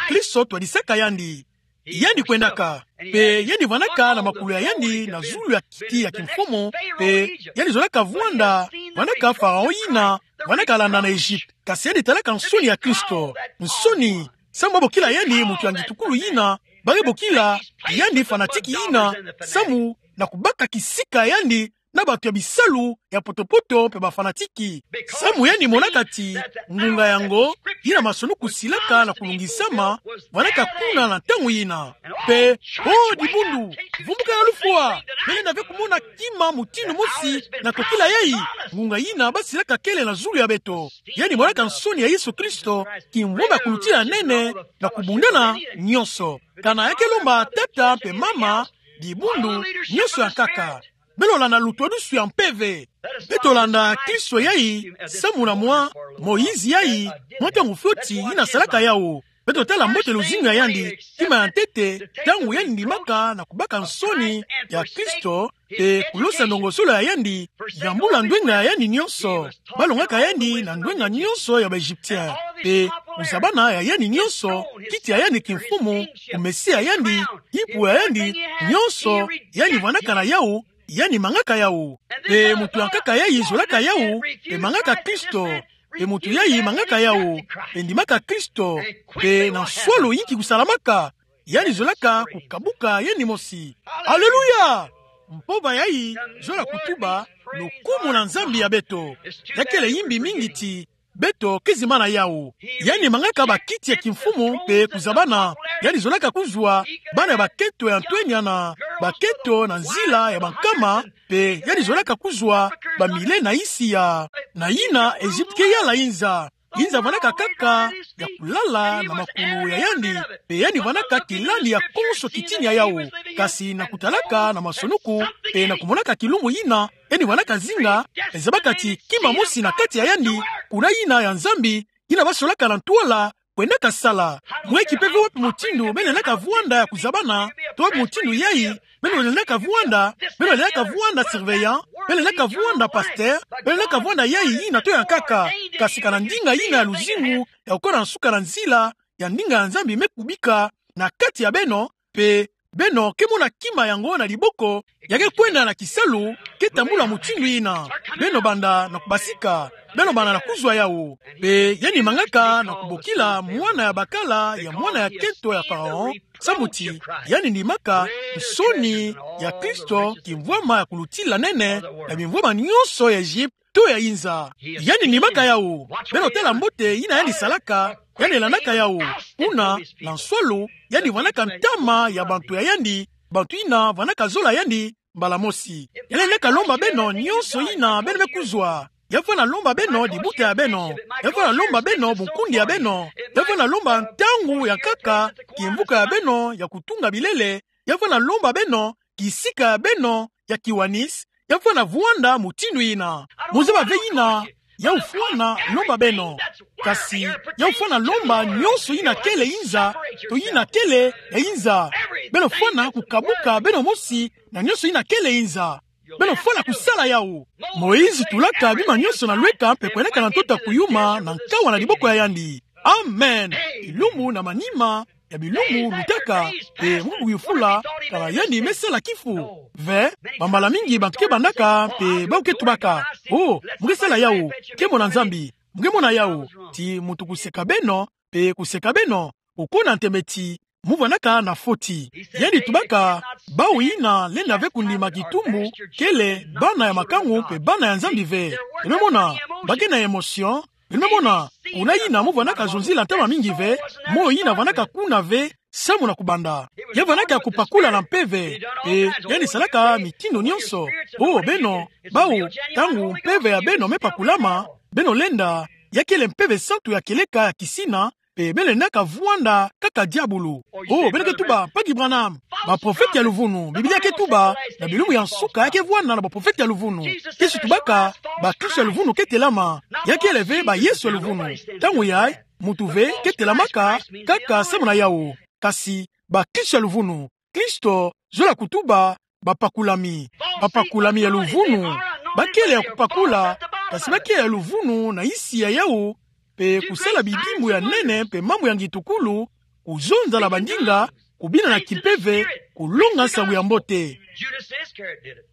Kristo twadisaka yandi. Yandi kwendaka. Mpe yandi vwanaka na makulu ya yandi na zulu ya kiti ya kimfumu. Mpe yandi zolaka vwanda, vwanaka Faraon yina vwanaka landa na Egypte. Kasi yandi talaka nsoni ya Kristo. Nsoni. Samu babokila yandi mutu ya ngitukulu yina, ba ke bokila yandi fanatiki yina, samu na kubaka kisika yandi na bantu ya bisalu ya potopoto mpe bafanatiki. Samu yandi monaka ti ngunga yango, yina masolo kusilaka na kulungisama, vwanaka kuna na ntangu yina. Mpe, o dibundu, vumbuka na lufwa, beno lenda ve kumona kima mutindu mosi na tokila yayi, ngunga yina basilaka kele na zulu ya beto. Yandi monaka nsoni ya Yesu Kristo, kimvwama ya kulutila nene na kubundana nyonso. Kana ya ke lomba tata mpe mama, dibundu, nyonso ya nkaka. Beno landa lutwadusu ya mpeve. Beto landa Kristo yayi, samu na mwa Moïse yayi, mwa ntangu fioti yina salaka yawu. Beto tala mbote luzingu ya yandi, kima ya ntete, ntangu yandi ndimaka na kubaka nsoni ya Kristo, mpe kulosa ndongosolo ya yandi, yambula ndwenga ya yandi nyonso. Balongaka yandi na ndwenga nyonso ya ba Egyptien. Mpe kuzabana ya yandi nyonso, kiti ya yandi kimfumu, kumesia ya yandi, kipu ya yandi, nyonso, yandi vwanaka na yawu, yandi mangaka yawu. Mpe mutu ya nkaka yayi zolaka yawu, mpe mangaka Kristo. Mpe mutu yayi mangaka yawu, mpe ndimaka Kristo. Mpe na nswalu inki kusalamaka? Yandi zolaka kukabuka yandi mosi. Aleluya! Mpova yayi zola kutuba lukumu na Nzambi ya beto. Ya kele yimbi mingi ti beto ke zimbana yawu. Yandi mangaka bakiti ya kimfumu mpe kuzabana. Yandi zolaka kuzwa bana ya bakento ya ntwenya na bakento na nzila ya bankama, mpe yandi zolaka kuzwa bamile na insi ya, na yina Egypte ke yala inza. inza vwanaka kaka ya kulala na makulu ya yandi, pe yandi vwanaka kilandi ya konso kitini ya yawu. Kasi na kutalaka na masonuku, pe na kumonaka kilumbu yina, yandi vwanaka zinga, e zabaka ti kima mosi na kati ya yandi, kuna yina ya Nzambi, yina basolaka na ntwala, kwendaka sala. Mweki mpe ve wapi mutindu beno lendaka vwanda ya kuzabana, to wapi mutindu yayi, beno lendaka vwanda, beno lendaka vwanda surveillant, beno lendaka vwanda pasteur, beno lendaka vwanda yayi yina to ya nkaka. Kasi ka na ndinga yina ya luzingu, ya kukota na nsuka na nzila, ya ndinga ya Nzambi me kubika na kati ya beno, pe beno ke mona kima yango na liboko, ya ke kwenda na kisalu, ke tambula mutindu yina. Beno banda na kubasika, beno banda na kuzwa yawu. Pe yandi mangaka na kubokila mwana ya bakala ya mwana ya kento ya Pharaon, sambu ti yandi ndimaka nsoni ya Kristo, kimvwama ya kulutila nene ya bimvwama nyonso ya Egypte to ya inza. Yandi ndimaka yawu. Beno tala mbote yina yandi salaka, yandi landaka yawu. Kuna, na nswalu, yandi vwanaka ntama ya bantu ya yandi, bantu yina vwanaka zola yandi mbala mosi. Yandi lendaka lomba beno nyonso yina beno me kuzwa. Ya vwanda lomba beno dibuta ya beno. Ya vwanda lomba beno bunkundi ya beno. Ya vwanda lomba ntangu ya nkaka, kimvuka ya beno ya kutunga bilele. Ya vwanda lomba beno kisika ya beno ya kiwanisi. Ya vwanda vwanda mutindu yina. Muzaba ve yina yawu fwana lomba beno. Kasi yawu fwana lomba nyonso yina kele inza, to yina kele ya inza. Beno fwana kukabuka beno mosi na nyonso yina kele inza. Beno fwana kusala yawu. Moïse tulaka bima nyonso na lweka mpe kwendaka na ntoto ya kuyuma na nkawa na liboko ya yandi. Amen. Bilumbu na manima ya bilumbu lutaka, pe mu kuyufula kana yandi me sala kifu. Ve, bambala mingi bantu ke bandaka, pe bawu ke tubaka: "Oh, mu ke sala yawu, ke mona Nzambi, mu ke mona yawu." Ti muntu kuseka beno, pe kuseka beno, kukona ntembe ti mu vwandaka na foti. Yandi tubaka: "Bawu yina lenda ve kundima kitumbu kele bana ya makangu pe bana ya Nzambi ve." Beno me mona, ba ke na émotion. Beno me mona, kuna yina mu vwandaka zonzila ntama mingi ve, moyo yina vwandaka kuna ve samu na kubanda. Ya vwandaka ya kupakula na mpeve, pe yandi salaka mitindo nyonso. Oh, beno, bawu, ntangu mpeve ya beno me pakulama, beno lenda, ya kele mpeve santu ya kieleka ya kisina, pe beno lendaka vwanda kaka diabulu. Oh, beno ke tuba: "Mpagi Branham, baprofete ya luvunu, Biblia ke tuba, na bilumbu ya nsuka ya ke vwanda na baprofete ya luvunu." Yesu tubaka: "Bakristo ya luvunu ke telama." Ya kele ve bayesu ya luvunu. Ntangu yayi, muntu ve ke telamaka kaka samu na yawu. Kasi bakristo ya luvunu, Kristo zola kutuba bapakulami. Bapakulami ya luvunu, ba kele ya kupakula, kasi ba kele ya luvunu na nsi ya yawu, pe kusala bidimbu ya nene pe mambu ya ngitukulu, kuzonza na bandinga, kubina na kimpeve, kulonga nsangu ya mbote.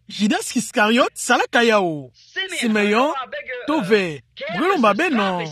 Judas Iscariot salaka yawu. Simeon, to ve, mu ke lomba beno.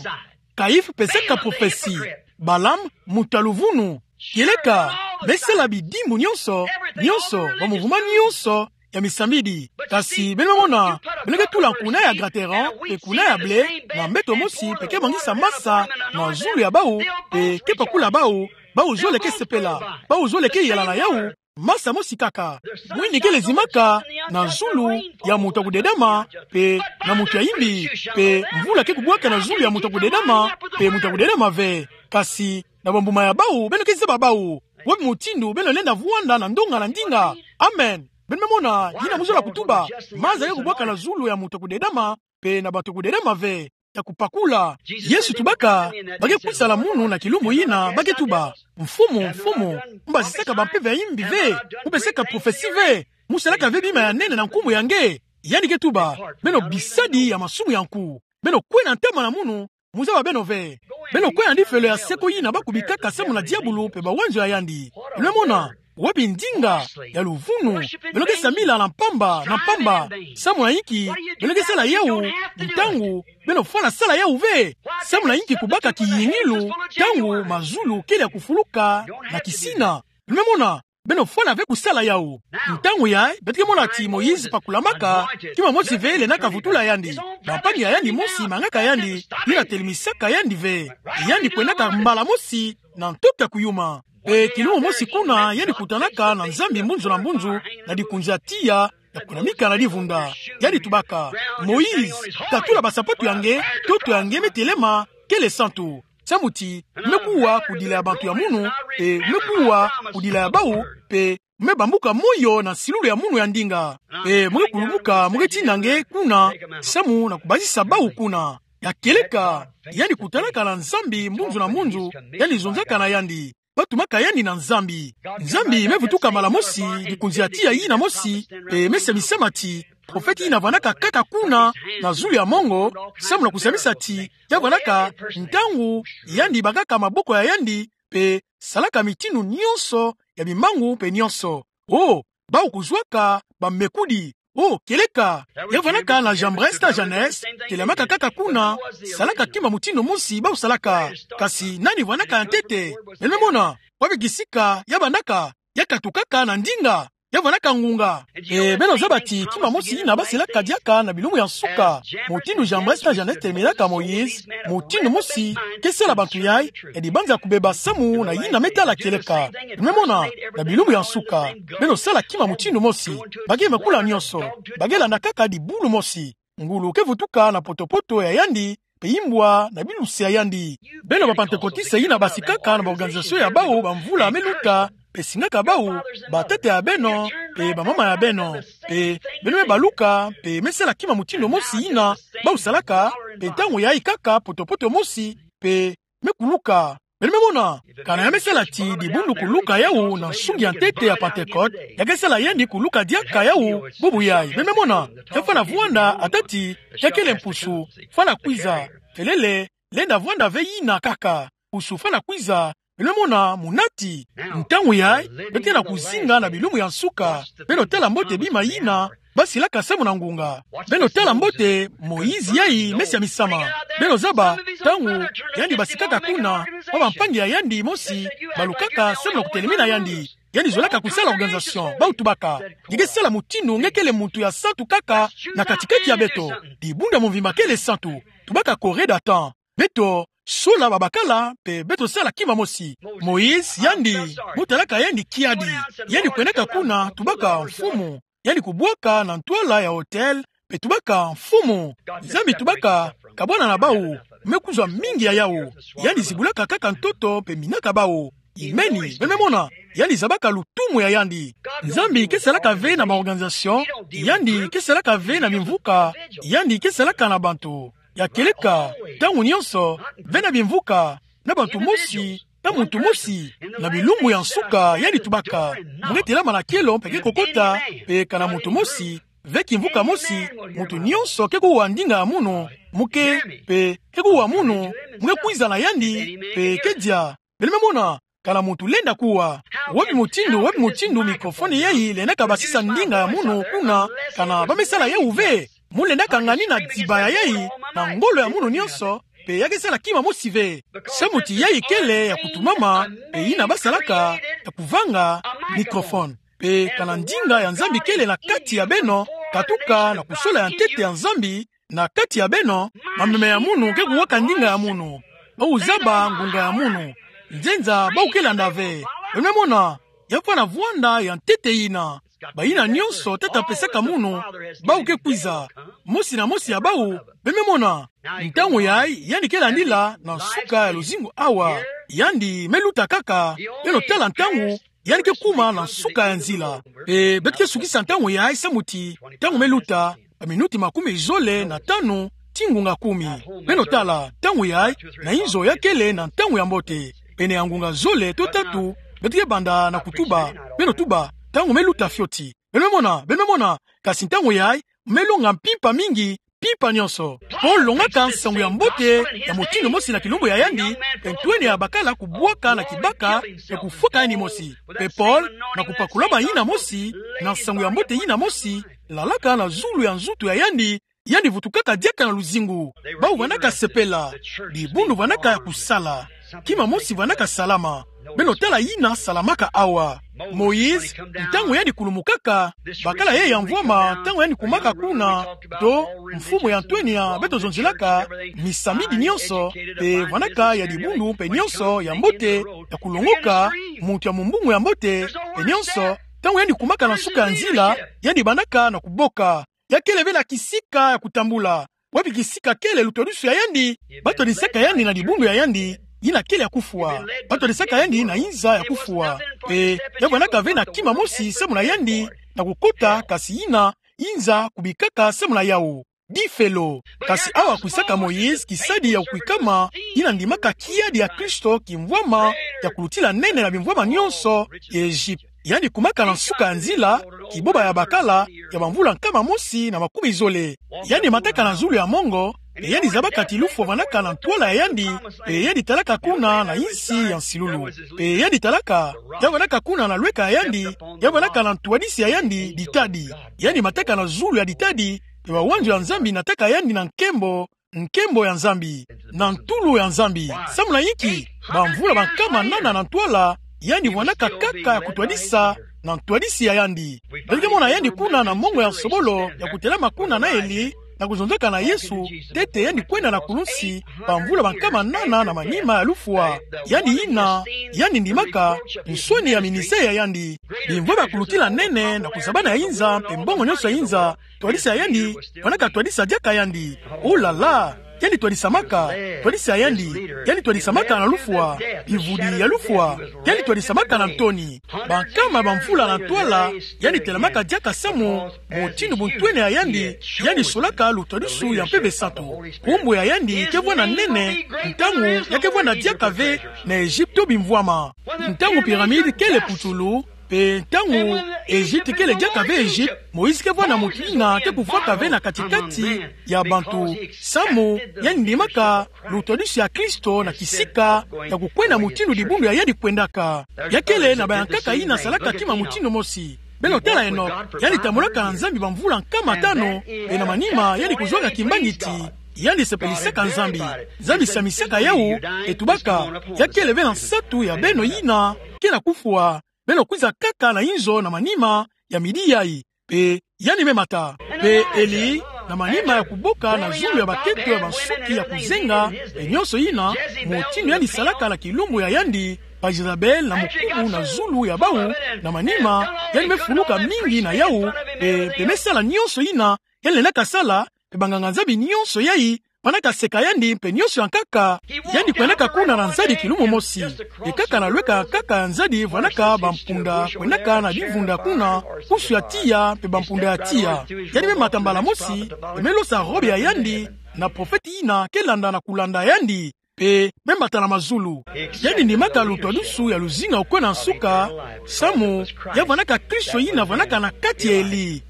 Caïphe pesaka prophetie. Balaam, muntu ya luvunu. Kieleka, me sala bidimbu nyonso, nyonso, ba mouvement nyonso ya misambidi. Kasi beno me mona, beno ke tula kuna ya graterans, pe kuna ya blé, na mbeto mosi, pe ke mangisa masa na zulu ya bawu, pe ke pakula bawu, bawu zole ke sepela, bawu zole ke yala na yawu, masa mosi kaka. Mwini kele zimaka na zulu ya muntu ya kudedama, pe na muntu ya imbi, pe mvula ke kubwaka na zulu ya muntu ya kudedama, pe muntu ya kudedama ve. Kasi na bambuma ya bawu beno ke zaba bawu. Wapi mutindu beno lenda vwanda na ndonga na ndinga? Amen. Beno me mona, yina mu zola kutuba, maza ke kubwaka na zulu ya muntu ya kudedama, pe na bantu ya kudedama ve, ya kupakula. Yesu tubaka, ba ke kwisa na munu na kilumbu yina, ba ke tuba: "Mfumu, Mfumu, mu basisaka bampeve ya imbi ve, mu pesaka prophetie ve, mu salaka ve bima ya nene na nkumbu ya nge." Yandi ke tuba: "Beno bisadi ya masumu ya nku, beno kwe na ntama na munu, mu zaba beno ve. Beno kwe na difelo ya seko yina ba kubikaka samu na diabulu pe bawanzo ya yandi." Beno me mona, wapi ndinga ya luvunu? Beno ke sambila na mpamba, na mpamba. Samu na inki beno ke sala yawu, ntangu beno fwana sala yawu ve? Samu na inki kubaka kiyingilu, ntangu mazulu kele ya kufuluka na kisina? Beno me mona, beno fwana ve kusala yawu. Ntangu yayi, beto ke mona ti Moïse pakulamaka, kima mosi ve lendaka vutula yandi. Bampangi ya yandi mosi mangaka yandi, yina telemisaka yandi ve. Yandi kwendaka mbala mosi na ntoto ya kuyuma. Pe kilumbu mosi kuna, yandi kutanaka na Nzambi mbunzu na mbunzu, na dikunzi ya tiya, ya kunamika na divunda. Yandi tubaka: "Moïse, katula basapatu ya nge, ntoto ya nge me telema, kele santu. Samu ti, me kuwa kudila ya bantu ya munu, pe me kuwa kudila ya bawu, pe me bambuka moyo na nsilulu ya munu ya ndinga. Pe me kulumuka, me tina nge kuna, samu na kubasisa bawu kuna. Ya kieleka, yandi kutalaka na Nzambi mbunzu na mbunzu, yandi zonzaka na yandi. Batumaka yandi na Nzambi. Nzambi me vutuka mbala mosi, likunzi ya tiya yina mosi, pe me semisa mati, profeti yina vandaka kaka kuna, na zulu ya mongo, samu na kusemisa ti, ya vandaka, ntangu, yandi bakaka maboko ya yandi, pe salaka mitindu nyonso, ya bimbangu pe nyonso. Oh, bawu kuzwaka, bamekudi. Oh, kieleka. Ya vandaka na Jambres na Jannes, telamaka kaka kuna, salaka kima mutindu mosi, bawu salaka. Kasi nani vandaka ya ntete? Beno me mona, wapi kisika, ya vandaka, ya katukaka na ndinga, ya vandaka ngunga. E, beno zaba ti, kima mosi yina basilaka diaka na bilumbu ya nsuka. Mutindu Jambres na Jannes telemelaka Moïse, mutindu mosi, ke sala bantu yai, yandi banza kubeba samu na yina me tala kieleka. Beno me mona, na bilumbu ya nsuka, beno sala kima mutindu mosi, ba ke makula nyonso, ba ke landa kaka dibundu mosi. Ngulu ke vutuka na poto-poto ya yandi, pe imbwa na biluse ya yandi. Beno ba Pantekotiste yina basikaka na ba organisation ya bawu bamvula me luta, pe singaka bawu, batata ya beno, pe bamama ya beno. Pe, beno me baluka, pe me sala kima mutindu mosi yina, bawu salaka, pe ntangu yai kaka poto-poto mosi, pe me kuluka. Beno me mona, kana ya me sala ti dibundu kuluka yawu na nsungi ya ntete ya Pantekote, ya ke sala yandi kuluka diaka yawu, bubu yai. Beno me mona, ya fwana vwanda atâ ti, ya kele mpusu, fwana kwiza, felele, lenda vwanda ve yina kaka, mpusu fwana kwiza, beno me mona, muna ti. Ntangu yai, beto ke na kuzinga na bilumbu ya nsuka, beno tala mbote bima yina, basilaka samu na ngunga. Beno tala mbote, Moïse yai, me sia misama. Beno zaba, ntangu, yandi basikaka kuna, ba bampangi ya yandi mosi, balukaka samu na kutelemina yandi. Yandi zolaka kusala organisation, bawu tubaka. Nge ke sala mutindu nge kele muntu ya santu kaka, na kati-kati ya beto. Dibundu ya mvimba kele santu. Tubaka Corée d'État. Beto, sola babakala, pe beto sala kima mosi. Moïse, yandi, bo talaka yandi kiadi. Yandi kwendaka kuna, tubaka mfumu. Yandi kubwaka na ntwala ya autel, pe tubaka mfumu. Nzambi tubaka, kabwana na bawu, me kuzwa mingi ya yawu. Yandi zibulaka kaka ntoto, pe minaka bawu. Imeni, beno me mona, yandi zabaka lutumu ya yandi. Nzambi ke salaka ve na ba organisation, yandi ke salaka ve na bimvuka, yandi ke salaka na bantu. Ya kieleka, ntangu nyonso, ve na bimvuka, na bantu mosi, na muntu mosi, na bilumbu ya nsuka, yandi tubaka. Mu ke telama na kielo, pe ke kokota, pe kana muntu mosi, ve kimvuka mosi, muntu nyonso ke kuwa ndinga ya munu, mu ke, pe, ke kuwa munu, mu ke kwiza na yandi, pe ke dia. Beno me mona, kana muntu lenda kuwa. Wapi mutindu, wapi mutindu microphone yai lenda kabasisa ndinga ya munu kuna, kana ba me sala yawu ve. Mu lenda kangani na dibaya yai, na ngolo ya munu nyonso, pe ya ke sala kima mosi ve. Samu ti yai kele ya kutumama, pe yina basalaka, ya kuvanga, microphone. Pe kana ndinga ya Nzambi kele na kati ya beno, katuka na kusola ya ntete ya Nzambi, na kati ya beno, mameme ya munu ke kuwaka ndinga ya munu. Bawu zaba ngunga ya munu. Nzenza bawu ke landa ve. Beno me mona, ya fwana vwanda ya ntete yina. Bayina nyonso tata apesaka munu, bawu ke kwiza. Mosi na mosi ya bawu, beno me mona. Ntangu yai, yandi ke landila, na nsuka ya luzingu awa. Yandi, me luta kaka, beno tala ntangu, yandi ke kuma na nsuka ya nzila. E, beto ke sukisa ntangu yai samu ti, ntangu me luta, ba minuti makumi zole na tanu, tii ngunga kumi. Beno tala, ntangu yai, na inzo ya kele na ntangu ya mbote. Pene ya ngunga zole to tatu, beto ke banda na kutuba, beno tuba, ntangu me luta fioti. Beno me mona, beno me mona, kasi ntangu yai, me longa mpimpa mingi, mpimpa nyonso. Paul longaka nsangu ya mbote, ya mutindu mosi na kilumbu ya yandi, pe ntwenia bakala kubwaka na kibaka, pe kufwaka yandi mosi. Pe Paul, na kupakula bayina mosi, na nsangu ya mbote yina mosi, lalaka na zulu ya nzutu ya yandi, yandi vutukaka diaka na luzingu. Bawu vandaka sepela, dibundu vandaka kusala. Kima mosi vandaka salama. Beno tala yina salamaka awa. Moïse, ntangu yandi kulumukaka, bakala yai ya mvwama, ntangu yandi kumaka kuna, to, mfumu ya ntwenia, beto zonzilaka, misamidi nyonso, pe vandaka ya dibundu, pe nyonso, ya mbote, ya kulongoka, muntu ya mumbungu ya mbote, pe nyonso, ntangu yandi kumaka na nsuka ya nzila, yandi bandaka na kuboka. Ya kele ve na kisika ya kutambula. Wapi kisika kele lutwadusu ya yandi? Batwadisaka yandi na dibundu ya yandi, yina kele ya kufwa. Batwadisaka yandi na inza ya kufwa. Mpe ya vwandaka ve na kima mosi samu na yandi na kukota, kasi yina inza kubikaka samu na yawu. Difelo. Kasi awa kwisaka Moïse, kisadi ya kukwikama, yina ndimaka kiadi ya Kristo, kimvwama ya kulutila nene na bimvwama nyonso ya Egypte. Yandi kumaka na nsuka ya nzila, kiboba ya bakala, ya bamvula nkama mosi na makumi zole. Yandi mataka na zulu ya mongo, mpe yandi zabaka ti lufwa vwandaka na ntwala ya yandi, mpe yandi talaka kuna na insi ya nsilulu. Mpe yandi talaka, ya vwandaka kuna na lweka ya yandi, ya vwandaka na ntwadisi ya yandi ditadi. Yandi mataka na zulu ya ditadi, mpe bawanzo ya Nzambi nataka yandi na nkembo, nkembo ya Nzambi, na ntulu ya Nzambi. Samu na inki? Bamvula bankama nana na ntwala, yandi vwandaka kaka ya kutwadisa na ntwadisi ya yandi. Beto ke mona yandi kuna na mongo ya nsobolo, ya kutelama kuna na Eli, na kuzonzaka na Yesu, ntete yandi kwenda na kulunsi, bamvula bankama nana na manima ya lufwa. Yandi yina, yandi ndimaka, nsoni ya ministère ya yandi. Bimvwama ya kulutila nene, na kusabana ya inza, mpe mbongo nyonso ya inza, twadisa ya yandi, vwandaka twadisa diaka yandi. Oh là là! Yandi twadisamaka, twadisa ya yandi, yandi twadisamaka na lufwa, bivudi ya lufwa, yandi twadisamaka na ntoni. Bankama bamvula na ntwala, yandi telamaka diaka samu, mutindu buntwenia ya yandi, yandi solaka lutwadusu ya Mpeve Santu. Kumbwe ya yandi ke vwanda nene, ntangu ya ke vwanda diaka ve na Egypto bimvwama. Ntangu pyramide kele putulu, mpe ntangu Egypte kele diaka ve Egypte, Moïse ke vwanda mutu yina ke kufwaka ve na kati-kati ya bantu, samu yandi ndimaka lutwadusu ya Kristo na kisika ya kukwenda mutindu dibundu ya yandi kwendaka. Ya kele na bayankaka yina salaka kima mutindu mosi. Beno tala Enok, yandi tambulaka na Nzambi bamvula nkama tanu, mpe na manima yandi kuzwaka kimbangi ti yandi sepelisaka Nzambi. Nzambi samisaka yawu, mpe tubaka, ya kele ve na nsatu ya beno yina ke na kufwa, beno kwiza kaka na inzo na manima ya midi yayi. Mpe yandi me mata. Mpe Eli, na manima ya kuboka na zulu ya bakento ya bansuki ya kuzenga, mpe nyonso yina, mutindu yandi salaka na kilumbu ya yandi, ba Jezabel na mukubu na zulu ya bawu, na manima, yandi me fuluka mingi na yawu, mpe, mpe me sala nyonso yina yandi lendaka sala, mpe banganga-Nzambi nyonso yayi, vwandaka seka yandi, mpe nyonso yankaka, yandi kwendaka kuna na nzadi kilumbu mosi. Mpe kaka na lweka yankaka ya nzadi vwandaka bampunda kwendaka na bivunda kuna, pusu ya tiya, mpe bampunda ya tiya. Yandi me mata mbala mosi, mpe me losa robe ya yandi, na profete yina ke landa na kulanda yandi, mpe me mata na mazulu. Yandi ndimaka lutwadusu ya luzinga ya kwe na nsuka, samu, ya vwandaka Kristo yina vwandaka na kati ya Eli.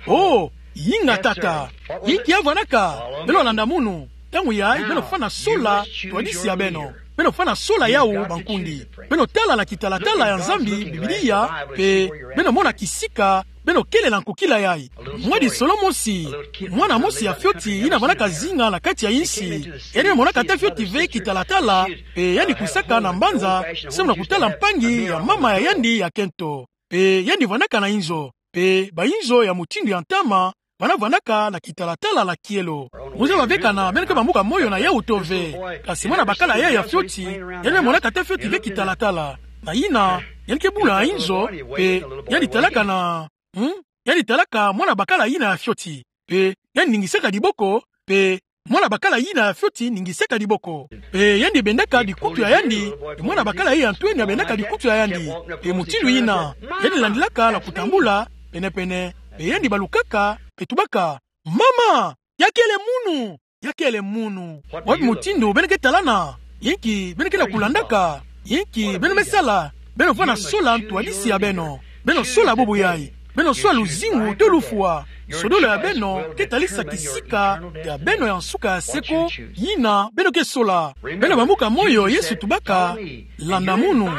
Oh, yinga tata. Inki ya vwandaka? Beno landa munu. Ntangu yayi, beno fana sola twadisi ya beno. Beno fana sola yawu, bankundi. Beno tala na kitalatala ya Nzambi, Biblia, mpe beno mona kisika, beno kele na nkokila yayi. Mwa lisolo mosi, mwana mosi ya fioti, yina vwandaka zinga na kati ya insi. Yandi me monaka ata fioti ve kitalatala, mpe yandi kwisaka na mbanza, samu na kutala mpangi ya mama ya yandi ya kento. Mpe yandi vwandaka na inzo. Mpe bainzo ya mutindu ya ntama, bana vwandaka na kitalatala na kielo. Muza bavekana, beno ke bambuka moyo na yawu to ve. Kasi mwana bakala yayi ya fioti, yandi me monaka ata fioti ve kitalatala. Na yina, yandi ke bula na inzo, mpe yandi talaka na, hmm? Yandi talaka mwana bakala yina ya fioti. Mpe yandi ningisaka diboko, mpe mwana bakala yina ya fioti ningisaka diboko. Mpe yandi bendaka dikutu ya yandi, mpe mwana bakala yayi ya ntwenia bendaka dikutu ya yandi. Mpe mutindu yina, yandi landilaka na kutambula, pene-pene, mpe yandi balukaka, mpe tubaka: Mama, ya kele munu! Ya kele munu! Wapi mutindu beno ke talana? Inki beno ke na kulandaka? Inki beno me sala? Beno fana sola ntwadisi ya beno. Beno sola bubu yayi. Beno sola luzingu to lufwa. Nsodolo ya beno ke talisa kisika ya beno ya nsuka ya seko, yina beno ke sola. Beno bambuka moyo, Yesu tubaka: Landa munu.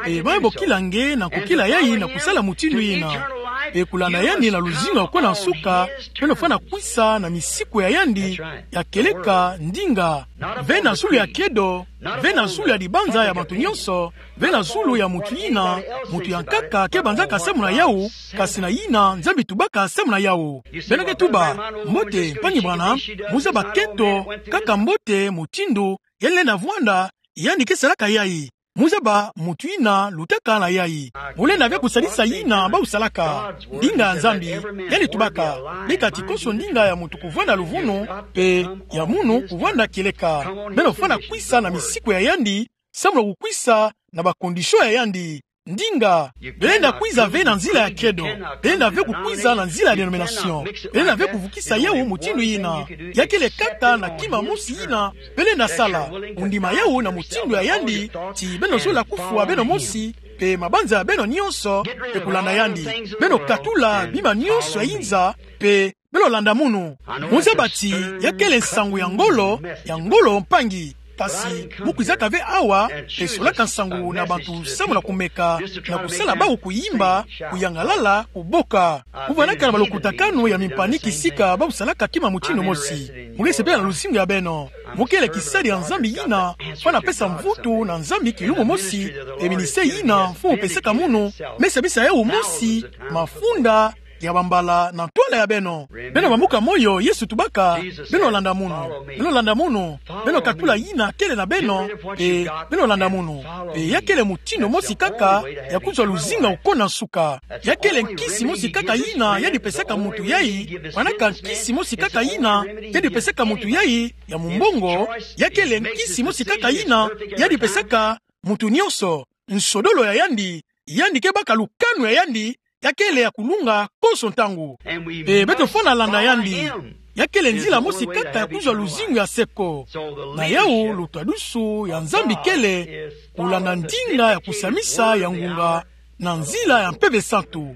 Mpe beno bokila nge na nkokila yayi na kusala mutindu yina. Mpe kulanda yandi na luzingu ya kwe na nsuka, beno fana kwisa na misiku ya yandi ya kieleka, ndinga. Ve na zulu ya kiedo, ve na zulu ya dibanza ya bantu nyonso, ve na zulu ya mutu yina mutu yankaka ke banzaka samu na yawu, kasi na yina Nzambi tubaka samu na yawu. Beno ke tuba: Mbote, mpangi Branham, muza bakento, kaka mbote, mutindu yandi lenda vwanda, yandi ke salaka yayi. Muzaba mutu yina lutaka na yayi. Molenda ve kusadisa yina bau salaka. Ndinga ya Nzambi, yandi tubaka: Bika ti konso ndinga ya mutu kuvwanda luvunu, mpe ya munu kuvwanda kieleka. Beno fwana kwisa na misiku ya yandi, samu na kukwisa na ba conditions ya yandi. Ndinga, belenda kwiza ve na nzila ya kedo. Belenda ve kukwiza na nzila ya dénomination. Belenda ve kuvukisa yawu mutindu yina. Ya kele kaka na kima mosi yina belenda sala. Kundima yawu na mutindu ya yandi, ti beno zola kufwa beno mosi, mpe mabanza ya beno nyonso, mpe kulanda yandi. Beno katula bima nyonso ya inza, mpe beno landa munu. Muzaba ti ya kele nsangu ya ngolo, ya ngolo mpangi. Kasi mu kwizaka ve awa, mpe solaka nsangu na bantu samu na kumeka, na kusala bau kuyimba, kuyangalala, kuboka. Mu vwanaka na ba lukutakanu ya mimpani kisika bau salaka kima mutindu mosi. Mu ke sepela na luzingu ya beno. Mu kele kisadi ya Nzambi yina fwana pesa mvutu na Nzambi kilumbu mosi, mpe ministère yina Mfumu pesaka munu, me sabisa yawu mosi, mafunda ya bambala na ntwala ya beno. Beno bambuka moyo, Yesu tubaka: Beno landa munu. Beno landa munu. Beno katula yina kele na beno, mpe beno landa munu. Mpe ya kele mutindu mosi kaka ya kuzwa luzingu ya kukona nsuka. Ya kele nkisi mosi kaka yina yandi pesaka mutu yayi, fwanaka nkisi mosi kaka yina yandi pesaka mutu yayi ya mumbongo. Ya kele nkisi mosi kaka yina yandi pesaka mutu nyonso. Nsodolo ya yandi, yandi ke baka lukanu ya yandi, ya kele ya kulunga konso ntangu. Mpe beto fwana landa yandi. Ya kele nzila mosi kaka ya kuzwa luzingu ya seko. Na yawu lutwadusu ya Nzambi kele kulanda ndinga ya kusamisa ya ngunga na nzila ya Mpeve Santu.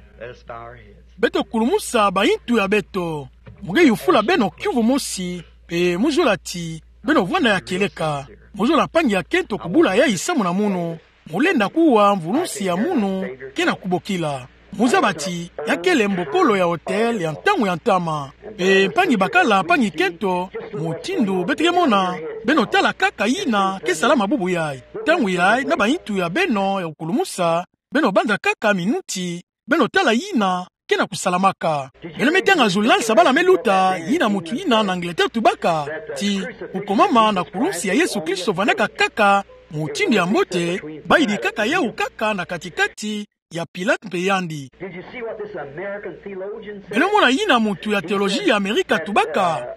Beto kulumusa bayintu ya beto. Mu ke yufula beno kiuvu mosi, mpe mu zola ti beno vwanda ya kieleka. Mu zola mpangi ya kento kubula yayi samu na munu. Molenda kuwa mvulusi ya munu ke na kubokila. Muzaba ti ya kele mbokolo ya hôtel ya ntangu ya ntama. Mpe mpangi bakala, mpangi kento, mutindu beto ke mona, beno tala kaka yina ke salama bubu yayi. Ntangu yayi na bayintu ya beno ya kukulumusa, beno banza kaka minuti, beno tala yina ke na kusalamaka. Beno me tanga journal sabala me luta, yina mutu yina na Angleterre tubaka ti kukomama na kulunsi ya Yesu Kristo vwandaka kaka mutindu ya mbote, bayidi kaka yawu kaka na kati-kati ya Pilate mpe yandi. Beno mona yina mutu ya théologie ya Amerika tubaka?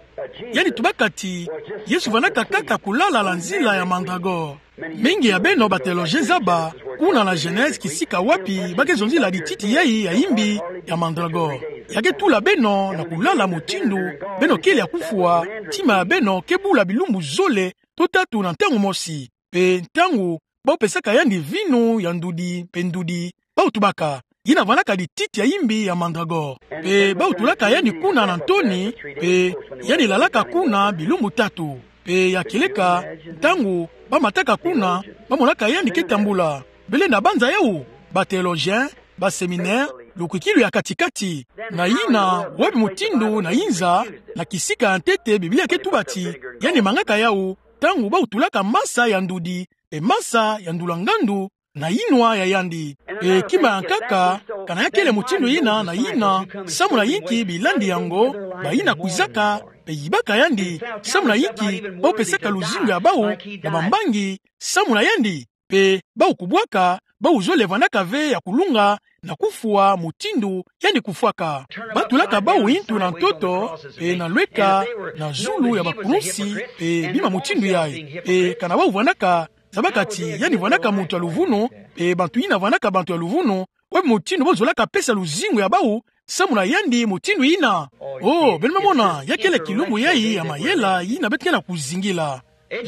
Yandi tubaka ti Yesu vwandaka kaka kulala na nzila ya mandragore. Mingi ya beno ba théologiens zaba, kuna na Genèse kisika wapi ba ke zonzila lititi yayi ya imbi ya mandragore. Ya ke tula beno na kulala mutindu beno kele ya kufwa, ntima ya beno ke bula bilumbu zole to tatu na ntangu mosi. Mpe ntangu bau pesaka yandi vinu ya ndudi mpe ndudi, bau tubaka: Yina vwandaka lititi ya imbi ya mandragore. Mpe bau tulaka yandi kuna na ntoni, mpe yandi lalaka kuna bilumbu tatu. Mpe ya kieleka, ntangu ba mataka kuna, ba monaka yandi ke tambula. Belenda banza yawu, ba théologiens, ba séminaires, lukwikilu ya kati-kati. Na yina, wapi mutindu na inza, na kisika ya ntete Biblia ke tuba ti yandi mangaka yawu, ntangu bau tulaka masa ya ndudi, mpe masa ya ndula ngandu, na yinwa ya yandi. Mpe kima ya nkaka, kana ya kele mutindu yina na yina, samu na yinki bilandi yango, bayina kwizaka, mpe yibaka yandi, samu na yinki bau pesaka luzingu ya bau na bambangi samu na yandi, mpe bau kubwaka, bau zole vwandaka ve ya kulunga na kufwa mutindu yandi kufwaka. Ba tulaka bau yintu na ntoto, mpe na lweka, na zulu ya bakulunsi, mpe bima mutindu yayi. Mpe kana bau vwandaka zabaka ti yandi vwandaka muntu ya luvunu, mpe bantu yina vwandaka bantu ya luvunu, wapi mutindu bau zolaka pesa luzingu ya bau samu na yandi mutindu yina? Oh, beno me mona, ya kele kilumbu yayi ya mayela yina beto ke na kuzingila.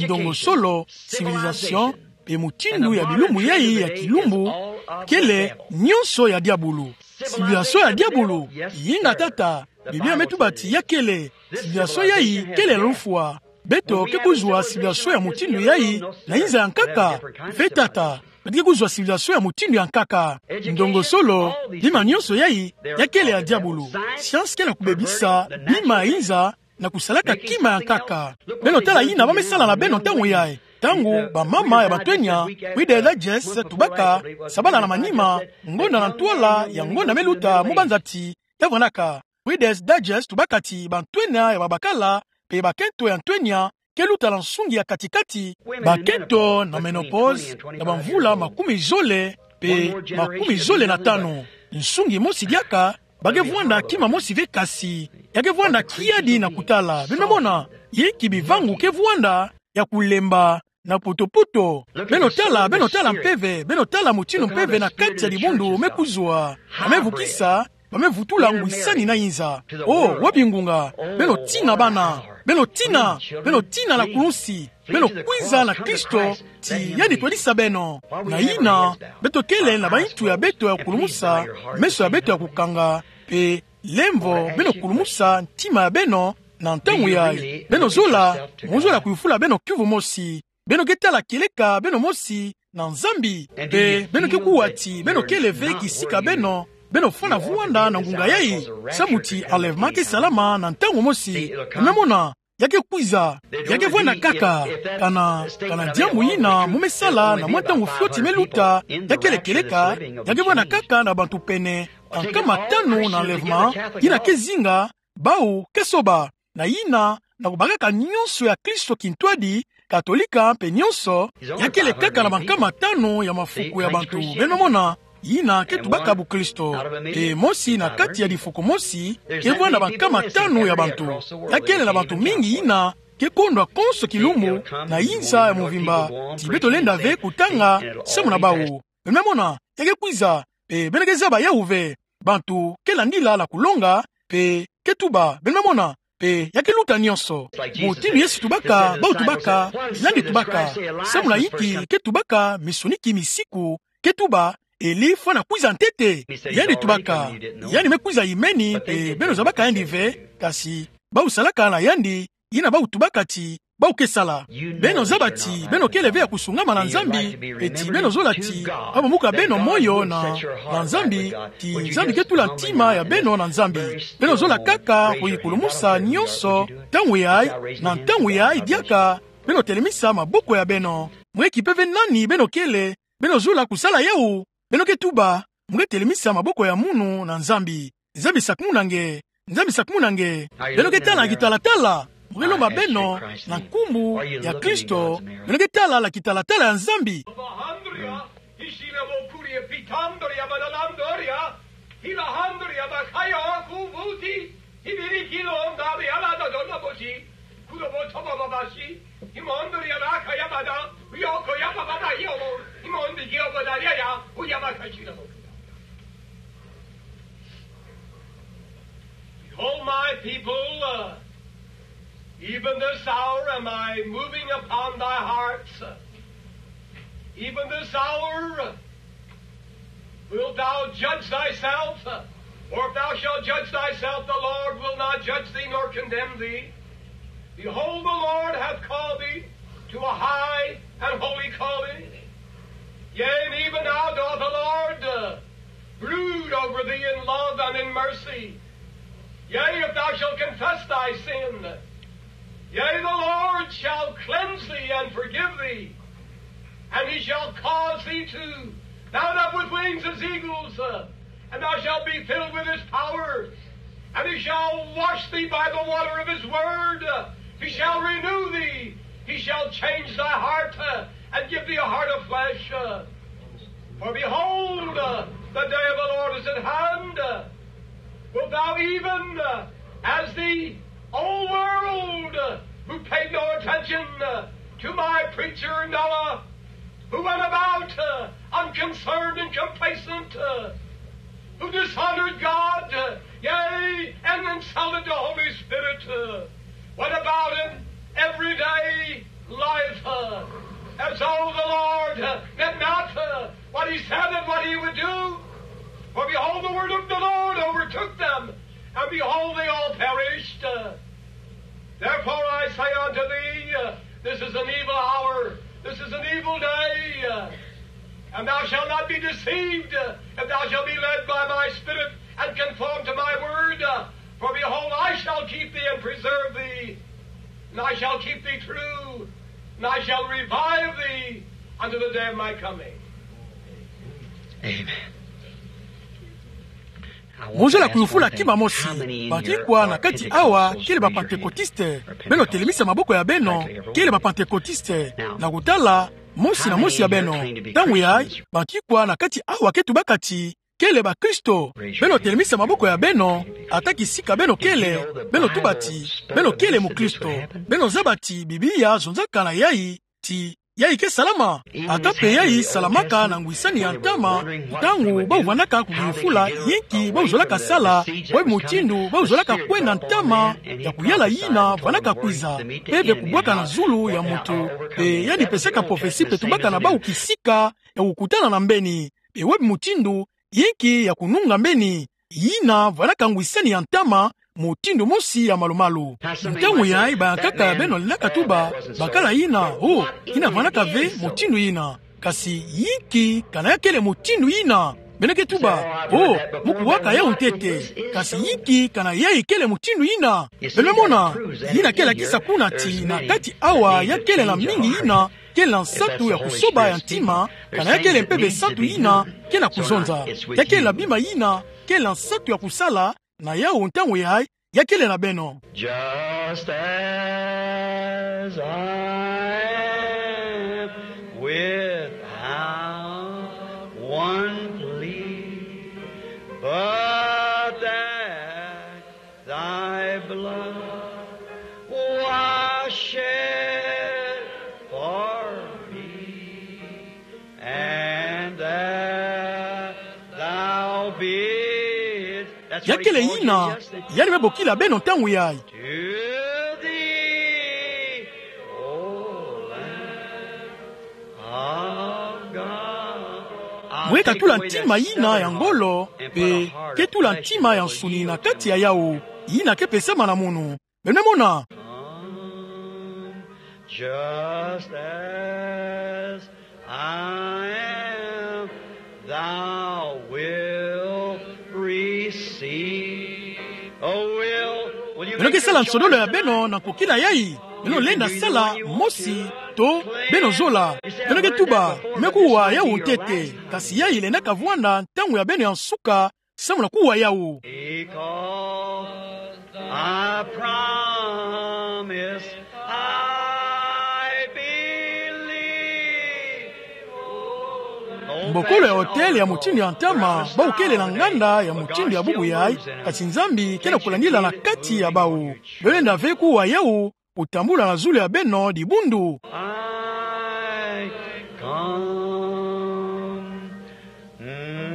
Ndongosolo, civilisation, mpe mutindu ya bilumbu yayi ya kilumbu, kele nyonso ya diabulu. Civilisation ya diabulu, inga tata, Biblia me tuba ti ya kele. Civilisation yayi kele ya lufwa. Beto ke kuzwa civilisation ya mutindu yayi na inza ya nkaka? Ve tata, beto ke kuzwa civilisation ya mutindu ya nkaka. Ndongosolo, bima nyonso yayi, ya kele ya diabulu. Science ke na kubebisa bima ya inza na kusalaka kima ya nkaka. Beno tala yina ba me sala na beno ntangu yayi. Ntangu bamama ya bantwenya, Reader's Digest tubaka, sabala na manima, ngonda na ntwala ya ngonda me luta, mu banza ti ya vwandaka. Reader's Digest tubaka ti bantwenya ya babakala, mpe bakento ya ntwenya, ke luta na nsungi ya kati-kati, bakento na ménopause, na bamvula makumi zole, pe makumi zole na tanu. Nsungi mosi diaka, ba ke vwanda kima mosi ve kasi, ya ke vwanda kiadi na kutala. Beno mona, yinki bivangu ke vwanda, ya kulemba, na poto-poto. Beno tala, beno tala mpeve, beno tala motinu mpeve na kati ya dibundu me kuzwa. Ba me vukisa, ba me vutula ngwisani na inza. Oh, wapi ngunga? Beno tina bana. Beno tina, beno tina na kulunsi. Beno kwiza na Kristo, ti yandi twadisa beno. Na yina, beto kele na baintu ya beto ya kulumusa, meso ya beto ya kukanga, pe lemvo beno kulumusa ntima ya beno, na ntangu yayi. Beno zola, mo zola kuyufula beno kiuvu mosi. Beno ke tala kieleka beno mosi na Nzambi. Pe beno ke kuwa ti beno kele ve kisika beno, beno fwana vwanda na ngunga yayi. Samu ti enlèvement ke salama na ntangu mosi. Beno mona, ya ke kwiza, ya ke vwanda kaka, kana, kana diambu yina mo me sala na mwa ntangu fioti me luta, ya kele kieleka, ya ke vwanda kaka na bantu pene, ka nkama tanu na enlèvement, yina ke zinga, bawu ke soba, na yina, na kubakaka nyonso ya Kristo kintwadi, Katolika mpe nyonso, ya kele kaka na bankama tanu ya mafuku ya bantu. Beno mona, yina ke tubaka bukristo. Pe mosi na kati ya difuku mosi, ke vwanda bankama tanu ya bantu. Ya kele na bantu mingi yina, ke kondwa konso kilumbu, na inza ya mvimba, ti beto lenda ve kutanga, samu na bawu. Beno mona, ya ke kwiza, pe beno ke zaba yawu ve. Bantu ke landila na kulonga, pe ke tuba, beno mona, pe ya ke luta nyonso. Motinu Yesu tubaka, bawu tubaka, yandi tubaka. Samu na yinki ke tubaka, minsuni ki misiku, ke tuba, Eli fwana kwiza ntete. Yandi tubaka, yandi me kwiza yimeni, pe beno zabaka yandi ve, kasi, bawu salaka na yandi, yina bawu tubaka ti, bawu ke sala. Beno zaba ti, beno kele ve ya kusungama na Nzambi, pe ti beno zola ti, ba bamuka beno moyo na, na Nzambi, ti Nzambi ke tula ntima ya beno na Nzambi. Beno zola kaka kuyikulumusa nyonso, ntangu yayi, na ntangu yayi diaka, beno telemisa maboko ya beno. Mweki mpeve nani beno kele, beno zola kusala yawu, beno ke tuba, mo ke telemisa maboko ya munu na Nzambi. Nzambi sakumuna nge. Nzambi sakumuna nge. Beno ke tala na kitalatala. Mo ke lomba beno na nkumbu ya Kristo. Beno ke tala na kitalatala ya Nzambi. Bahandria, ishila bokuria pitandoria badalandoria, hilahandria bakaya kuvuti, ibirikilo ndari alada dona boji, kudo botoba babashi, imondria bakaya bada, uyoko yaba bada yobo, imondi yobo daria ya, uyaba kashira bokuda. Behold, my people, uh, even this hour am I moving upon thy hearts. Even this hour, uh, wilt thou judge thyself? Or if thou shalt judge thyself, the Lord will not judge thee nor condemn thee. Behold, the Lord hath called thee to a high and holy calling. Yea, and even now doth the Lord, uh, brood over thee in love and in mercy. Yea, if thou shalt confess thy sin, yea, the Lord shall cleanse thee and forgive thee, and he shall cause thee to mount up with wings as eagles, uh, and thou shalt be filled with his power, and he shall wash thee by the water of his word, uh, he shall renew thee, he shall change thy heart, uh, and give thee a heart of flesh. Uh, for behold, uh, the day of the Lord is at hand. Uh, wilt thou even, uh, as the old world, uh, who paid no attention, uh, to my preacher Noah, who went about, uh, unconcerned and complacent, uh, who dishonored God, uh, yea, and insulted the Holy Spirit, uh, went about in everyday life, uh, as though the Lord, uh, meant not, uh, what he said and what he would do. For behold, the word of the Lord overtook them, and behold, they all perished. Uh, therefore I say unto thee, uh, this is an evil hour, this is an evil day, uh, and thou shalt not be deceived, uh, if thou shalt be led by my Spirit and conform to my word. Uh, for behold, I shall keep thee and preserve thee, and I shall keep thee true, and I shall revive thee unto the day of my coming. Amen. Mozola kuyufula kima mosi. Banki kwa na kati awa kele ba Pantekotiste? Beno telemisa maboko ya beno. Kele ba Pantekotiste? Na kutala mosi na mosi ya beno. Ntangu yayi, banki kwa na kati awa ke tubaka ti kele bakristo? Beno telemisa maboko ya beno. Ata kisika beno kele, beno tuba ti beno kele mukristo. Beno zaba ti Biblia zonzaka na yayi ti yayi ke salama. Ata mpe yayi salamaka na ngwisani ya ntama, ntangu bau vandaka kukiyufula yinki bau zolaka sala, bwebi mutindu bau zolaka kwenda ntama ya kuyala yina vandaka kwiza. Mpeve kubwaka na zulu ya muntu, mpe yandi pesaka profesi mpe tubaka na bau kisika ya kukutana na mbeni, mpe bwebi mutindu yinki ya kununga mbeni. Yina vandaka ngwisani ya ntama, mutindu mosi ya malumalu. Ntangu yayi bayankaka ya beno lendaka tuba, bakala yina, oh, yina vandaka ve mutindu yina. Kasi yinki kana ya kele mutindu yina? Beno ke tuba, oh, mu kuwaka yawu ntete. Kasi yinki kana yayi kele mutindu yina? Beno mona, yina ke lakisa kuna ti na kati awa ya kele na mingi yina kele na nsatu ya kusoba ya ntima, kana ya kele mpeve nsatu yina ke na kuzonza. Ya kele na bima yina kele na nsatu ya kusala, na yawu ntangu yayi ya kele na beno. Just as I am without one plea, but that thy blood was shed for me, and that thou bidst. Ya kele yina yandi me bokila beno ntangu yayi. To thee, O Lamb of God. Mwe katula ntima yina ya ngolo, mpe ketula ntima ya nsuni na kati ya yawu, yina ke pesama na munu. Beno mona. Just as I am, thou wilt receive. Oh, will, will you make your choice tonight? Beno ke sala nsodolo ya beno na kokila yayi. Beno lenda sala mosi to beno zola. Beno ke tuba, me kuwa yawu ntete. Kasi yayi lenda kavwanda ntangu ya beno ya nsuka samu na kuwa yawu. Because I promise, I believe. Mbokolo ya hôtel ya mutindu ya ntama, bau kele na nganda ya mutindu ya bubu yayi, kasi Nzambi ke na kulandila na kati ya bau. Beno lenda ve kuwa yawu, kutambula na zulu ya beno dibundu. I come. Mm.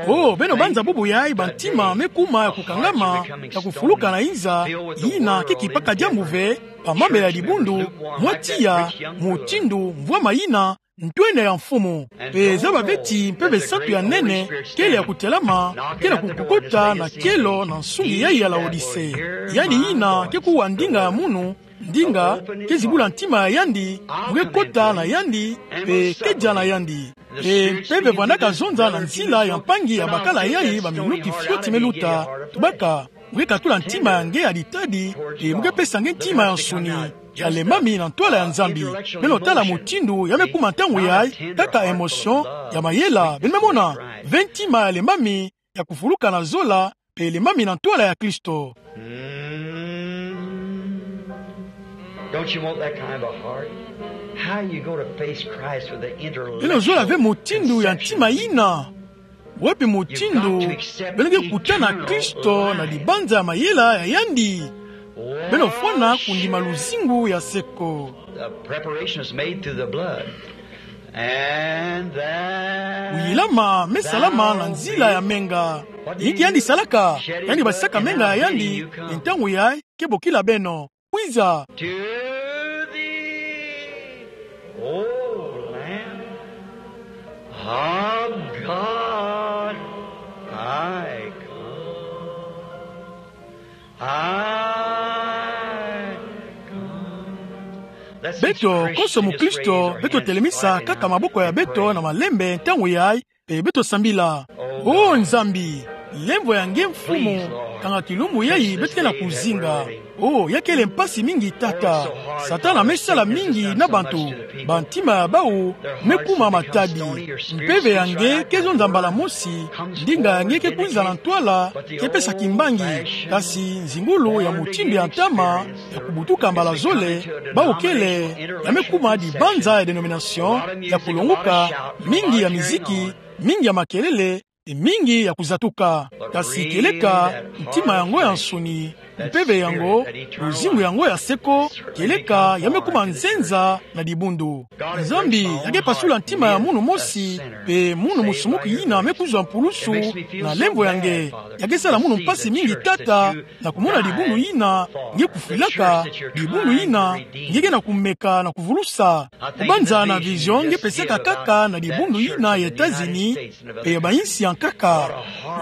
Oh, beno banza bubu yayi ba ntima me kuma ya kukangama, ya kufuluka na inza, yina ke kipaka diambu ve, ba mamela ya dibundu, mwa tiya, mutindu mvwama yina, ntwene ya Mfumu. Mpe zaba ve ti mpeve nsatu ya nene kele ya kutelama, ke na kukokota na kielo na nsungi yayi ya Laodise. Yandi yina ke kuwa ndinga ya munu, ndinga ke zibula ntima ya yandi, mu ke kota na yandi, mpe ke dia na yandi. Mpe mpeve vwandaka zonza na nzila ya mpangi ya bakala yayi ba minuti fioti me luta, tubaka, mu ke katula ntima ya nge ya ditadi, mpe mu ke pesa nge ntima ya nsuni ya lembami na ntwala ya Nzambi. Beno tala mutindu ya me kuma ntangu yayi, kaka émotion ya mayela. Beno me mona, ve ntima ya lembami ya kufuluka na zola, mpe lembami na ntwala ya Kristo. Mm. Don't you want that kind of a heart? How you go to face Christ with the intellect? Beno zola ve mutindu ya ntima yina. Wapi mutindu beno ke kutana Kristo na dibanza ya mayela ya yandi? Beno fwana kundima luzingu ya seko. The preparation is made through the blood. And that kuyilama me salama na nzila ya menga. Yinki yandi salaka? Yandi basisaka menga ya yandi, ntangu yayi ke bokila beno. Kwiza. To thee, O Lamb of God, I come. I come. Beto konso mukristo, beto telemisa kaka maboko ya beto na malembe ntangu yayi, mpe beto sambila. O Nzambi, Lemvo ya nge Mfumu, kanga kilumbu yayi beto ke na kuzinga. Oh, ya kele mpasi mingi tata. Satana amesala mingi na bantu. Bantima ya bawu mekuma matadi. Mpeve ya nge ke zonza mbala mosi, ndinga ya nge ke kwinza na ntwala, ke pesa kimbangi. Kasi nzingulu ya mutindu ya ntama, ya kubutuka mbala zole, bawu kele, ya mekuma dibanza ya dénomination, ya kulonguka, mingi ya miziki, mingi ya makelele, e mingi ya kuzatuka. Kasi kieleka, ntima yango ya nsoni, mpeve yango, luzingu yango ya seko, kieleka ya mekuma nzenza na dibundu. Nzambi ya ke pasula ntima ya munu mosi, mpe munu musumuki yina me kuzwa mpulusu na lemvo ya nge. Ya ke sala munu mpasi mingi tata, na kumona dibundu yina nge kufwilaka, dibundu yina nge ke na kumeka na kuvulusa. Kubanza na vision nge pesaka kaka na dibundu yina ya États-Unis, mpe ya bayinsi ya nkaka.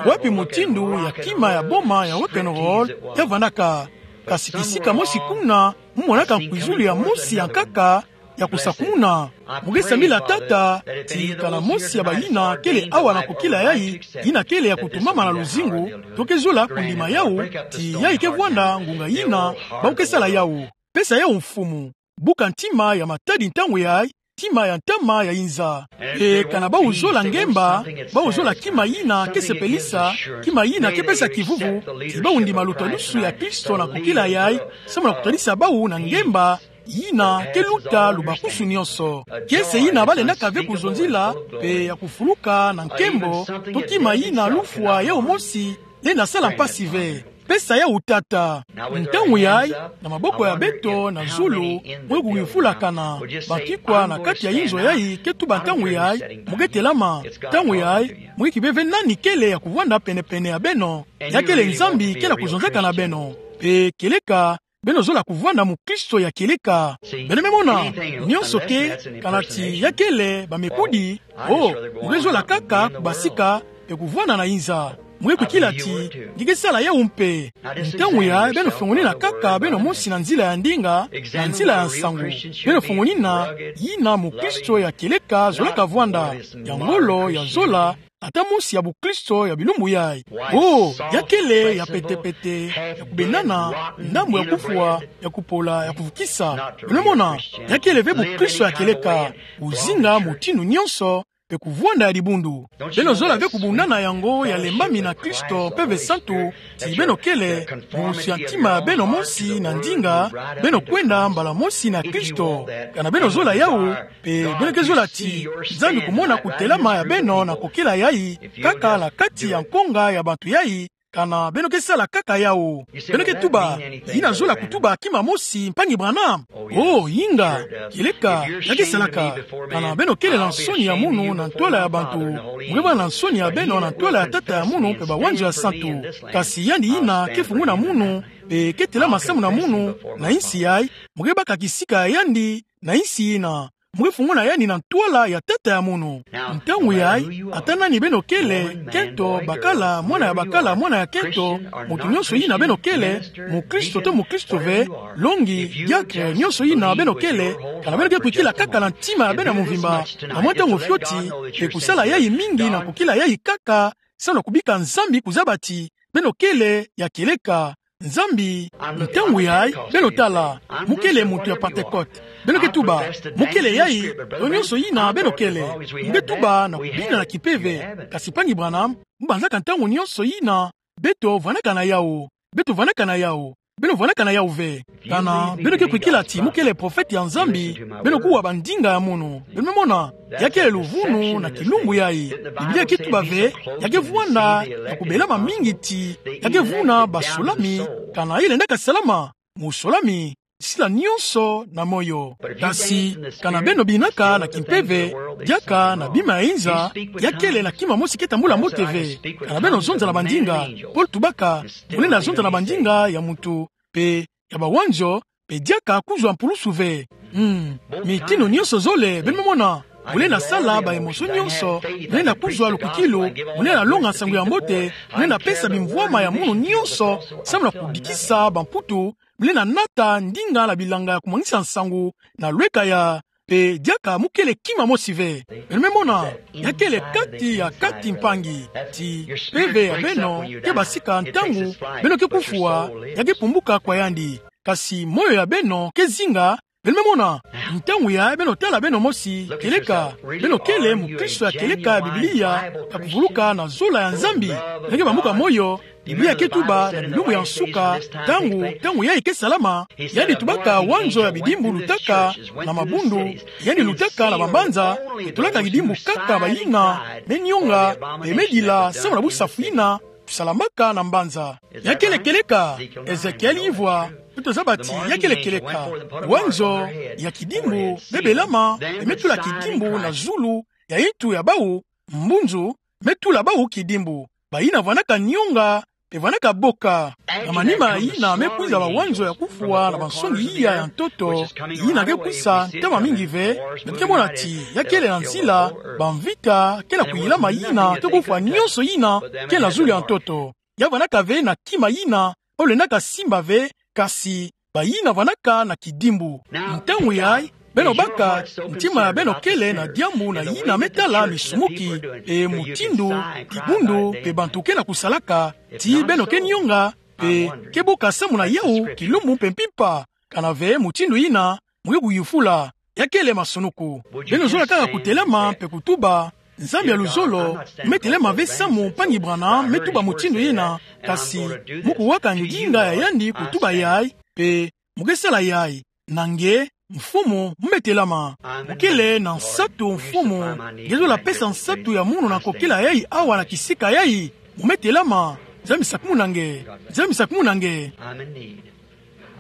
Wapi mutindu ya kima ya boma ya rock and roll ya vandaka. Kasi kisika mosi kuna, mu monaka nkwizulu ya mosi ya nkaka, ya kusakumuna. Mu ke sambila tata, ti kana mosi ya bayina kele awa na kukila yayi, yina kele ya kutumbama na luzingu, to ke zola kundima yawu, ti yayi ke vwanda ngunga yina bawu ke sala yawu. Pesa yawu Mfumu. Buka ntima ya matadi ntangu yayi, ntima ya ntama ya inza. E kana bawu zola ngemba, bawu zola kima yina ke sepelisa, kima yina ke pesa kivuvu, ti bawu ndima lutwadusu ya Kristo na kukila yayi, samu na kutadisa bawu na ngemba, yina ke luta lubakusu nionso. Kiese yina balendaka ve kuzonzila, mpe ya kufuluka na nkembo, to kima yina lufwa yawu mosi lenda sala mpasi ve. Pesa yawu tata. Ntangu yayi, na maboko ya beto na zulu, mu ke kuyufulakana. Bakikwa na kati ya inzo yayi ke tuba ntangu yayi, mu ke telama. Ntangu yayi, mu ke kiba ve nani kele ya kuvwanda penepene ya beno. Ya kele Nzambi ke na kuzonzaka na beno. Mpe kieleka, beno zola kuvwanda mukristo ya kieleka. Beno me mona, nionso ke, kana ti ya kele bamekudi, oh, mu ke zola kaka kubasika, mpe kuvwanda na inza. Mu ke kwikila ti, nge ke sala yawu mpe. Ntangu yayi beno fungwamana kaka beno mosi na nzila ya ndinga, na nzila ya nsangu. Beno fungwamana, yina mukristo ya kieleka zolaka vwanda, ya ngolo, ya zola, ata mosi ya bukristo ya bilumbu yayi. Oh, ya kele ya petepete, ya kubendana, ndambu ya kufwa, ya kupola, ya kuvukisa. Beno mona, ya kele ve bukristo ya kieleka, kuzinga mutindu nionso, mpe kuvwanda ya dibundu. Beno zola ve kubundana yango ya lembami na Kristo Mpeve Santu, ti beno kele, musi ya ntima ya beno mosi na ndinga, beno kwenda mbala mosi na Kristo. Kana beno zola yawu, mpe beno ke zola ti, Nzambi kumona kutelama ya beno na kukila yayi, kaka na kati ya nkonga ya bantu yayi, kana beno ke sala kaka yawu. Beno ke tuba, yina zola kutuba kima mosi, mpangi Branham. Oh, inga, kieleka, ya ke salaka. Kana beno kele na nsoni ya munu na ntwala ya bantu, mu ke vwanda na nsoni ya beno na ntwala ya Tata ya munu mpe bawanzo ya santu. Kasi yandi yina ke funguna munu, mpe ke telama samu na munu, na insi yayi, mu ke baka kisika ya yandi, na insi yina. Mu ke funguna yandi na ntwala ya Tata ya munu. Ntangu yayi, ata nani beno kele, nkento, bakala, mwana ya bakala, mwana ya nkento, muntu nionso yina beno kele, mukristo to mukristo ve, longi, diakre, nionso yina beno kele, kana beno ke kwikila kaka na ntima ya beno ya mvimba, na mwa ntangu fioti, mpe kusala yayi mingi na kukila yayi kaka, samu na kubika Nzambi kuzaba ti, beno kele, ya kieleka, Nzambi, ntangu yayi, beno tala, mu kele muntu ya Pentecote. Beno ke tuba, mu kele yayi, to nionso yina beno kele. Mu ke tuba na kubina na kimpeve. Kasi mpangi Branham, mu banzaka ntangu nionso yina, beto vwandaka na yawu. Beto vwandaka na yawu. Beno vwandaka na yawu ve. Kana, beno ke kwikila ti mu kele profete ya Nzambi, beno kuwa bandinga ya munu. Beno me mona, ya kele luvunu na kilumbu yayi. Biblia ke tuba ve, ya ke vwanda, ya kubelama mingi ti, ya ke vuna basolami, kana yalendaka salama, musolami, sila nionso na moyo. Kasi, kana beno binaka na kimpeve, diaka na bima ya inza, ya kele na kima mosi ke tambula mbote ve. Kana beno zonza na bandinga, Paul tubaka, mu lenda zonza na bandinga ya muntu, mpe ya bawanzo, mpe diaka kuzwa mpulusu ve. Hmm. Mitinu nionso zole, beno me mona. Mu lenda sala ba émotion nionso, mu lenda kuzwa lukwikilu, mu lenda longa nsangu ya mbote, mu lenda pesa bimvwama ya munu nionso, samu na kudikisa bamputu, mu lenda nata ndinga na bilanga ya kumwanisa nsangu, na lweka ya, mpe diaka mukele kima mosi ve. Beno me mona, ya kele kati ya kati mpangi, ti mpeve ya beno ke basika ntangu beno ke kufwa, ya ke pumbuka kwa yandi. Kasi moyo ya beno ke zinga, beno me mona, ntangu ya beno tala beno mosi kieleka, beno kele mukristo ya kieleka ya Biblia, ya kuvuluka na zola ya Nzambi, ya ke bambuka moyo. Biblia ke tuba na bilumbu ya nsuka, ntangu, ntangu yayi ke salama, yandi tubaka wanzo ya bidimbu lutaka na mabundu, yandi lutaka na bambanza, mpe tulaka kidimbu kaka bayina me nionga, mpe me dila samu na busafu yina kusalamaka na mbanza. Ya kele kieleka, Ezekiel yivwa, beto zaba ti ya kele kieleka. Wanzo ya kidimbu me belama, mpe me tula kidimbu na zulu ya ntu ya bawu, mbunzu, me tula bawu kidimbu. Bayina vwanaka nionga, mpe vwanaka boka. Na manima yina me kwiza bawanzo ya kufwa na bansoni iya ya ntoto, yina ke kwisa ntama mingi ve, beto ke mona ti ya kele na nzila bamvita ke na kuyilama yina ke kufwa nionso yina ke na zulu ya ntoto. Ya vwanaka ve na kima yina ba lendaka simba ve, kasi bayina vwanaka na kidimbu. Ntangu yayi, beno baka, ntima ya beno kele na diambu na yina me tala misumuki, mpe mutindu dibundu mpe bantu ke na kusalaka, ti beno ke nionga, mpe ke boka samu na yawu kilumbu mpe mpimpa. Kana ve mutindu yina, mu ke kuyufula, ya kele masunuku. Beno zola kaka kutelama mpe kutuba: Nzambi ya luzolo, mu me telama ve samu mpangi Branham me tuba mutindu yina, kasi mu kuwaka ndinga ya yandi kutuba yayi, mpe mu ke sala yayi. Na nge, Mfumu, mu me telama. Mu kele na nsatu, Mfumu. Nge zola pesa nsatu ya munu na nkokila yayi awa na kisika yayi. Mu me telama. Nzambi sakumuna nge. Nzambi sakumuna nge. I'm in need.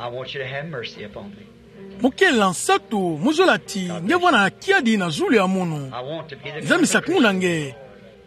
I want you to have mercy upon me. Mu kele na nsatu, mu zola ti nge vwanda na kiadi na zulu ya munu. I want to be the Nzambi sakumuna nge.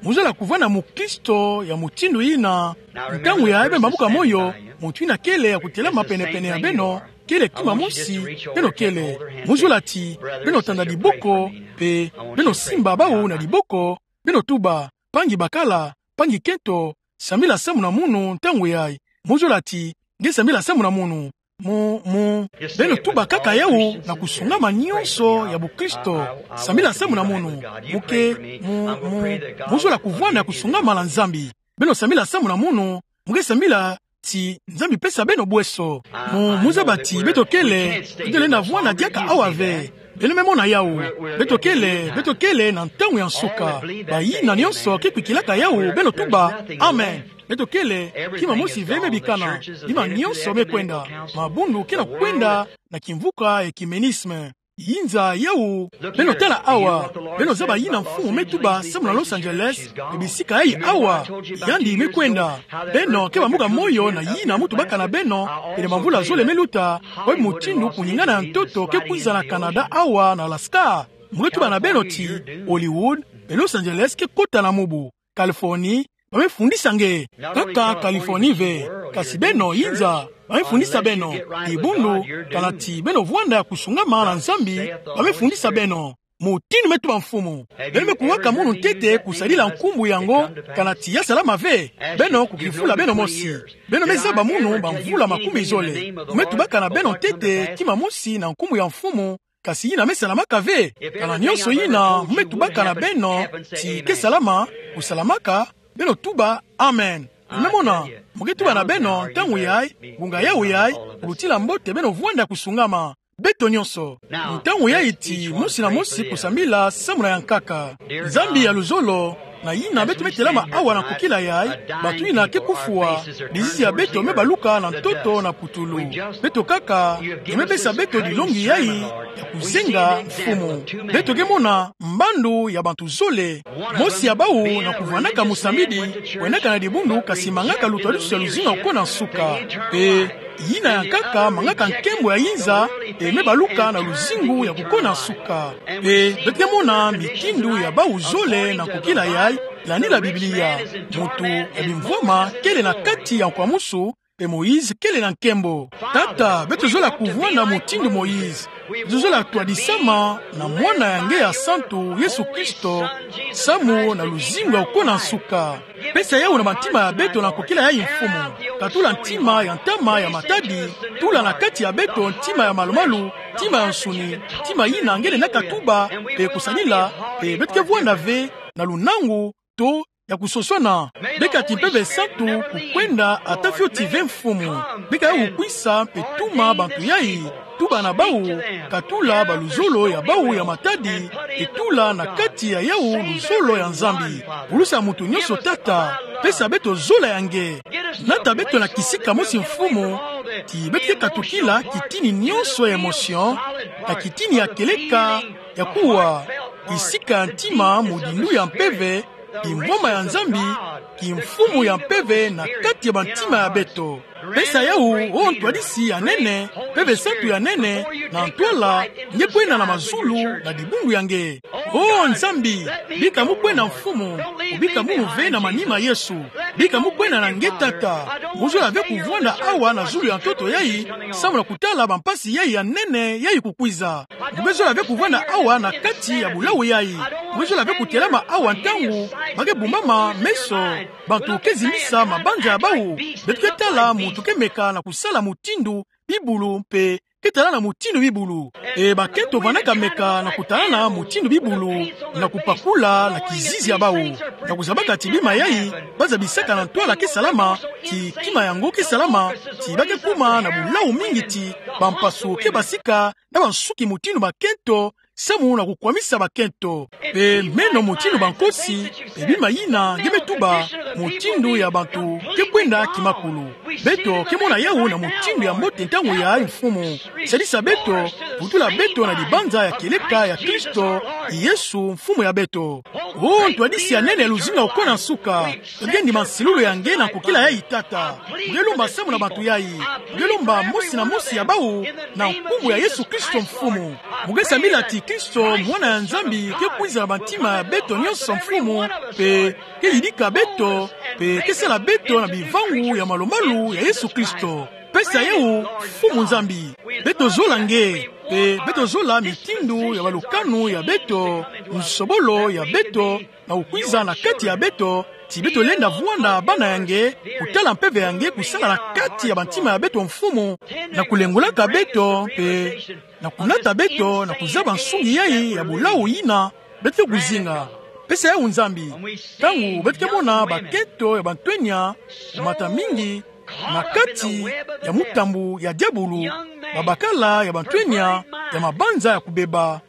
Mu zola kuvwanda mukristo ya mutindu yina. Ntangu yayi beno bambuka moyo, muntu yina kele ya kutelama penepene ya beno, kele kima mosi beno kele. Mu zola ti beno tanda diboko, mpe beno simba bawu na diboko, beno tuba: Mpangi bakala, mpangi kento, sambila samu na munu ntangu yayi. Mu zola ti nge sambila samu na munu. Mu, mu, beno tuba kaka yawu na kusungama nionso ya bukristo: Sambila samu na munu. Mu ke, mu, mu, mu zola kuvwanda ya kusungama na Nzambi. Beno sambila samu na munu, mu ke sambila ti Nzambi pesa beno bweso. Mu, mu zaba ti beto kele, beto lenda vwanda diaka awa ve. Beno me mona yawu. Beto kele, beto kele na ntangu ya nsuka. Bayina nionso ke kwikilaka yawu, beno tuba: Amen. Beto kele, kima mosi ve me bikana. Bima nionso me kwenda. Mabundu ke na kwenda na kimvuka ya ecuménisme. Yinza yawu, beno tala awa, beno zaba yina Mfumu me tuba samu na Los Angeles, mpe bisika yayi awa, yandi me kwenda. Beno ke bambuka moyo na yina mu tubaka na beno, pene bamvula zole me luta, oyo mutindu kuningana ya ntoto ke kwiza na Canada awa na Alaska. Mu ke tuba na beno ti Hollywood mpe Los Angeles ke kota na mubu. Californie, ba me fundisa nge. Kaka Californie ve, kasi beno yinza, ba me fundisa beno. Dibundu, kana ti beno vwanda ya kusungama na Nzambi, ba me fundisa beno. Mutindu me tuba Mfumu. Beno me kuwaka munu ntete kusadila nkumbu yango, kana ti ya salama ve. Beno kukifula beno mosi. Beno me zaba munu bamvula makumi zole. Mu me tubaka na beno ntete kima mosi na nkumbu ya Mfumu, kasi yina me salamaka ve. Kana nionso yina mu me tubaka na beno ti ke salama, kusalamaka, beno tuba: Amen. Beno me mona, mu ke tuba na beno, ntangu yayi, ngunga yawu yayi, kulutila mbote beno vwanda ya kusungama. Beto nionso. Ntangu yayi ti mosi na mosi kusambila samu na ya nkaka. Nzambi ya luzolo, na yina beto me telama awa na nkokila yayi, bato yina ke kufwa, bizizi ya beto me baluka na ntoto na putulu. Beto kaka, nge me pesa beto dilongi yayi ya kuzenga, Mfumu. Beto ke mona mbandu ya bantu zole, mosi ya bawu na kuvwandaka mosambidi, kwendaka na dibundu, kasi mangaka lutwadusu ya luzingu ya kukona nsuka. Mpe yina ya nkaka mangaka nkembo ya yinza, mpe me baluka na luzingu ya kukona nsuka. Mpe beto ke mona mitindu ya bawu zole na nkokila yayi, landila Biblia. Muntu ya bimvwama kele na kati ya nkwamusu, mpe Moïse kele na nkembo. Tata, beto zola kuvwanda mutindu Moïse. Beto zola twadisama na Mwana ya nge ya santu, Yesu Kristo, samu na luzingu ya kukona nsuka. Pesa yawu na bantima ya beto na nkokila yayi, Mfumu. Katula ntima ya ntama ya matadi, tula na kati ya beto ntima ya malumalu, ntima ya nsuni, ntima yina nge lenda katuba, pe kusadila, pe beto ke vwanda ve na lunangu to ya kusoswana. Beka ti Mpeve Santu kukwenda ata fioti ve, Mfumu. Beka yawu kwisa pe tuma bantu yayi, tuba na bawu, katula baluzolo ya bawu ya matadi, e tula na kati ya yawu luzolo ya Nzambi. Pulusa muntu nyonso, Tata, pesa beto zola ya nge. Nata beto na kisika mosi, Mfumu, ti beto ke katukila kitini nyonso ya émotion, na kitini ya kieleka ya kuwa, kisika ya ntima, mudindu ya mpeve, kimvwama ya Nzambi, kimfumu ya mpeve na kati ya bantima ya beto. Pesa yawu, o Ntwadisi ya nene, Mpeve Santu ya nene, na ntwala, nge kwenda na mazulu na dibundu ya nge. O Nzambi, bika mu kwenda, Mfumu, bika munu ve na manima, Yesu. Bika mu kwenda na nge, Tata. Mu zola ve kuvwanda awa na zulu ya ntoto yayi, samu na kutala bampasi yayi ya nene yayi kukwiza. Mu ke zola ve kuvwanda awa na kati ya bulawu yayi. Mu ke zola ve kutelama awa ntangu ba ke bumbama meso, bantu ke zimisa mabanza ya bawu. Beto ke tala muntu ke meka na kusala mutindu bibulu mpe ke tala na mutindu bibulu. E bakento vandaka meka na kutala na mutindu bibulu, na kupakula na kizizi ya bawu, na kuzabaka ti bima yayi ba zabisaka na ntwala ke salama, ti kima yango ke salama, ti ba ke kuma na bulawu mingi, ti bampasu ke basika na bansuki mutindu bakento, samu na kukwamisa bakento. Mpe meno mutindu bankosi, mpe bima yina nge me tuba, mutindu ya bantu ke kwenda kimakulu. Beto ke mona yawu na mutindu ya mbote ntangu yayi, Mfumu. Sadisa beto, vutula beto na dibanza ya kieleka ya Kristo Yesu, Mfumu ya beto. O Ntwadisi ya nene ya luzinga okona nsuka, nge ndima nsilulu ya nge na nkokila yayi, Tata. Nge lomba samu na bantu yayi. Nge lomba mosi na mosi ya bawu na nkumbu ya Yesu Kristo, Mfumu. Mu ke sambila ti Kristo, Mwana ya Nzambi, ke kwiza na bantima ya beto nyonso, Mfumu, mpe ke yidika beto, mpe ke sala beto na bivangu ya malumalu ya Yesu Kristo. Pesa yawu, Mfumu Nzambi. Beto zola nge, mpe beto zola mitindu ya balukanu ya beto, nsobolo ya beto, na kukwiza na kati ya beto, ti beto lenda vwanda bana ya nge, kutala mpeve ya nge kusala na kati ya bantima ya beto, Mfumu, na kulengolaka beto, mpe na kunata beto na kuzaba nsungi yayi ya bulawu yina beto ke kuzinga. Pesa yawu, Nzambi. Ntangu beto ke mona bakento ya bantwenya, kumata mingi na kati ya mutambu ya diabulu, babakala ya bantwenya ya mabanza ya kubeba,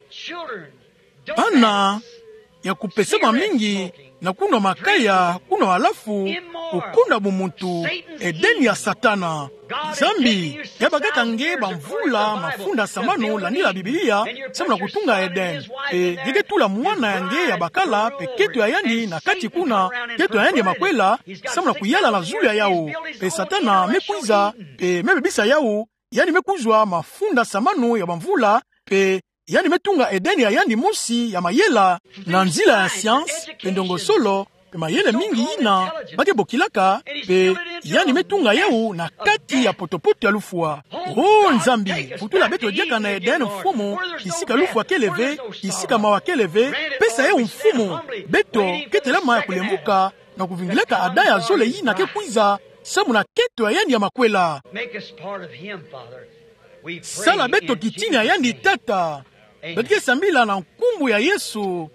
bana ya kupesama mingi na kunwa makaya, kunwa malafu, kukonda bumuntu, Edeni ya Satana. Nzambi, ya bakaka nge bamvula mafunda samanu, landila Biblia, samu na kutunga Edeni. Mpe nge ke tula mwana ya nge ya bakala, mpe kento ya yandi na kati kuna, kento ya yandi ya makwela, samu na kuyala na zulu ya yawu. Mpe Satana me kwiza, mpe me bebisa yawu, yandi me kuzwa mafunda samanu ya bamvula, mpe yandi me tunga Edeni ya yandi mosi ya mayela, na nzila ya science, mpe ndongosolo, mpe mayele mingi yina ba ke bokilaka, mpe yandi me tunga yawu na kati ya potopoto ya lufwa. O Nzambi, vutula beto diaka na Edeni, Mfumu, kisika lufwa kele ve, kisika mawa kele ve, pesa yawu, Mfumu, beto ke telama ya kulemvuka, na kuvingilaka Adam ya zole yina ke kwiza, samu na kento ya yandi ya makwela. Make us part of him, Father. We pray in Jesus' name. Sala beto kitini ya yandi, Tata. Amen. Beto ke sambila na nkumbu ya Yesu.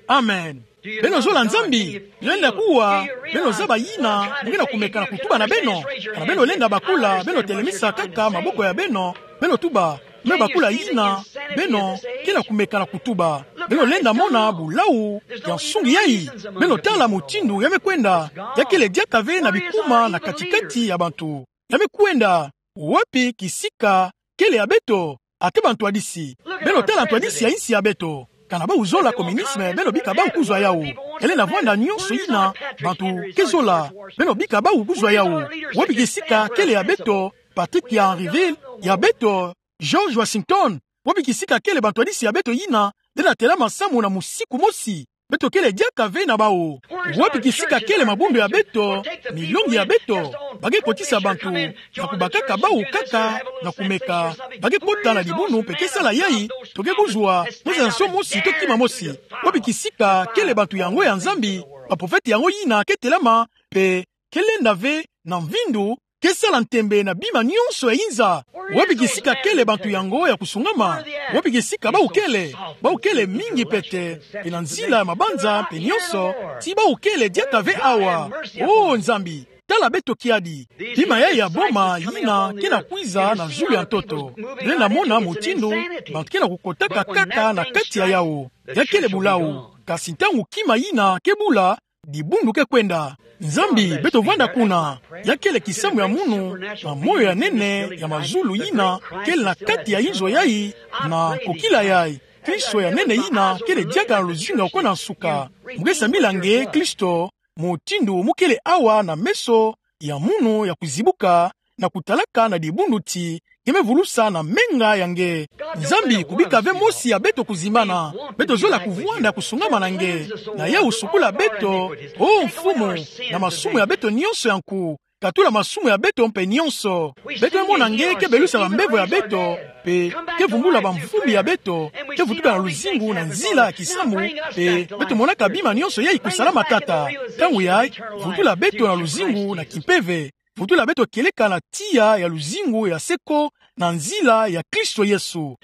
Amen. Beno zola Nzambi? Beno lenda kuwa? Beno zaba yina mu ke na kumeka na kutuba na beno? Kana beno lenda bakula, beno telemisa kaka maboko ya beno, beno tuba: Nge bakula yina? Beno ke na kumeka na kutuba. Beno lenda mona bulawu ya nsungi yayi. Beno tala mutindu ya me kwenda. Ya kele diaka ve na bikuma na kati-kati ya bantu. Ya me kwenda. Wapi kisika kele ya beto? Ake bantwadisi. Beno tala ntwadisi ya insi ya beto. Kana bawu zola communisme, beno bika bawu kuzwa yawu. Kele na vwanda nyonso yina bantu ke zola, beno bika bawu kuzwa yawu. Wapi kisika kele ya beto, Patrick ya Henryville, ya beto, George Washington? Wapi kisika kele bantwadisi ya beto yina lenda telama samu na musiku mosi? Beto kele diaka ve na bawu. Wapi kisika kele mabundu ya beto, milongi ya beto? Ba ke kotisa bantu na kubakaka bawu kaka na kumeka. Ba ke kota na dibunu mpe ke sala yayi, to ke kuzwa, mosi na nso mosi to kima mosi. Wapi kisika kele bantu yango ya Nzambi, baprofete yango yina ke telama, mpe ke lenda ve na mvindu, ke sala ntembe na bima nyonso ya inza. Wapi kisika kele bantu yango ya kusungama? Wapi kisika bawu kele? Bawu kele mingi pete, mpe na nzila ya mabanza mpe nyonso, ti bawu kele diaka ve awa. O Nzambi, tala beto kiadi. Bima yai ya boma yina ke na kwiza na zulu ya ntoto. Beno mona mutindu bantu ke na kukotaka kaka na kati ya yawu. Ya kele bulawu. Kasi ntangu kima yina ke bula, dibundu ke kwenda. Nzambi, beto vwanda kuna. Ya kele kisamu ya munu, na moyo ya nene ya mazulu yina kele na kati ya inzo yai, na kokila yai. Kristo ya nene yina kele diaka na luzingu ya kona nsuka. Mu ke sambila nge Kristo, mutindu mu kele awa na meso ya munu ya kuzibuka, na kutalaka na dibundu ti nge me vulusa na menga ya nge. Nzambi, kubika ve mosi ya beto kuzimbana. Beto zola kuvwanda kusungama na nge. Na yawu sukula beto, o Mfumu, na masumu ya beto nyonso ya nku. Katula masumu ya beto mpe nyonso. Beto mona nge ke belusa bambevo ya beto, mpe ke vumbula bamvumbi ya beto, ke vutuka na luzingu na nzila ya kisamu, mpe beto monaka bima nyonso yai kusala matata. Ntangu yai, vutula beto na luzingu na kimpeve. Vutula beto kieleka na tiya ya luzingu ya seko na nzila ya Kristo Yesu.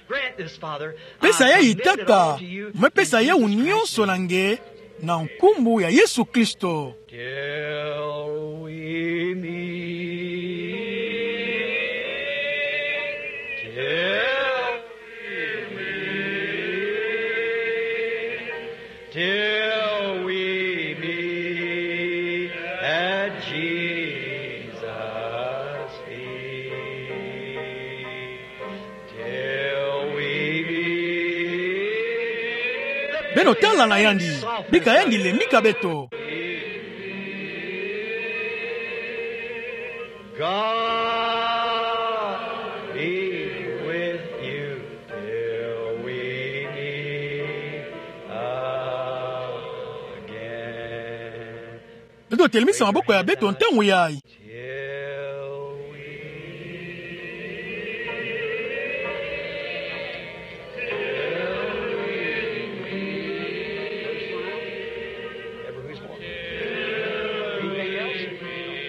Pesa yai Tata, me pesa yawu nyonso na nge, na nkumbu ya Yesu Kristo. Till we meet, till we meet, till we meet at Jesus' feet. Beno tala na yandi, bika yandi lembika beto. God be with you till we meet again. Beto telemisa maboko ya beto ntangu yai.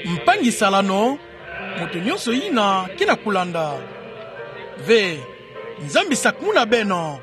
Mpangi salano, moto nyonso yina ke na kulanda. Ve, Nzambi sakumuna beno.